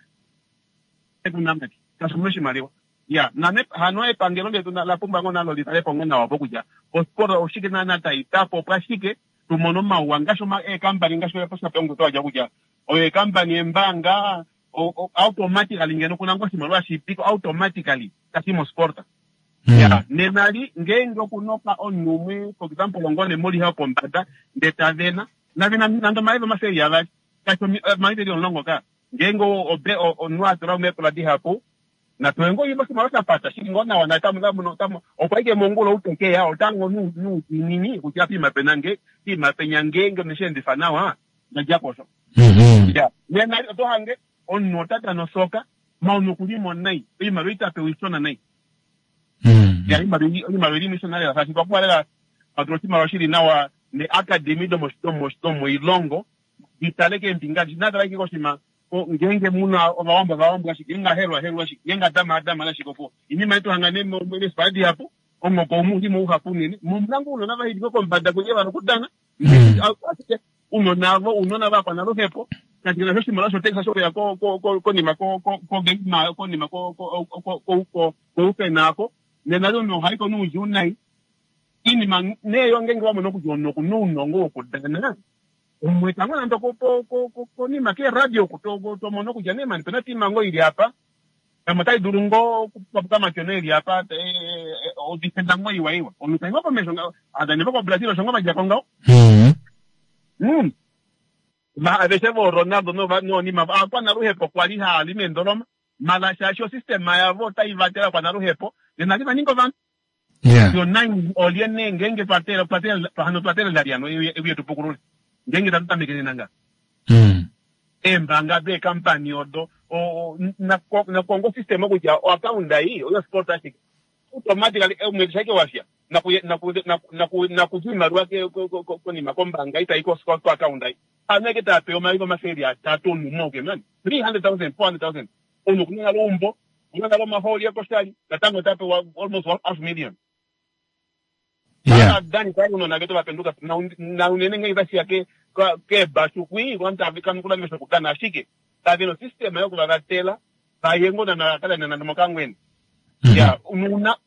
Ounamapya shaashi omuna oshimaliwa. Ya nane hano epangelo letu la pumbwa ngoo nalo li tale po ngoo nawa po kutya osport oshike naana tai tapo opwa shike tu mone omauwa ngaashi eekampani ngaashi oshape twa dja kutya oyo eekampani eembaanga automatically ngeno kuna ngoo oshimaliwa shipiko automatically tashi mosport. Ya nena li ngeenge okunoka omunhu umwe for example ngoo nemoliha yopombada ndee tavena navena nande omayovi 200 kashi omayovi eli 10 ka ngeenge omunhu a tula meepola dihapu napewe ngoo oshimaliwa shapata shili ngoo nawa naye okwa ike mongula outekeya otango noudiinini kutya piima pena nge piima penya ngeenge oneshe endifa nawa ndadja posho. Ya nena oto hange omunhu ota dana osoka ma omunhu okulimo nai oimaliwa itapewa ishona nai. Ya oimaliwa ilimo ishona lela shaashi twapumbwa lela patula oshimaliwa shili nawa ne academy domoilongo ditale keembinga natala ike koshima ngeenge muna ovawambo ovawambo ashike ngeenge ahelwa ahelwa ashike ngeenge adama adama ashike opo inima yetu hanga neesipala dihapu omoko omu ulimo uhapu unene momuna ngoo ounona vaili kombada kunye vana okudana ashike ounona avo ounona vakwanaluhepo kashi nasho oshimaliwa shotekisa shokuya konima konima koufena ako nena omunhu ohaiko noudjuu nai inima neeyo ngeenge wamona kutya omunhu okuna ounongo wokudana umwe tango nande konima keeradio tomono kutya nee mani pena tiima ngoo ili apa pamwe otai dulu ngoo okupapuka makeno eli apa odifenda ngoo iwa iwa omunhu tai ngoo komesho adane voko Brazil osho ngoo vadjako ngaho. Aveshe vo Ronaldo noonima akwanaluhepo kwali haali meendoloma mala shaashi osystema yavo otai vatele akwanaluhepo nena li vaninga ovanhu. Yo nai olye nee ngeenge hano twatelela lyano euye tupukulule ngeenge tatu tameke nena nga. Eembaanga deekampani odo nakongo system kutya oaccount ei oyo sport ashike automatically omwedi shaike wafya nakuzi oimaliwa konima kombaanga itai ko account ei. Hano eke tapewa omayovi 300 omunhu umwe auke mani 300,000 400,000 omunhu okuna nale eumbo okuna nale omahooli ekoshali natango otapewa almost half million. Dani kai unona vetu vapenduka na unene ngenge tashiya keebashu kwii kanukula mesho okudana ashike kave nosystema yokuvavatela vaye ngoo nana kadana nande mokangwena. Ya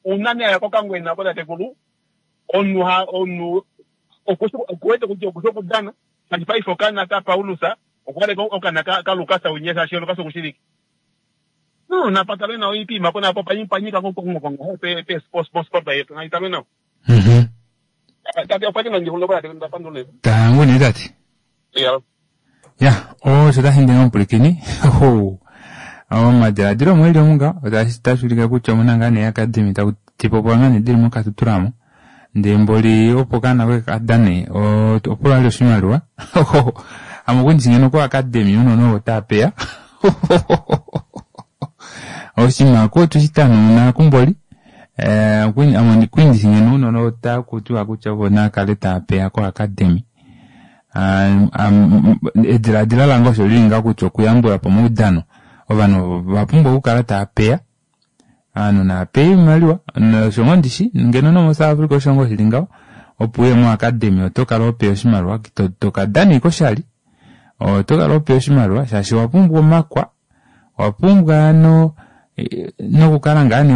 una nee aya kokangwena oko tatekulu omunhu omunhu okuwete kutya okushi okudana shaashi paife okana ka Paulus okuwete okana ka Lukas unye shaashi Lukas okushivike. No napatalwe nawa oipima po napo panyika kongo pe pe sport yetu naitalwe nawa. Tate okwa li nandihulile po tate ndapandula. Tangu nee tate. Ya. Ya, osho tashi ndenge omupulikini. Omadiladilo omweli omunga otashi ulike kutya omuna ngaa nee academy taku tipopola ngaa nee dili mokatutulamo. Ndee mboli opo kana koye kadane opula ali oshimaliwa. Ame okwendisi ngeno ko academy unona ovo taapeya. Oshinima ko tushitano kumboli. Ame kwindisi ngeno unona otakutiwa kutya ovo nakale taapeya ko academy. Ediladilo lange osho lili nga kutya okuyambula po omaudano ovanhu vapumbwa okukala taapeya ovanhu naapeya oimaliwa osho ngoo ndishi ngeno nomo South Africa osho ngoo shili ngaho opo uye mo academy oto kala hopeya oshimaliwa tokadana ike oshali oto kala hopeya oshimaliwa shaashi owapumbwa omakwa owapumbwa no nokukala ngaa nee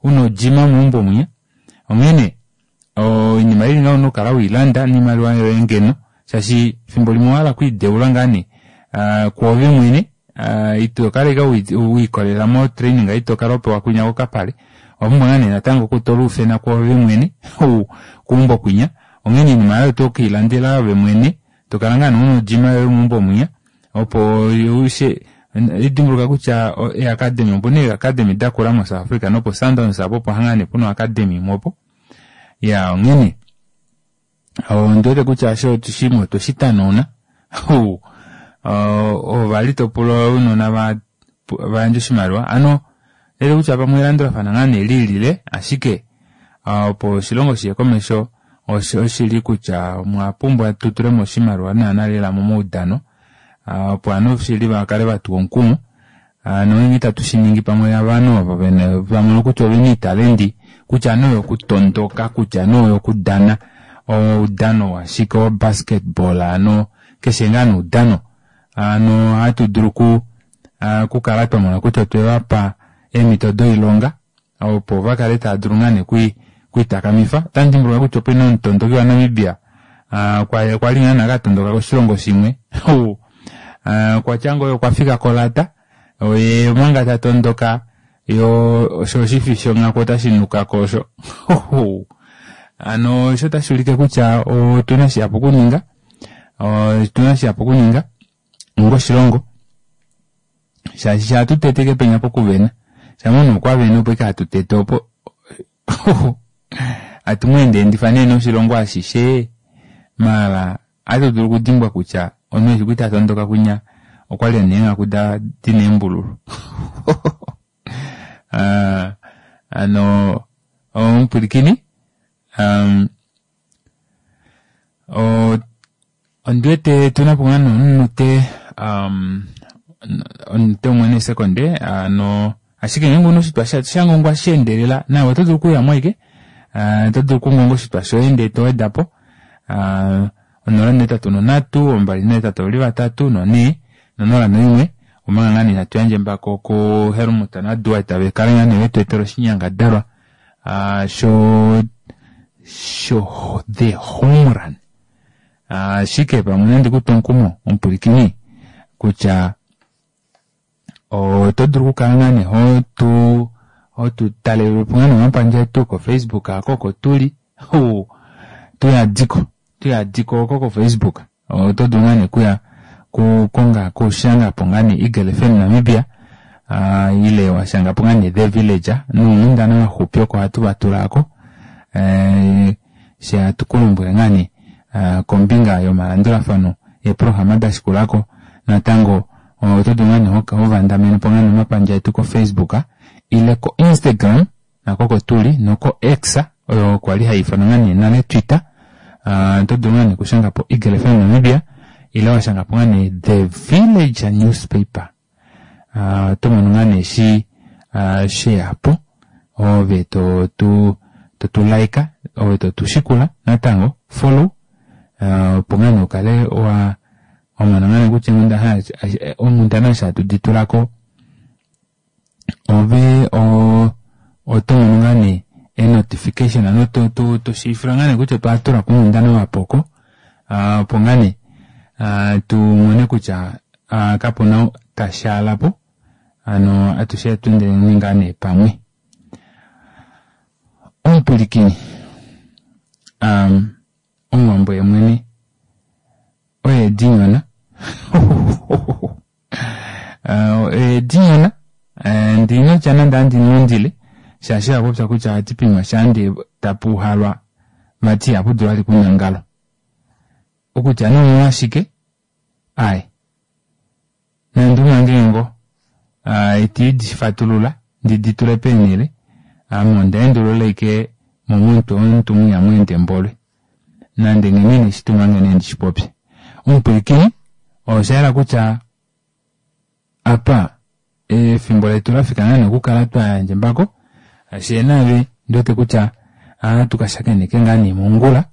una ojima meumbo mwinya onghene oinima ili ngaho nokukala weilanda niimaliwa yoye ngeno shaashi fimbo limwe owahala okwiideula ngaa nee kwoove mwene ito kala ike wiikolelela mo training ito kala hopewa kwinya kokapale owapumbwa ngaa nee natango okutola oufena kwoove mwene keumbo kwinya onghene oinima yoye oto keilandela ove mwene tokala ngaa nee una ojima yoye meumbo mwinya. Opo ushe lidimbuluka kutya eacademy opu na eacademy dakula moSouth Africa nopo Sundowns apo opo hangane puna oacademy imwe opo. Ya onghene ondi wete kutya osho shimwe otwe shi tanauna. Ova li to pula ounona va yandje oshimaliwa ano ndele kutya pamwe elandulafano ngaa nee liilile ashike opo oshilongo shiye komesho oshili kutya omwa pumbwa tu tulemo oshimaliwa naana lela momaudano opo ovanhu shili vakale vatuwa omukumo nongenge itatu shiningi pamwe ovanhu ovo vamono kutya ovena oitalendi kutya nee oyokutondoka kutya nee oyokudana oudano washike wo basketball ano keshe ngaa noudano ano ohatu dulu okukala twamona kutya otwe vapa eemhito doilonga opo vakale tava dulu ngaa nee okwiitakamifa. Otandi dimbuluka kutya opena omutondoki waNamibia kwali ngaa nee akatondoka koshilongo shimwe okwatya ngoo okwafika kolata oye omanga tatondoka yo osho oshifi shonghaku otashi nukako osho ano osho otashi ulike kutya otuna shihapu okuninga otuna shihapu okuninga onga oshilongo shaashi sha hatu teteke penya pokuvena shamha omunhu okwa vene opo ashike hatu tete opo hatu mu endeendifa nee noshilongo ashishe maala ohatu dulu okudimbwa kutya omunhu eshi kwali tatondoka kwinya okwali ena eenghaku dina eembululu hano omupwilikini ondiwete tunapo ngaa nee omunute omunute umwe neesekonde hano ashike ngeenge ouna oshitwa shangongwa sheendelela nawe oto dulu okuyamo ashike oto dulu okungonga oshitwa shoye ndee towedapo 083 283 4 nonola noimwe omanga ngaa nee hatu yandje embako ku Helmut naDuart vekale ngaa nee vetu etela oshinyangadalwa sho sho the home run ashike pamwe nandi kutwe omukumo omupwilikini kutya oto dulu okukala ngaa nee hotu hotu talelepo ngaa nee omapandja etu koFacebook ako oko tuli tuyadiko tuyadiko oko koFacebook oto dulu ngaa nee kuya kukonga kushangapo ngaa nee Eagle FM Namibia ile washangapo ngaa nee The Village nounghundana vaxupi oko ohatu vatulako she hatu kulombwele ngaa nee kombinga yomalandulafano eeprograma dashikulako natango oto dulu ngaa nee hovandamenepo ngaa nee omapandja etu koFacebook ile ko Instagram nako oko tuli noko X oyo kwali haifanwa ngaa nee nale Twitter oto dulu ngaa nee okushangapo Eagle FM Namibia ile washangapo ngaa nee The Village Newspaper oto mono ngaa nee shi sheyapo ove to tu like ove to tu shikula natango follow opo ngaa nee ukale wa wamona ngaa nee kutya onghundana eshi hatu di tulako ove oto mono ngaa nee e-notification ano toshiivifilwa ngaa nee kutya otwa tulako onghundana wapoko opo ngaa nee tumone kutya kapuna tashaalapo ano atushe atweendeleni ngaa nee pamwe. Omupwilikini omuwambo yemwene oye dinyona oye dinyona ndinotya nande andi nondile shaashi akupya kutya ohati pinywa shaande tapuuhalwa vati ihapu dulu vali kunyangalwa okutya nee omolwashike ai nande umange ngoo iti difatulula ndi ditule peenhele ame onda endulula ashike momutwe womuntu mwiya mweende mbolwe nande nghene ineshitumange nee ndishipopye. Omupwilikini oshayela kutya apa efimbo letu lafika ngaa nee okukala twayandja embako shee naave ndiwete kutya ohatu kashakeneke ngaa nee mongula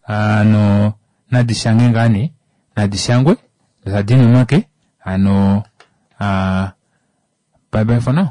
ano nadishange ngaa nee nadishangwe tadini omake ano bye bye for now.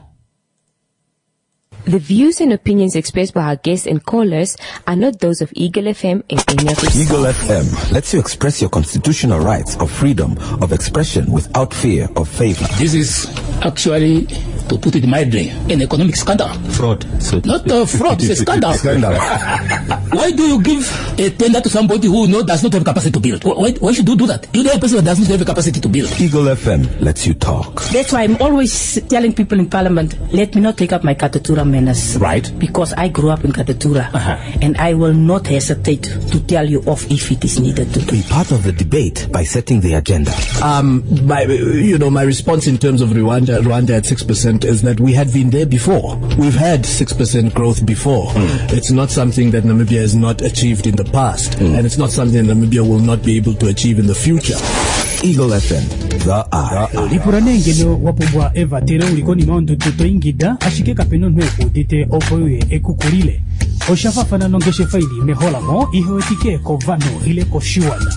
The views and opinions expressed by our guests and callers are not those of Eagle FM and any of its Eagle FM lets you express your constitutional rights of freedom of expression without fear of favor. This is actually To put it mildly, an economic scandal. Fraud. So Not a fraud, it's a scandal. Scandal. Why do you give a tender to somebody who no, does not have capacity to build? Why should you do that? You know a person that does not have capacity to build. Eagle FM lets you talk. That's why I'm always telling people in parliament, let me not take up my Katutura manners. Right. Because I grew up in Katutura. And I will not hesitate to tell you off if it is needed to. Be part of the debate by setting the agenda. My response in terms of Rwanda at 6% is that we had been there before. We've had 6% growth before. It's not something that Namibia has not achieved in the past, and it's not something that Namibia will not be able to achieve in the future. Eagle FM, the eye. Lipula nee ngeno wa pumbwa evatelo uli konima yondudu to ingida ashike kapena omunhu ekuudite opo uye ekukulile. Osha faafana nongeshefa ili meholamo ihe wetike kovanhu ile koshiwana.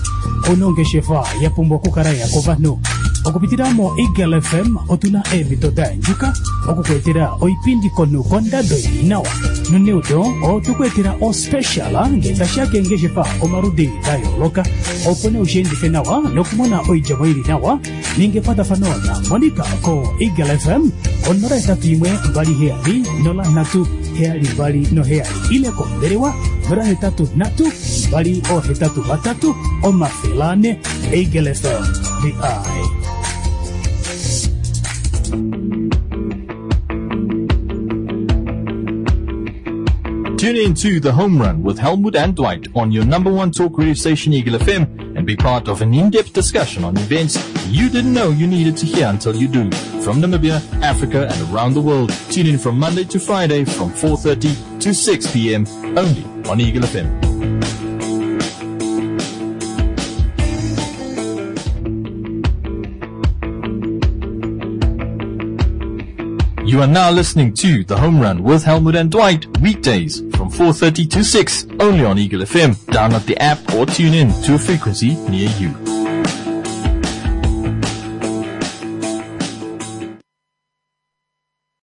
Ouna ongeshefa ya pumbwa okukala ya kovanhu. Okupitila mo Eagle FM otuna eemhito da yandjuka okukuetela oipindi komunhu kondado ili nawa. Noneudo otukuetela ospecial ngee tashiya keengeshefa omaludi da yooloka opo nee ushiendife nawa nokumona oidjemo ili nawa. Ninga ekwatafano na Monica ko Eagle FM 081 27 03 72 7 ile kombelewa 083 283 400. Eagle FM, the eye. Tune in to The Home Run with Helmut and Dwight on your number one talk radio station, Eagle FM, and be part of an in-depth discussion on events you didn't know you needed to hear until you do. From Namibia, Africa, and around the world. Tune in from Monday to Friday from 4:30 to 6 p.m. only on Eagle FM. You are now listening to The Home Run with Helmut and Dwight, weekdays from 4:30 to 6, only on Eagle FM. Download the app or tune in to a frequency near you.